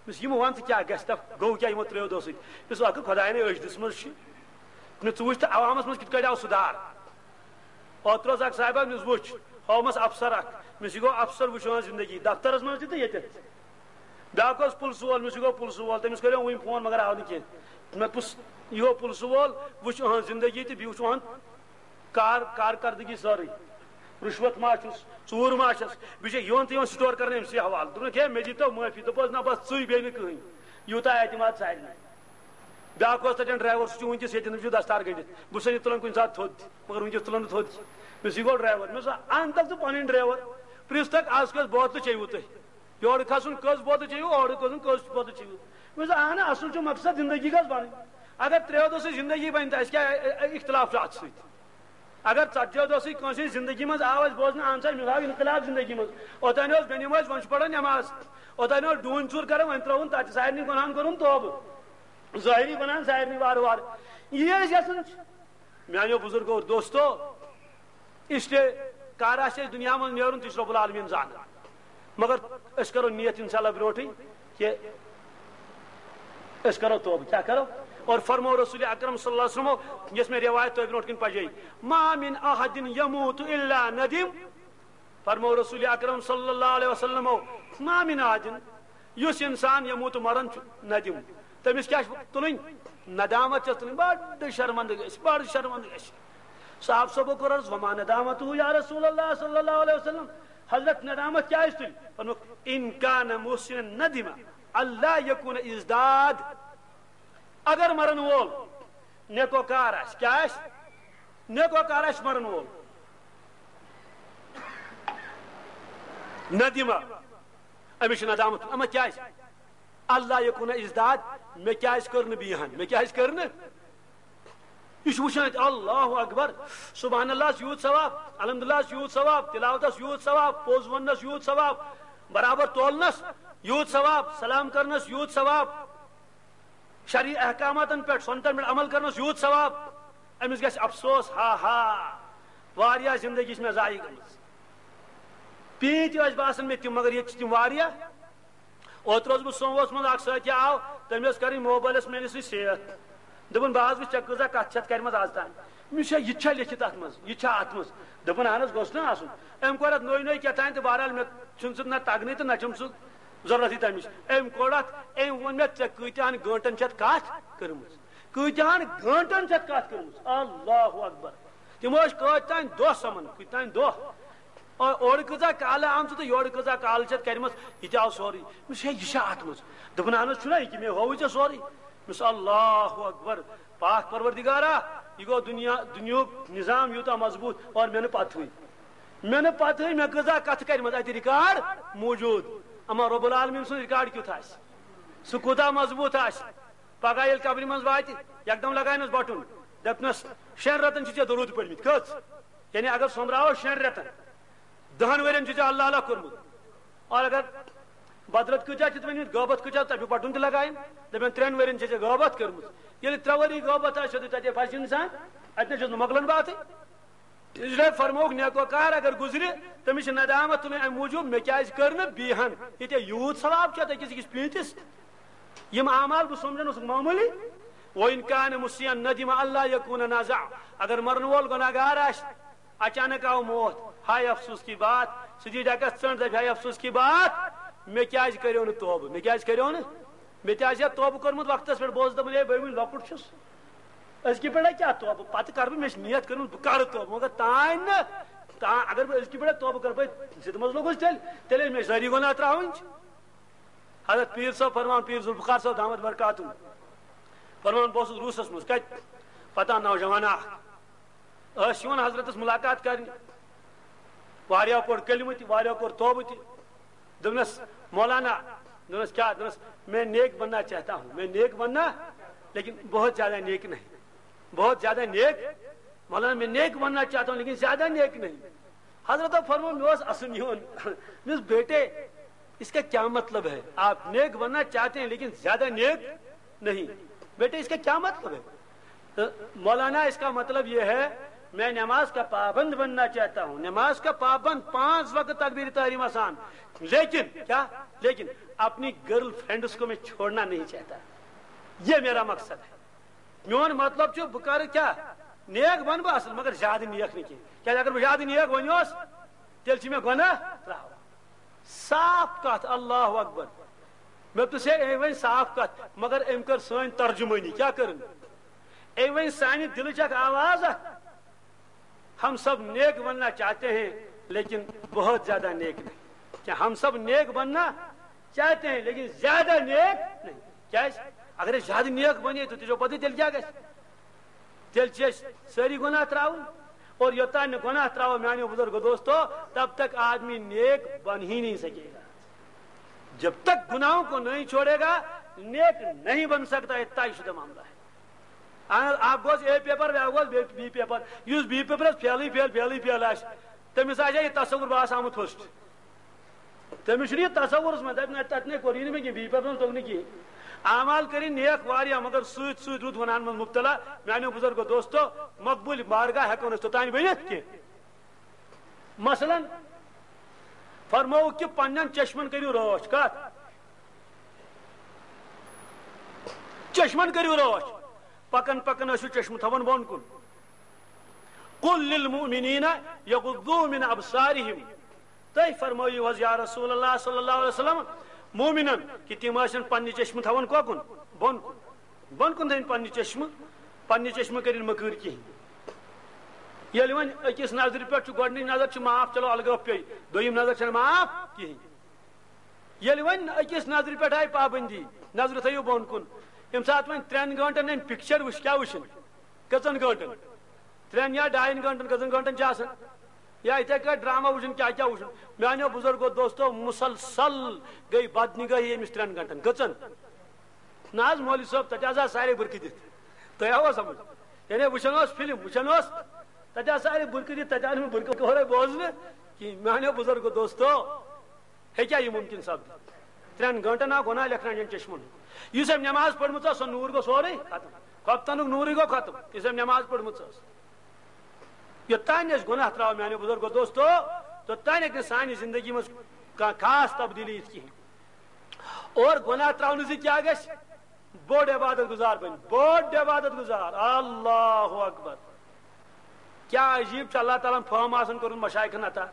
دوٚپُس، یِمو وَن ژٕ کیٛاہ گژھِ؟ دپ، گوٚو کیٛاہ یِمو ترٛیو دۄہو سۭتۍ؟" مےٚ دوٚپُس، اکھ خۄداین أچھ دِژمٕژ چھِ، مےٚ ژٕ وٕچھ تہٕ عوامس منٛز کِتھ کٲٹھۍ آو سُدھار۔ اوترٕ اوس اکھ صاحبہ، مےٚ وٕچھ، ہومس افسر اکھ، مےٚ دوٚپُس، یہِ گوٚو افسر وٕچھان زندگی، دفترس منٛز تہِ تہٕ ییٚتٮ۪تھ تہِ۔ بیٛاکھ اوس پُلسہٕ وول، مےٚ دوٚپُس، یہِ گوٚو پُلسہٕ وول، تٔمِس کریو وٕنۍ فون مگر آو نہٕ کینٛہہ۔ مےٚ دوٚپُس، یہِ گوٚو پُلسہٕ وول، وٕچھ أہنٛز زندگی تہٕ بیٚیہِ وٕچھ أہنٛد کار-، کارکردگی سٲرٕے۔ رُشوت ما چھُس، ژوٗر ما چھَس، بیٚیہِ چھےٚ یِوان تہٕ یِوان سٹور کرنہٕ أمۍ سٕے حوالہٕ۔ دوٚپُن، "ہے، مےٚ دیٖتو معٲفی۔" دوٚپُس، "نہ، بس ژٕے بیٚیہِ نہٕ کٕہٕنۍ۔" یوٗتاہ اعتماد سارنٕے۔ بیٛاکھ اوس تَتٮ۪ن ڈرایور، سُہ چھُ وٕنکیٚس ییٚتٮ۪ن، تٔمِس چھُ دستار گٔنٛڈِتھ، بہٕ چھُسَے نہٕ تُلان کُنہِ ساتہٕ تھوٚد تہِ، مگر وٕنکیٚس تُلان نہٕ تھوٚد تہِ۔ مےٚ دوٚپُس، "یہِ گوٚو ڈرایور۔" مےٚ دوٚپُس، "اَن تَل ژٕ پَنٕنۍ ڈرایور، پرٛژھ تَکھ، آز کٔژ بوتلہٕ چیٚیِوٕ تۄہہِ؟ یورٕ کھسُن کٔژ بوتلہٕ چیٚیِو، اورٕ کھسُن کٔژ بوتلہٕ چیٚیِو؟" مےٚ دوٚپُس، "اَہَن، اَصٕل چھُ مقصد زندگی گژھِ بَنٕنۍ۔ اگر ترٛیو دۄہو سۭتۍ زندگی بَنہِ تہٕ اَسہِ کیٛاہ اختلاف چھُ اَتھ سۭتۍ؟" اگر ژتجی دۄہ سۭتۍ کٲنٛسہِ ہٕنٛز زندگی منٛز آو اَسہِ بوزنہٕ، اہن سا، أمِس آو انقلاب زندگی منٛز۔ اوٚتانۍ اوس بے نماز، وۄنۍ چھُ پران نماز۔ اوٚتانۍ اوس ڈوٗنۍ ژوٗر کران، وۄنۍ ترٲوُن تتہِ سارنٕے گۄناہن کوٚرُن توبہٕ۔ ظٲہری گۄناہن سارنٕے وارٕ وارٕ۔ یی أسۍ یژھان چھِ۔ میانیو بزرگو، دوستو، اس لیے کر آسہِ اَسہِ دُنیا منٛز نیرُن، تہِ چھُ رب العالمین زانان۔ مگر أسۍ کرو نیت انشاءاللہ برونٹھٕے کہِ أسۍ کرو توبہٕ۔ کیٛاہ کرو؟ اور فرمو رسول اکرم صلی اللہ علیہ وسلمو، یۄس مےٚ روایت تۄہہِ برونٹھ کِنۍ پجے، "ما من احد یموت الا ندم۔" فرمو رسول اکرم صلی اللہ علیہ وسلمو، "ما من احد"، یُس انسان یموت مران چھُ، ندم، تٔمِس کیٛاہ چھُ تُلٕنۍ؟ ندامت چھَس تُلٕنۍ، بڑٕ شرمندٕ گژھِ، بڑٕ شرمندٕ گژھِ۔ صاحب صٲبو کوٚر عرض، "وما ندامتہ یا رسول اللہ صلی اللہ علیہ وسلم؟" حضرت ندامت کیٛازِ تُلہِ؟ فرمووُکھ، "ان کان محسنا ندم اللہ یکون ازداد۔" اگر مرن وول نیکو کار آسہِ، کیٛاہ آسہِ؟ نیکو کار آسہِ مرن وول۔ ندیمہ، أمِس چھِ ندامت، اما کیٛازِ؟ اللہ یکون ازداد، مےٚ کیٛازِ کٔر نہٕ بیٚیہِ ہن؟ مےٚ کیٛازِ کٔر نہٕ؟ یہِ چھُ وٕچھان اَتہِ، اللہ اکبر، سبحان اللہ ہس یوٗت ثواب، الحمدللہ ہس یوٗت ثواب، تلاوتس یوٗت ثواب، پوٚز وننس یوٗت ثواب، برابر تولنس یوٗت ثواب، سلام کرنس یوٗت ثواب، شرعی احکاماتن پٮ۪ٹھ، سنتن پٮ۪ٹھ عمل کرنس یوٗت ثواب۔ أمِس گژھِ افسوس، ہا ہا، واریاہ زندگی چھِ مےٚ ضایع گٔمٕژ۔ پیٖنتۍ ٲسۍ باسان مےٚ تِم، مگر ییٚتہِ چھِ تِم واریاہ۔ اوترٕ اوسُس بہٕ سوموس منٛز، اکھ سۭتۍ آو، تٔمۍ ٲس کرٕنۍ موبایلس میٲنِس سۭتۍ سیتھ۔ دوٚپُن، "بہٕ حظ وٕچھِ ژےٚ کۭژاہ کتھ چھتھ کرِمژ از تام۔" مےٚ چھا، یہِ تہِ چھا لیکھِتھ اتھ منٛز؟ یہِ تہِ چھا اتھ منٛز؟ دوٚپُن، "اہن حظ، گوٚژھ نہ آسُن؟" أمۍ کوٚر اتھ نوٚے نوٚے کیٛاہ تام تہٕ بہرحال مےٚ چھُنہٕ سُہ نہ تگنٕے تہٕ نہ چھُم سُہ ضرورتٕے تَمِچ۔ أمۍ کوٚڑ اَتھ، أمۍ ووٚن مےٚ، "ژےٚ کۭتیٛاہَن گٲنٛٹَن چھِ اَتھ کَتھ کٔرمٕژ؟ کۭتیٛاہَن گٲنٛٹَن چھِ اَتھ کَتھ کٔرمٕژ؟" اللہ اکبر۔ تِم ٲسۍ کۭتۍ تام دۄہ سَمان، کۭتۍ تام دۄہ۔ او-، اورٕ کۭژاہ کالہٕ آمژٕ تہٕ یورٕ کۭژاہ کالہٕ چھِ اَتھ کَرِمَژ، یہِ تہِ آو سورُے۔ مےٚ چھُ، "ہے، یہِ چھا اَتھ منٛز؟" دوٚپُن، "اَہن حظ، چھُنہ یہِ کہِ مےٚ ہووُے ژےٚ سورُے؟" مےٚ چھُ، اللہ اکبر، پاک پروردگارا، یہِ گوٚو دُنیا، دُنیاہُک نظام یوٗتاہ مضبوٗط، اور مےٚ نہٕ پَتہٕے۔ مےٚ نہٕ پَتہٕے مےٚ کۭژاہ کَتھٕ کَرِمَژ اَتہِ ریکارڈ موٗجوٗد۔ اما رب العالمین سُنٛد ریکارڈ کیُتھ آسہِ، سُہ کوٗتاہ مضبوٗط آسہِ۔ پگاہ ییٚلہِ قبرِ منٛز واتہِ، یکدم لگاونس بٹُن، دپنس، "شٮ۪ن رٮ۪تن چھِ ژےٚ درود پٔرمٕتۍ، کٔژ؟" یعنی اگر سوٚمبراوو شٮ۪ن رٮ۪تن، دہن ؤرین چھُ ژےٚ اللہ اللہ کوٚرمُت۔ اور اگر بدرت کۭتیاہ چھِ تٔمۍ ؤنمٕتۍ، غٲبت کۭتیاہ، تَمیُک بٹُن تہِ لگاوٕنۍ، دپن، "ترٛٮ۪ن ؤرین چھِ ژےٚ غٲبت کٔرمٕژ۔" ییٚلہِ ترٛےٚ ؤری غٲبت آسہِ، سیوٚدُے تَتے پھسہِ انسان، اتہِ نَے چھُس نہٕ مۄکلان باتھٕے۔ اس لیے فرمووُکھ، نیکوکار اگر گُزرِ، تٔمِس چھِ ندامت تُلٕنۍ اَمہِ موٗجوٗب، مےٚ کیازِ کٔر نہٕ بیٚیہِ ہن ییٚتہِ یوٗت ثواب چھُ اَتھ أکِس أکِس پیٖنتِس؟ یِم اعمال بہٕ سمجھن اوسُکھ معموٗلی۔ وَإِنْ كَانَ مُسِيئًا نَدِمَ أَلَّا يَكُونَ نَازِعًا۔ اگر مرن وول گناہگار آسہِ، اچانک آو موت، ہاے افسوس کی بات، سُہ دی ڈکس ژٔنڈ، دپہِ، ہاے افسوس کی بات، مےٚ کیازِ کریو نہٕ توبہٕ؟ مےٚ کیازِ کریو نہٕ؟ مےٚ تہِ آسہِ ہا توبہٕ کوٚرمُت وقتس پٮ۪ٹھ، بہٕ اوسُس دپان، ہے، بہٕ وُنہِ لۄکُٹ چھُس۔ أزکہِ پٮ۪ٹھ کیٛاہ توبہٕ؟ پتہٕ کرٕ بہٕ، مےٚ چھِ نیت کٔرمٕژ، بہٕ کرٕ توبہٕ، مگر تانۍ نہٕ۔ تانۍ اگر بہٕ أزکہِ پٮ۪ٹھ توبہٕ کرٕ، بہٕ ضد منٛز لوٚگُس تیٚلہِ، تیٚلہِ ہے مےٚ چھِ سٲری گۄناہ ترٛاوٕنۍ۔ حضرت پیٖر صٲب فرمان، پیٖر ذوالفقار صٲب دامت برکاتہم فرمان، بہٕ اوسُس روٗسس منٛز، کتہِ؟ پتہ، نوجوان اکھ۔ ٲسۍ یِوان حضرتس ملاقات کرنہِ۔ واریاہ پوٚر کلمہٕ تہِ، واریاہ کوٚر توبہٕ تہِ۔ دوٚپنس، "مولانا"، دوٚپنس، "کیا؟" دوٚپنس، "میں نیک بننا چاہتا ہوں، میں نیک بننا، لیکن بہت زیادہ نیک نہیں، بہت زیادہ نیک، مولانا، میں نیک بننا چاہتا ہوں، لیکن زیادہ نیک نہیں۔" حضرت فرمو، مےٚ اوس اَسُن یِوان۔ مےٚ اوس، "بیٹے، اس کا کیا مطلب ہے؟ آپ نیک بننا چاہتے ہیں، لیکن زیادہ نیک نہیں۔ بیٹے، اس کا کیا مطلب ہے؟" تو مولانا، اس کا مطلب یہ ہے، میں نماز کا پابند بننا چاہتا ہوں، نماز کا پابند، پانچ وقت تکبیر تحریم آسان، لیکن کیا؟ لیکن اپنی گرل فرینڈس کو میں چھوڑنا نہیں چاہتا، یہ میرا مقصد ہے۔ میون مطلب چھُ، بہٕ کرٕ کیٛاہ؟ نیک بنہٕ بہٕ اصل، مگر زیادٕ نیک نہٕ کینٛہہ۔ کیٛازِ اگر بہٕ زیادٕ نیک بنیوس، تیٚلہِ چھِ مےٚ گۄناہ ترٛاوان۔ صاف کتھ، اللہ اکبر۔ مےٚ دوٚپُس، ہے، أمۍ ؤنۍ صاف کتھ، مگر أمۍ کٔر سٲنۍ ترجمٲنی۔ کیٛاہ کٔرٕن؟ أمۍ ؤنۍ سانہِ دِلٕچ اکھ آواز اکھ، "ہم سب نیک بننا چاہتے ہیں، لیکن بہت زیادہ نیک نہیں۔" کیا ہم سب نیک بننا چاہتے ہیں، لیکن زیادہ نیک نہیں؟ کیٛازِ؟ اگر أسۍ زیادٕ نیک بنے، تہٕ تُہۍ چھِو پتہٕ تیٚلہِ کیٛاہ گژھِ؟ تیٚلہِ چھِ أسۍ سٲری گۄناہ ترٛاوٕنۍ۔ اور یوٚتام نہٕ گۄناہ ترٛاوو، میٛانیو بُزرگو دوستو، تب تک آدمی نیک بن ہی نہیں سکے گا۔ جب تک گناہوں کو نہیں چھوڑے گا، نیک نہیں بن سکتا، یہ طے شدہ معاملہ ہے۔ اہن حظ، اکھ گوٚژھ اے پیپر، بیٛاکھ گوٚژھ بی، بی پیپر۔ یُس بی پیپرس فیلٕے فیل، فیلٕے فیل آسہِ، تٔمِس آسہِ ہا یہِ تصوُر، بہٕ آسہٕ آمُت ہوسٹ۔ تٔمِس چھُنہٕ یہِ تصوُرس منٛز، دَپہِ نہ، تَتہِ نے کوٚر یہِ نہٕ مےٚ کینٛہہ، بی پیپرس منٛز توٚگ نہٕ کِہیٖنۍ۔ اعمال کٔرِن نیک واریاہ، مگر سۭتۍ سۭتۍ روٗد گۄناہن منٛز مُبتلا۔ میٛانیو بُزرگو دوستو، مقبوٗل بارگاہ ہٮ۪کو نہٕ أسۍ توٚتام ؤنِتھ کینٛہہ۔ مثلاً، فرمووُکھ کہِ پننٮ۪ن چشمن کٔرِو رٲچھ۔ کتھ؟ چشمن کٔرِو رٲچھ۔ پکان پکان ٲسِو چشمہٕ تھاوان بۄن کُن۔ قل للمؤمنین یغضوا من ابصارہم۔ تُہۍ فرمٲیِو حظ یا رسول اللہ صلی اللہ علیہ وسلم، مومنن، کہِ تِم ٲسِن پننہِ چشمہٕ تھاوان کۄکُن؟ بۄن کُن۔ بۄن کُن تھٲوِن پننہِ چشمہٕ، پننہِ چشمہٕ کٔرِن مٔکٕر کِہیٖنۍ۔ ییٚلہِ وۄنۍ أکِس نظرِ پٮ۪ٹھ چھُ، گۄڈٕنِچ نظر چھِ معاف، چلو الگٲب پیٚیہِ، دوٚیِم نظر چھَنہٕ معاف کِہیٖنۍ۔ ییٚلہِ وۄنۍ أکِس نظرِ پٮ۪ٹھ آیہِ پابندی، نظرِ تھٲیِو بۄن کُن، ییٚمہِ ساتہٕ وۄنۍ ترٛٮ۪ن گٲنٛٹن أمۍ پِکچر وٕچھ، کیٛاہ وٕچھِن؟ کٔژن گٲنٛٹن؟ ترٛٮ۪ن یا ڈاین گٲنٛٹن، کٔژن گٲنٛٹن چھِ آسان؟ یا یِتھے کٲٹھۍ ڈرامہ وٕچھُن، کیٛاہ کیٛاہ وٕچھُن؟ میٛانیو بُزرگو دوستو، مُسلسل گٔے بدنگٲہی أمِس ترٛٮ۪ن گٲنٛٹن۔ کٔژن؟ نہ حظ، مولوی صٲب، تَتہِ حظ آو سارے بُرکہٕ دِتھ۔ تۄہہِ آوا سمجھ؟ یعنی وٕچھان اوس فِلم، وٕچھان اوس، تَتہِ آو سارے بُرکہٕ دِتھ، تَتہِ آو نہٕ مےٚ بُرکہٕ اورَے بوزنہٕ کِہیٖنۍ۔ میٛانیو بُزرگو دوستو، ہیٚکیٛاہ یہِ مُمکِن سپدِتھ؟ ترٛٮ۪ن گٲنٛٹن آو گۄناہ لیکھنہٕ اَنجَن چشمَن۔ یُس أمۍ نٮ۪ماز پٔرمٕژ ٲس، سۄ نوٗر گوٚو سورُے ختم۔ خۄفتنُک نوٗرٕے گوٚو ختم، یُس أمۍ نٮ۪ماز پٔرمٕژ ٲس۔ یوٚتام أسۍ گۄناہ ترٛاوو، میٛانیو بُزرگو دوستو، توٚتام ہیٚکہِ نہٕ سانہِ زندگی منٛز کانٛہہ خاص تبدیٖلی یِتھ کِہیٖنۍ۔ اور گۄناہ ترٛاونہٕ سۭتۍ کیٛاہ گژھِ؟ بوٚڑ عبادت گُزار بنہِ، بوٚڑ عبادت گُزار۔ اللہ اکبر۔ کیٛاہ عجیٖب چھُ، اللہ تعالیٰ ہن فہم آسان کوٚرمُت مشایخن عطا۔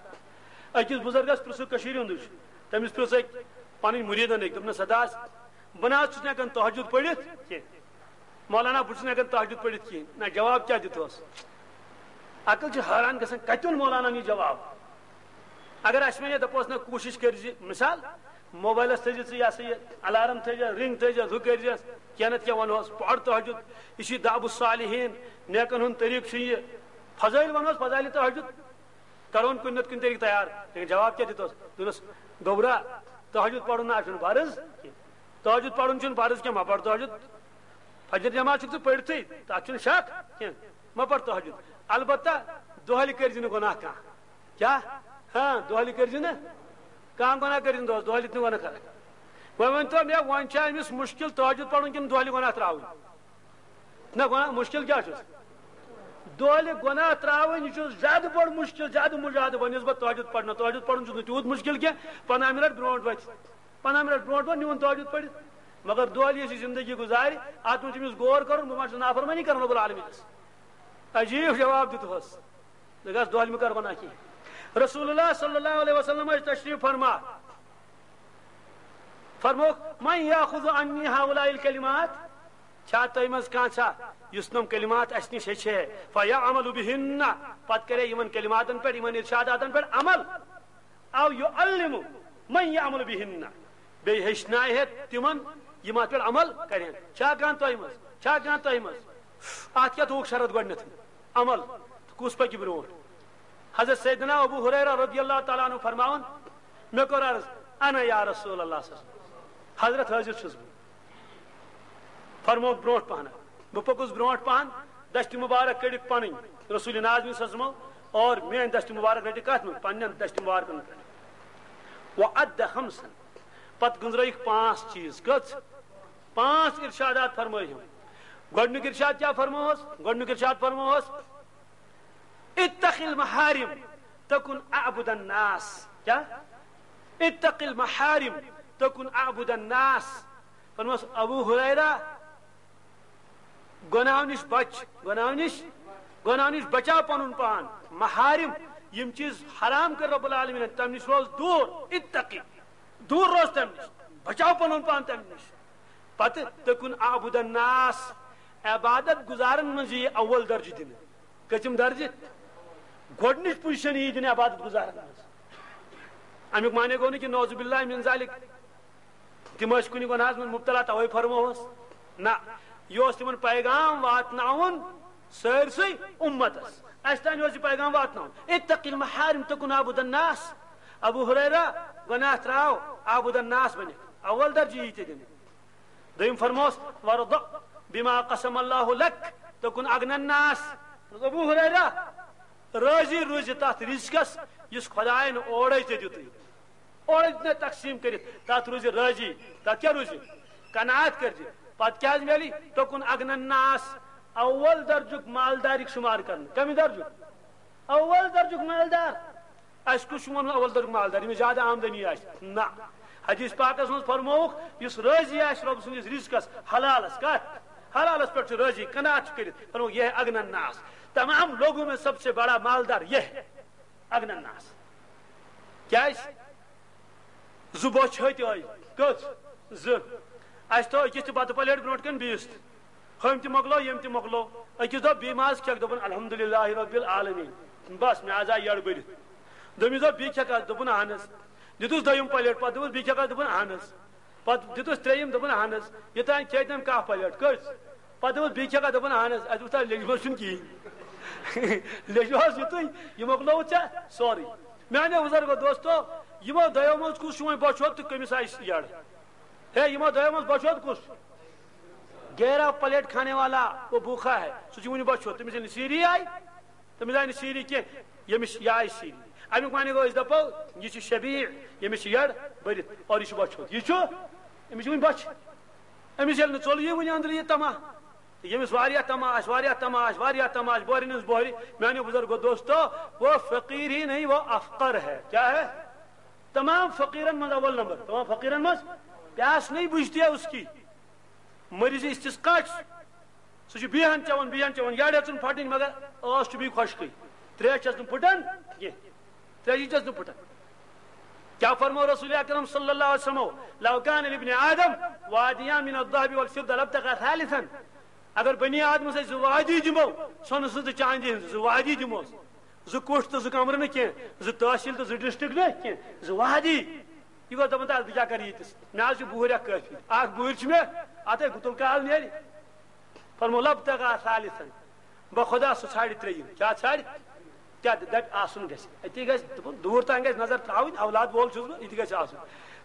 أکِس بُزرگس پرٛژھُکھ، کٔشیٖرِ ہُنٛدُے چھُ، تٔمِس پرٛژھ أکۍ، پنٕنۍ مُریٖدن أکۍ، دوٚپنَس، "ہتا، بہٕ نہ حظ چھُس نہٕ ہٮ۪کان تہجد پٔرِتھ کینٛہہ۔ مولانا، بہٕ چھُس نہٕ ہٮ۪کان تہجد پٔرِتھ کینٛہہ۔" نہ، جواب کیٛاہ دِتہوس؟ عقل چھِ حٲران گژھان، کَتہِ اوٚن مولاناہَن یہِ جواب؟ اگر اَسہِ وَنے، دَپوس، "نہ، کوٗشِش کٔرۍ زِ، مثال، موبایلَس تھٲیزِ ژٕ یہِ ہسا یہِ الارم تھٲیزِ، رنگ تھٲیزِ، ہُہ کٔرۍ زِ، کینٛہہ نَتہٕ کینٛہہ وَنہوس، پَر تہجد، یہِ چھُ دأب الصالحین، نیکَن ہُنٛد طریٖقہٕ چھُ یہِ، فضٲیِل وَنہوس، فضائل تہجد۔" کرون کُنہِ نتہٕ کُنہِ طریٖقہٕ تیار۔ لیکن جواب کیٛاہ دِتس؟ دوٚپنس، "گوٚبرا، تہجد پرُن نہ چھُنہٕ فرض کینٛہہ۔ تہجد پرُن چھُنہٕ فرض کینٛہہ، مہ پر تہجد۔ فجر جماعت چھُکھ ژٕ پٔرتھٕے، تتھ چھُنہٕ شک کینٛہہ، مہ پر تہجد۔ البتہ دۄہلہِ کٔرۍ زِ نہٕ گۄناہ کانٛہہ۔" کیٛاہ؟ ہاں، دۄہلہِ کٔرۍ زِ نہٕ کانٛہہ گۄناہ، کٔرۍ زِ نہٕ دۄہس، دۄہلہِ تہِ نہٕ گۄناہ کران۔ وۄنۍ ؤنۍ تو مےٚ، وۄنۍ چھا أمِس مُشکِل تہجد پرُن کِنہٕ دۄہلہِ گۄناہ ترٛاوٕنۍ؟ نہ، گۄناہ مُشکِل کیٛاہ چھُس؟ دۄہلہِ گۄناہ ترٛاوٕنۍ، یہِ چھُ زیادٕ بوٚڑ مُشکِل، زیادٕ مُجادٕ بنسبت تہجد پرنہٕ۔ تہجد پرُن چھُنہٕ تیوٗت مُشکِل کینٛہہ، پنٛداہ مِنٹ برونٛٹھ وۄتھِ، پنٛداہ مِنٹ برونٛٹھ وۄتھِ، نیوٗن تہجد پٔرِتھ۔ مگر دۄہلہِ یُس یہِ زندگی گُزارِ، اتھ منٛز چھُ أمِس غور کرُن، بہٕ ما چھُس نافرمٲنی کران رب العالمینس؟ عجیب جواب دیُتہوس۔ دوٚپنس، "دۄہلہِ مہٕ کر گۄناہ کینٛہہ۔" رسول اللہ صلی اللہ علیہ وسلم ٲسۍ تشریف فرما۔ فرمووُکھ، "من یاخذ عنی ہؤلاء الکلمات؟" چھا تۄہہِ منٛز کانٛہہ چھا یُس نۄم کلمات اَسہِ نِش ہیٚچھِ ہے، فیعمل بہن، پتہٕ کرِ یِمن کلماتن پٮ۪ٹھ، یِمن ارشاداتن پٮ۪ٹھ عمل، او یعلم من یعمل بہن، بیٚیہِ ہیٚچھنایہِ ہے تِمن یِم اتھ پٮ۪ٹھ عمل کرن؟ چھا کانٛہہ تۄہہِ منٛز؟ چھا کانٛہہ تۄہہِ منٛز؟ اتھ کیٛاہ تھوٚوُکھ شرط گۄڈٕنیتھٕے؟ عمل۔ تہٕ کُس پکہِ برونٛٹھ؟ حضرت سیدنا ابو ہریرہ رضی اللہ تعالیٰ عنہ فرماوان، مےٚ کوٚر عرض، "انا یا رسول اللہ صلی اللہ علیہ وسلم، حضرت حٲضِر چھُس بہٕ۔" فرمووُکھ برونٛٹھ پہن۔ بہٕ پوٚکُس برونٛٹھ پہن، دستِ مبارک کٔڑِتھ پنٕنۍ رسول نازنین صلی اللہ علیہ وسلم، اور میٲنۍ دستِ مبارک رٔٹِتھ کتھ منٛز؟ پننٮ۪ن دستِ مبارکن پٮ۪ٹھ۔ وعد خمسن، پتہٕ گُنزرٲیِکھ پانٛژھ چیٖز۔ کٔژ؟ پانٛژھ ارشادات فرمٲے ہم۔ گۄڈنیُک ارشاد کیٛاہ فرمووس؟ گۄڈنیُک ارشاد فرمووس، اتق المحارم تکن اعبد الناس۔ کیا؟ اتق المحارم تکن اعبد الناس۔ فرموس، ابو ہریرہ، گناہو نش بچ، گناہو نش، گناہو نش بچاو پنن پان۔ محارم، یم چیز حرام کر رب العالمین، تم نش روز دور، اتقی، دور روز تم نش، بچاو پنن پان تم نش۔ پتہٕ تکن اعبد الناس، عبادت گزارن منٛز یی اول درجہٕ دِنہٕ۔ کٔژِم درجہٕ؟ گۄڈٕنِچ پوزیشن یی دِنہٕ عبادت گزارن منٛز۔ امیُک معنی گوٚو نہٕ کہِ نعوذ باللہ من ذالک تِم ٲسۍ کُنہِ گۄناہس منٛز مبتلا توے فرمووس۔ نہ، یہِ اوس تِمن پیغام واتناوُن سٲرسٕے امتس۔ اسہِ تام اوس یہِ پیغام واتناوُن۔ اتق المحارم تکن عابد الناس۔ ابو ہریرہ، گۄناہ تراو، عابد الناس بٔنِتھ۔ اول درجہٕ یی ژےٚ دِنہٕ۔ دوٚیِم فرموس، "وارض بما قسم اللہ لک تکن اغنی الناس۔" ابو ہریرہ، رٲضی روٗزِ تتھ رزقس یُس خداین اورے ژےٚ دیُتُے۔ اورے دیُت مےٚ تقسیٖم کٔرِتھ، تتھ روٗزِ رٲضی۔ تتھ کیٛاہ روٗزِ؟ قناعت کٔرزِ۔ پتہٕ کیٛاہ حظ میلی؟ تکن اغنی الناس۔ اول درجُک مالدار یِکھ شُمار کرنہٕ۔ کمہِ درجُک؟ اول درجُک مالدار۔ اسہِ کُس چھُ وَنُن اول درجُک مالدار، ییٚمِس زیادٕ آمدنی آسہِ؟ نہ۔ حدیث پاکس منٛز فرمووُکھ، یُس رٲضی آسہِ رۄب سٕنٛدِس رزقس، حلالس، کتھ؟ حلالس پٮ۪ٹھ چھُ رٲضی، قناعت چھُ کٔرِتھ۔ فرمووُکھ، یہ ہے اغنی الناس۔ تمام لوگوں میں سب سے بڑا مالدار یہ ہے، اغنی الناس۔ کیٛازِ؟ زٕ بۄچھِ ہتۍ آیہِ۔ کٔژ؟ زٕ۔ اسہِ تھٲو أکِس تہِ بتہٕ پلیٹ برونٛٹھ کَنہِ بیٚیِس تہِ۔ ہُمۍ تہِ مۄکلٲو، ییٚمۍ تہِ مۄکلٲو۔ أکِس دوٚپ، "بیٚیہِ ما آز کھٮ۪کھ؟" دوٚپُن، "الحمدللہ رب العالمین، بس، مےٚ آز آے یٔڈ بٔرِتھ۔" دوٚیمِس دوٚپ، "بیٚیہِ کھٮ۪کھ آز؟" دوٚپُن، "اہن حظ۔" دِتُس دوٚیِم پلیٹ، پتہٕ دوٚپُس، "بیٚیہِ کھٮ۪کھ آز؟" دوٚپُن، "اہن حظ۔" پتہٕ دِتُس ترٛیٚیِم، دوٚپُن، "اہن حظ۔" یوٚتام کھیٚیہِ تٔمۍ کاہ پلیٹ۔ کٔژ؟ پتہٕ دوٚپُس، "بیٚیہِ کھٮ۪کھ آز؟" دوٚپُن، "اہن حظ۔" اسہِ دوٚپُس، "تۄہہِ لیٚجوَس چھُنہٕ کِہیٖنۍ۔" لیٚجوَس یُتُے، یہِ مۄکلووُتھ ژےٚ سورُے۔ میانیو بزرگو دوستو، یِمو دۄیو منٛز کُس چھُ وۄنۍ بۄچھِ ہوٚت تہٕ کٔمِس آیہِ یٔڈ؟ ہے، یِمو دۄیو منٛز بۄچھِ ہوٚت کُس؟ گیرہ پلیٹ کھانے والا وہ بھوکا ہے، سُہ چھُ وُنہِ بۄچھِ ہوٚت، تٔمِس ییٚلہِ نہٕ سیٖری آیہِ، تٔمِس آیہِ نہٕ سیٖری کینٛہہ، ییٚمِس یہِ آیہِ سیٖری۔ اَمیُک معنی گوٚو، أسۍ دَپو، یہِ چھُ شبیع، ییٚمِس چھِ یٔڈ بٔرِتھ، اور یہِ چھُ بۄچھِ ہوٚت۔ یہِ چھُ؟ أمِس چھِ وُنہِ بۄچھِ۔ أمِس ییٚلہِ نہٕ ژوٚل یی وُنہِ أنٛدرٕ یہِ تما۔ ییٚمِس واریاہ تما آسہِ، واریاہ تما آسہِ، واریاہ تما آسہِ، بۄہرِ ہٕنٛز بۄہرِ۔ میانیو بزرگو دوستو، وہ فقیر ہی نہیں، وہ افقر ہے۔ کیا ہے؟ تمام فقیرن منٛز اول نمبر، تمام فقیرن منٛز، پیاس نہیں بجھتی ہے اس کی۔ مریض استسقا چھُ، سُہ چھُ بیہان چٮ۪وان، بیہان چٮ۪وان، یٔڈ ہیٚژٕن پھٹٕنۍ، مگر ٲس چھُ بیٚیہِ خۄشکٕے۔ ترٛیش چھَس نہٕ پھُٹان کینٛہہ، ترٛیشی چھَس نہٕ پھُٹان۔ کیا فرمو رسول اکرم صلی اللہ علیہ وسلم؟ لو کان لابن آدم وادیان من الذهب والفضة لابتغى ثالثا۔ اگر بنی آدمس أسۍ زٕ وادی دِمو، سۄنہٕ سٕنٛز تہٕ چاندی ہٕنٛز زٕ وادی دِموس، زٕ کُٹھ تہٕ زٕ کمرٕ نہٕ کینٛہہ، زٕ تحصیل تہٕ زٕ ڈسٹرکٹ نہٕ کینٛہہ، زٕ وادی۔ یہِ گوٚو دپان، تہٕ بہٕ کیٛاہ کرٕ ییٖتِس؟ مےٚ حظ چھُ بُہٕرۍ اکھ کٲفی، اکھ بُہٕرۍ چھِ مےٚ، اتھے گُتُل کال نیرِ۔ فرمو، لابتغى ثالثا، بہ خدا سُہ ژھانڈِ ترٛیٚیِم۔ کیٛاہ ژھانڈِ؟ کیٛاہ دَپہِ آسُن گژھِ۔ أتی گژھِ، دوٚپُن، دوٗر تام گژھِ نظر ترٛاوٕنۍ، اولاد وول چھُس بہٕ، یہِ تہِ گژھِ آسُن۔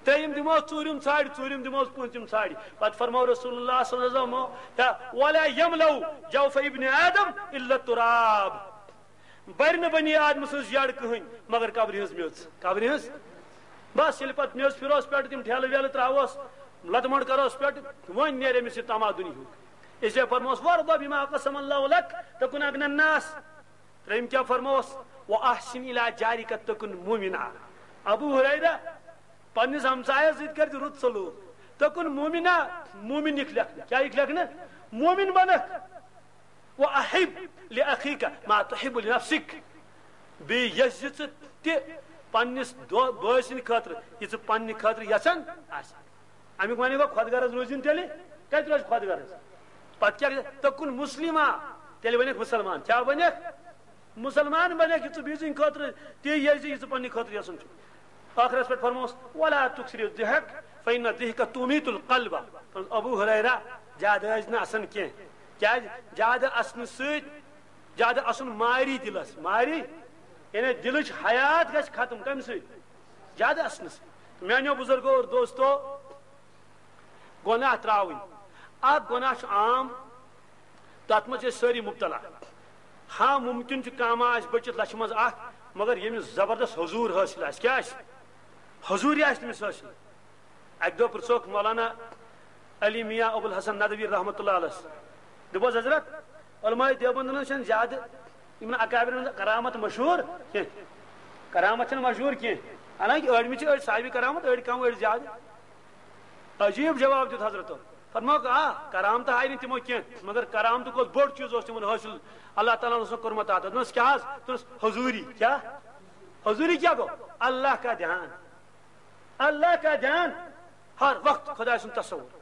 ترٛیٚیِم دِموس، ژوٗرِم ژھانڈِ، ژوٗرِم دِموس، پوٗنٛژِم ژھانڈِ۔ پتہٕ فرموو رسول اللہ صلی اللہ علیہ وسلم، یا، ولا یملأ جوف ابن آدم الا التراب۔ بَرِ نہٕ بنی آدم سٕنٛز یَڈ کٕہٕنۍ مگر قبرِ ہٕنٛز میٚژ، قبرِ ہٕنٛز۔ بس، ییٚلہِ پتہٕ میٚژ پھِروس پٮ۪ٹھ، تِم ٹھیلہٕ ویلہٕ ترٛاووس، لَتہٕ مۄنٛڈ کروس پٮ۪ٹھ، وۄنۍ نیرِ أمِس یہِ تما دُنیہُک۔ اس لیے فرموس، وارض بما قسم اللہ لک تکن اغنى الناس۔ ترٛیٚیِم کیٛاہ فرموس؟ واحسن الی جارک تکن مؤمنا۔ ابو ہریرہ، پننِس ہمسایس سۭتۍ کر زِ رُت سلوک۔ تکن مؤمنا، مومن یِکھ لیکھنہٕ۔ کیٛاہ یِکھ لیکھنہٕ؟ مومن بنکھ۔ واحب لاخیک ما تحب لنفسک۔ بیٚیہِ یژھ زِ ژٕ تہِ پننِس دو-، بٲے سٕنٛدِ خٲطرٕ، یہِ ژٕ پننہِ خٲطرٕ یژھان آسہِ۔ امیُک معنی گوٚو خۄد غرض روٗزِن تیٚلہِ۔ کتہِ روزِ خۄد غرض؟ پتہٕ کیٛاہ گژھِ؟ تکن مسلما، تیٚلہِ بنکھ مسلمان۔ کیٛاہ بنکھ؟ مسلمان بنکھ، یہِ ژٕ بیٚیہِ سٕنٛدِ خٲطرٕ تی یژھ زِ یہِ ژٕ پننہِ خٲطرٕ یژھان چھُکھ۔ ٲخرس پٮ۪ٹھ فرموس، ولا تکثر الضحک فإن الضحک تمیت القلب۔ فرموس، ابو ہریرہ، زیادٕ ٲسۍ نہٕ اسان کینٛہہ۔ کیٛازِ؟ زیادٕ اسنہٕ سۭتۍ، زیادٕ اسُن ماری دِلس، ماری، یعنی دِلٕچ حیات گژھِ ختم۔ کمہِ سۭتۍ؟ زیادٕ اسنہٕ سۭتۍ۔ میانیو بزرگو اور دوستو، گۄناہ ترٛاوٕنۍ۔ اکھ گۄناہ چھُ عام، تتھ منٛز چھِ أسۍ سٲری مبتلا۔ ہاں، ممکن چھُ کانٛہہ ما آسہِ بٔچِتھ لچھِ منٛز اکھ، مگر ییٚمِس زبردست حضور حٲصِل آسہِ۔ کیٛاہ آسہِ؟ حضوٗری آسہِ تٔمِس حٲصِل۔ اکہِ دۄہ پرٛژھوکھ مولانا علی میاں ابو الحسن ندوی رحمتہ اللہ علیہ۔ دوٚپُس، حضرت، علماء دیوبندن ہٕنٛز چھَنہٕ زیادٕ، یِمن اکابرن ہٕنٛز کرامت مشہوٗر کینٛہہ۔ کرامت چھَنہٕ مشہوٗر کینٛہہ۔ حالانکہ أڑمہِ چھِ أڑۍ صاحبِ کرامت، أڑۍ کم، أڑۍ زیادٕ۔ عجیب جواب دیُت حضرتو۔ فرمووُکھ، آ، کرامتہٕ ہاے نہٕ تِمو کینٛہہ، مگر کرامتُک اوس بوٚڑ چیٖز اوس تِمن حٲصِل، اللہ تعالیٰ ہن اوس کوٚرمُت عطا۔ دوٚپنس، کیٛاہ حظ؟ دوٚپنس، حضوٗری۔ کیٛاہ؟ حضوٗری کیٛاہ گوٚو؟ اللہ کا دھیان۔ اللہ کا دھیان، ہر وقت خدائے سُنٛد تصور۔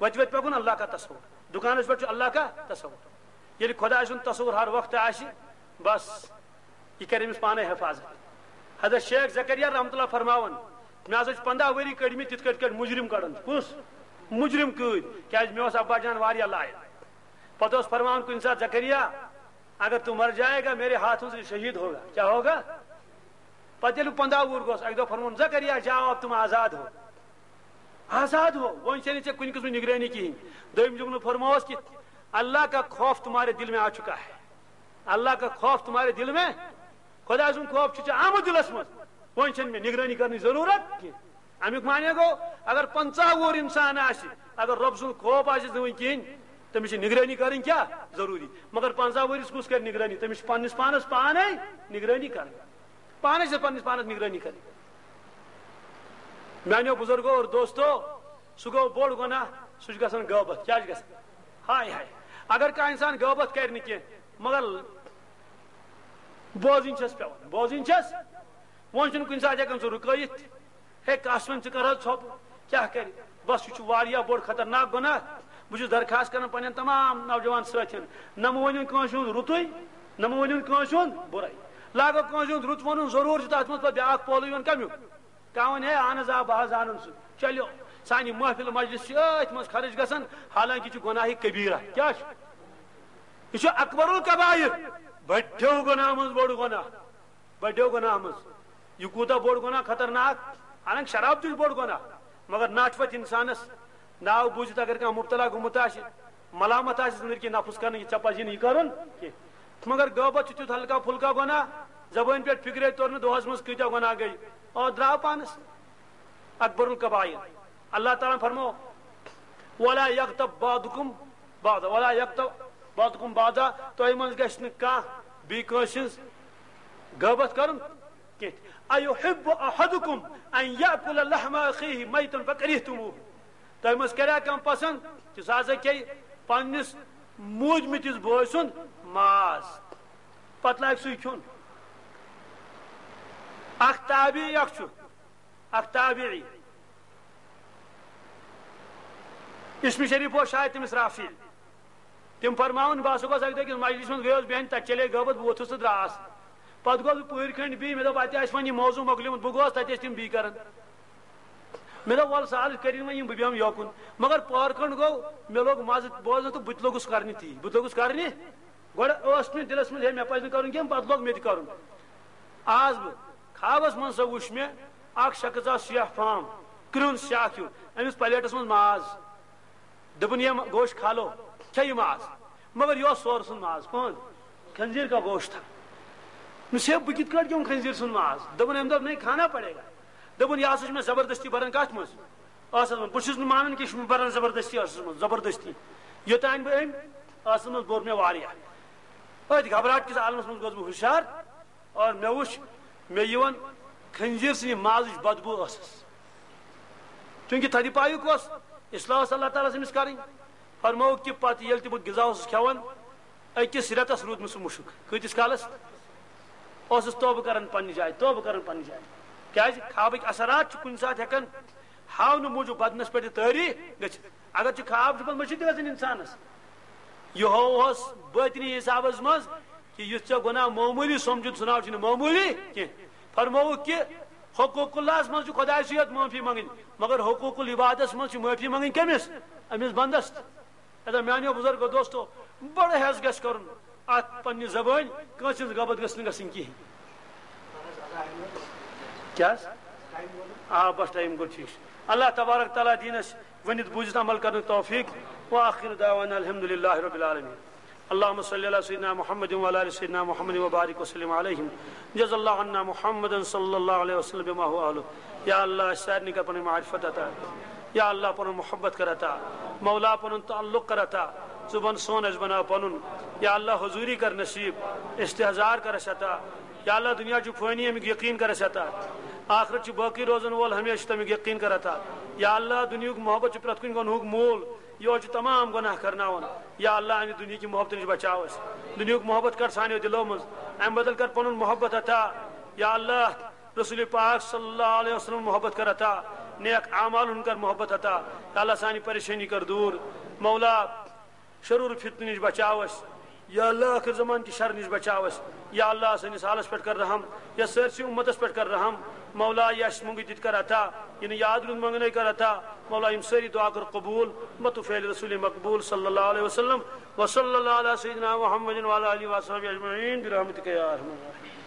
وتہِ وتہِ پکُن اللہ کا تصور۔ دُکانس پٮ۪ٹھ چھُ اللہ کا تصور۔ ییٚلہِ خدائے سُنٛد تصور ہر وقت آسہِ، بس، یہِ کرِ أمِس پانے حفاظت۔ حضرت شیخ زکریا رحمتہ اللہ فرماوان، مےٚ ہسا چھِ پنٛداہ ؤری کٔڑمٕتۍ تِتھ کٔٹھۍ کٔٹھۍ مُجرم کڑان۔ کُس؟ مُجرم قۭدۍ۔ کیٛازِ مےٚ اوس ابا جان واریاہ لایق۔ پتہٕ اوس فرماوان کُنہِ ساتہٕ، زکریا، اگر تو مر جائے گا، میرے ہاتھوں سے شہید ہوگا۔ کیا ہوگا؟ پتہٕ ییٚلہِ بہٕ پنٛداہ وُہُر گوس، اکہِ دۄہ فرمووُن، زکریا، جاؤ، اب تم آزاد ہو۔ آزاد ہو، وۄنۍ چھےٚ نہٕ ژےٚ کُنہِ قٕسمٕچ نگرٲنی کِہیٖنۍ۔ دوٚیِم جملہٕ فرمووس کہِ اللہ کا خوف تمہارے دل میں آ چکا ہے۔ اللہ کا خوف تمہارے دل میں، خدا سُنٛد خوف چھُ ژےٚ آمُت دِلس منٛز، وۄنۍ چھَنہٕ مےٚ نگرٲنی کرنٕچ ضروٗرت کینٛہہ۔ اَمیُک معنی گوٚو، اگر پنٛژاہ وُہُر انسان آسہِ، اگر رۄب سُنٛد خوف آسٮ۪س نہٕ وٕنہِ کِہیٖنۍ، تٔمِس چھِ نگرٲنی کرٕنۍ کیٛاہ؟ ضروٗری۔ مگر پنٛژاہ وُہرِس کُس کرِ نگرٲنی؟ تٔمِس چھِ پننِس پانس پانے نگرٲنی کرٕنۍ۔ پانس چھِ پننِس پانس نگرٲنی کرٕنۍ۔ میانیو بزرگو اور دوستو، سُہ گوٚو بوٚڑ گۄناہ، سُہ چھُ گژھان غٲبت۔ کیٛاہ چھُ گژھان؟ ہاے ہاے۔ اگر کانٛہہ انسان غٲبت کرِ نہٕ کینٛہہ، مگر بوزٕنۍ چھَس پٮ۪وان، بوزٕنۍ چھَس۔ وۄنۍ چھُنہٕ کُنہِ ساتہٕ ہٮ۪کان سُہ رُکٲیِتھ۔ ہے، کَس وۄنۍ، ژٕ کَر حظ ژھۄپہٕ؟ کیٛاہ کَرِ؟ بَس، یہِ چھُ واریاہ بوٚڑ خطرناک گۄناہ۔ بہٕ چھُس درخواست کران پنٛنٮ۪ن تمام نوجوان سٲتھٮ۪ن، نہ مہٕ ؤنِو کٲنٛسہِ ہُنٛد رُتُے، نہ مہٕ ؤنِو کٲنٛسہِ ہُنٛد بُرَے۔ لاگو کٲنٛسہِ ہُنٛد رُت وَنُن، ضروٗر چھُ تَتھ منٛز پَتہٕ بیٛاکھ پولہٕ یِوان۔ کَمیُک؟ کانٛہہ وَنہِ، ہے، اہن حظ، آ، بہٕ حظ زانَن سُہ۔ چلیو، سانہِ محفل مجلس چھِ أتھۍ منٛز خرٕچ گژھان، حالانکہِ چھُ گۄناہہِ کبیٖرہ۔ کیٛاہ چھُ؟ یہِ چھُ اکبر الکبائر، بٔڑیو گۄناہ منٛز بوٚڑ گۄناہ۔ بڑیو گۄناہ منٛز۔ یہِ کوٗتاہ بوٚڑ گۄناہ، خطرناک۔ حالانکہ شراب تہِ چھُ بوٚڑ گۄناہ، مگر نٹھ پتھ انسانس ناو بوٗزِتھ اگر کانٛہہ مبتلا گوٚمُت آسہِ، ملامت آسہِ أنٛدرۍ کِنۍ نفس کرنہٕ، یہِ ژےٚ پزی نہٕ یہِ کرُن کینٛہہ۔ مگر غٲبت چھُ تیُتھ ہلکا پھُلکا گۄناہ، زبٲنۍ پٮ۪ٹھ فکرے توٚر نہٕ دۄہس منٛز کۭتیاہ گۄناہ گٔے، اور درٛاو پانس۔ اکبر الکبائر۔ اللہ تعالیٰ فرمو، ولا یغتب بعضکم بعضا، ولا یغتب بعضکم بعضا، تۄہہِ منٛز گژھِ نہٕ کانٛہہ بیٚیہِ کٲنٛسہِ ہٕنٛز غٲبت کرُن کینٛہہ۔ ایحب احدکم ان یاکل لحم اخیہ میتا فکرہتموہ، تۄہہِ منٛز کریا کانٛہہ پسند کہِ سُہ ہسا کھیٚیہِ پننِس موٗدمٕتِس بٲے سُنٛد ماز، پتہٕ لاگہِ سُے کھیوٚن؟ اکھ تابعی اکھ چھُ، اکھ تابعی، اسم شریف اوس شاید تٔمِس رافع۔ تِم فرماوان، بہٕ ہسا گوس اکہِ دۄہ أکِس مجلس منٛز، گٔیوس بیہن، تتہِ چلے غٲبت، بہٕ ووٚتھُس تہٕ درٛاس۔ پتہٕ گوس بہٕ پٔہرۍ کھنٛڈ بی، مےٚ دوٚپ، اتہِ آسہِ وۄنۍ یہِ موضوع مۄکلیومُت۔ بہٕ گوس، تتہِ ٲسۍ تِم بی کران۔ مےٚ دوٚپ، ولہٕ سہل، کٔرِن وۄنۍ یِم، بہٕ بیٚہمہٕ یوکُن۔ مگر پٔہر کھنٛڈ گوٚو، مےٚ لوٚگ مزٕ بوزنہٕ تہٕ بہٕ تہِ لوٚگُس کرنہِ تی، بہٕ تہِ لوٚگُس کرنہِ۔ گۄڈٕ اوس مےٚ دِلس منٛز، ہے، مےٚ پزِ نہٕ کرُن کینٛہہ، پتہٕ لوٚگ مےٚ تہِ کرُن۔ آز بہٕ خوابس منٛز سا وُچھ مےٚ اکھ شخص آو سیاہ فام، کرٛہُن سیاہ ہیوٗ، أمِس پلیٹس منٛز ماز۔ دوٚپُن، "یہ گوشت کھا لو، کھیٚیِو ماز۔" مگر یہِ اوس سورٕ سُنٛد ماز۔ کون؟ خنزیر کا گوشت تھا۔ مےٚ دوٚپُس، "ہے، بہٕ کِتھ کٲٹھۍ کھیوٚم خنزیر سُنٛد ماز؟" دوٚپُن، أمۍ دوٚپ، "نہیں، کھانا پڑے گا۔" دوٚپُن، "یہِ ہسا چھُ مےٚ زبردستی بران کتھ منٛز؟ ٲسس منٛز۔ بہٕ چھُس نہٕ مانان کہِ یہِ چھُ مےٚ بران زبردستی ٲسس منٛز، زبردستی۔ یوٚتانۍ بہٕ أمۍ ٲسس منٛز بوٚر مےٚ واریاہ۔" أتھۍ گھبراہٹ کِس عالمس منٛز گوس بہٕ ہُشار۔ اور مےٚ وُچھ، مےٚ یِوان خنزیر سٕنٛدِ مازٕچ بدبو ٲسس۔ چونکہ تھدِ پایُک اوس، اصلاح ٲس اللہ تعالیٰ ہس أمِس کرٕنۍ۔ فرمووُکھ کہِ پتہٕ ییٚلہِ تہِ بہٕ غذا اوسُس کھٮ۪وان، أکِس رٮ۪تس روٗد مےٚ سُہ مُشُک۔ کۭتِس کالس؟ اوسُس توبہٕ کران پننہِ جایہِ، توبہٕ کران پننہِ جایہِ۔ کیازِ؟ خوابٕکۍ اثرات چھِ کُنہِ ساتہٕ ہٮ۪کان ہاونہٕ موٗجوٗب بدنس پٮ۪ٹھ تہِ طٲری گٔژھِتھ۔ اگر چھُ خواب چھُ پتہٕ مٔشِتھ تہِ گژھان انسانس۔ یہِ ہووہس باطنی حسابس منٛز کہِ یُتھ ژےٚ گۄناہ معموٗلی سمجھُن، سُہ ناو چھُنہٕ معموٗلی کینٛہہ۔ فرمووُکھ کہِ حقوق اللہس منٛز چھُ خۄدایہِ سٕے یوت معٲفی منٛگٕنۍ، مگر حقوق العبادس منٛز چھِ معٲفی منٛگٕنۍ کٔمِس؟ أمِس بندس۔ ادا میانیو بزرگو دوستو، بڑٕ ہٮ۪س گژھِ کرُن اتھ پننہِ زبٲنۍ کٲنٛسہِ ہٕنٛز غٲبت گٔژھ نہٕ گژھٕنۍ کِہیٖنۍ۔ کیٛاہ حظ؟ آ، بس ٹایم گوٚو ٹھیٖک چھُ۔ اللہ تبارک تعالیٰ دِیِن اَسہِ ؤنِتھ بوٗزِتھ عمل کرنُک توفیق۔ وآخر دعوانا الحمد لله رب العالمين۔ اللهم صل على سيدنا محمد وعلى آل سيدنا محمد وبارك وسلم عليهم۔ جزا الله عنا محمدا صلى الله عليه وسلم بما هو أهله۔ یا اللہ، اَسہِ سارنٕے کر پنٕنۍ معرفت عطا۔ یا اللہ، پنُن محبت کر عطا۔ مولا، پنُن تعلق کر عطا۔ ژٕ بن سون، اَسہِ بناو پنُن۔ یا اللہ، حضوری کر نصیب، استحضار کر اَسہِ عطا۔ یا اللہ، دنیا چھُ فٲنی، اَمیُک یقین کر اَسہِ عطا۔ آخرت چھُ باقی روزن وول، ہمیشہٕ تَمیُک یقین کر عطا۔ یا اللہ، دُنیاہُک محبت چھُ پرٛٮ۪تھ کُنہِ گۄنہُک مول، یہِ چھُ تمام گۄناہ کرناوان۔ یا اللہ، اَمہِ دُنیہٕکہِ محبتہٕ نِش بچاو اَسہِ۔ دُنیاہُک محبت کر سانیو دِلو منٛز، اَمہِ بدل کر پنُن محبت عطا۔ یا اللہ، رسول پاک صلی اللہ علیہ وسلم محبت کر عطا، نیک اعمال ہُنٛد کر محبت عطا۔ یا اللہ، سانہِ پریشٲنی کر دوٗر۔ مولا، شرور فتنہٕ نِش بچاو اَسہِ۔ یا اللہ، ٲخر زمان کہِ شر نِش بچاو اَسہِ۔ یا اللہ، سٲنِس حالس پٮ۪ٹھ کر رحم، یا سٲرسٕے اُمتس پٮ۪ٹھ کر رحم۔ مولا، یہِ اَسہِ موٚنگُے تہِ تہِ کر عطا، یہِ نہٕ یاد روٗد منٛگنے کر عطا۔ مولا، یِم سٲری دُعا کر قبوٗل، بطفیل رسول مقبول صلی اللہ علیہ وسلم۔ وصلی اللہ علی سیدنا محمد وعلی آلہ وصحبہ اجمعین برحمتک یا ارحم الراحمین۔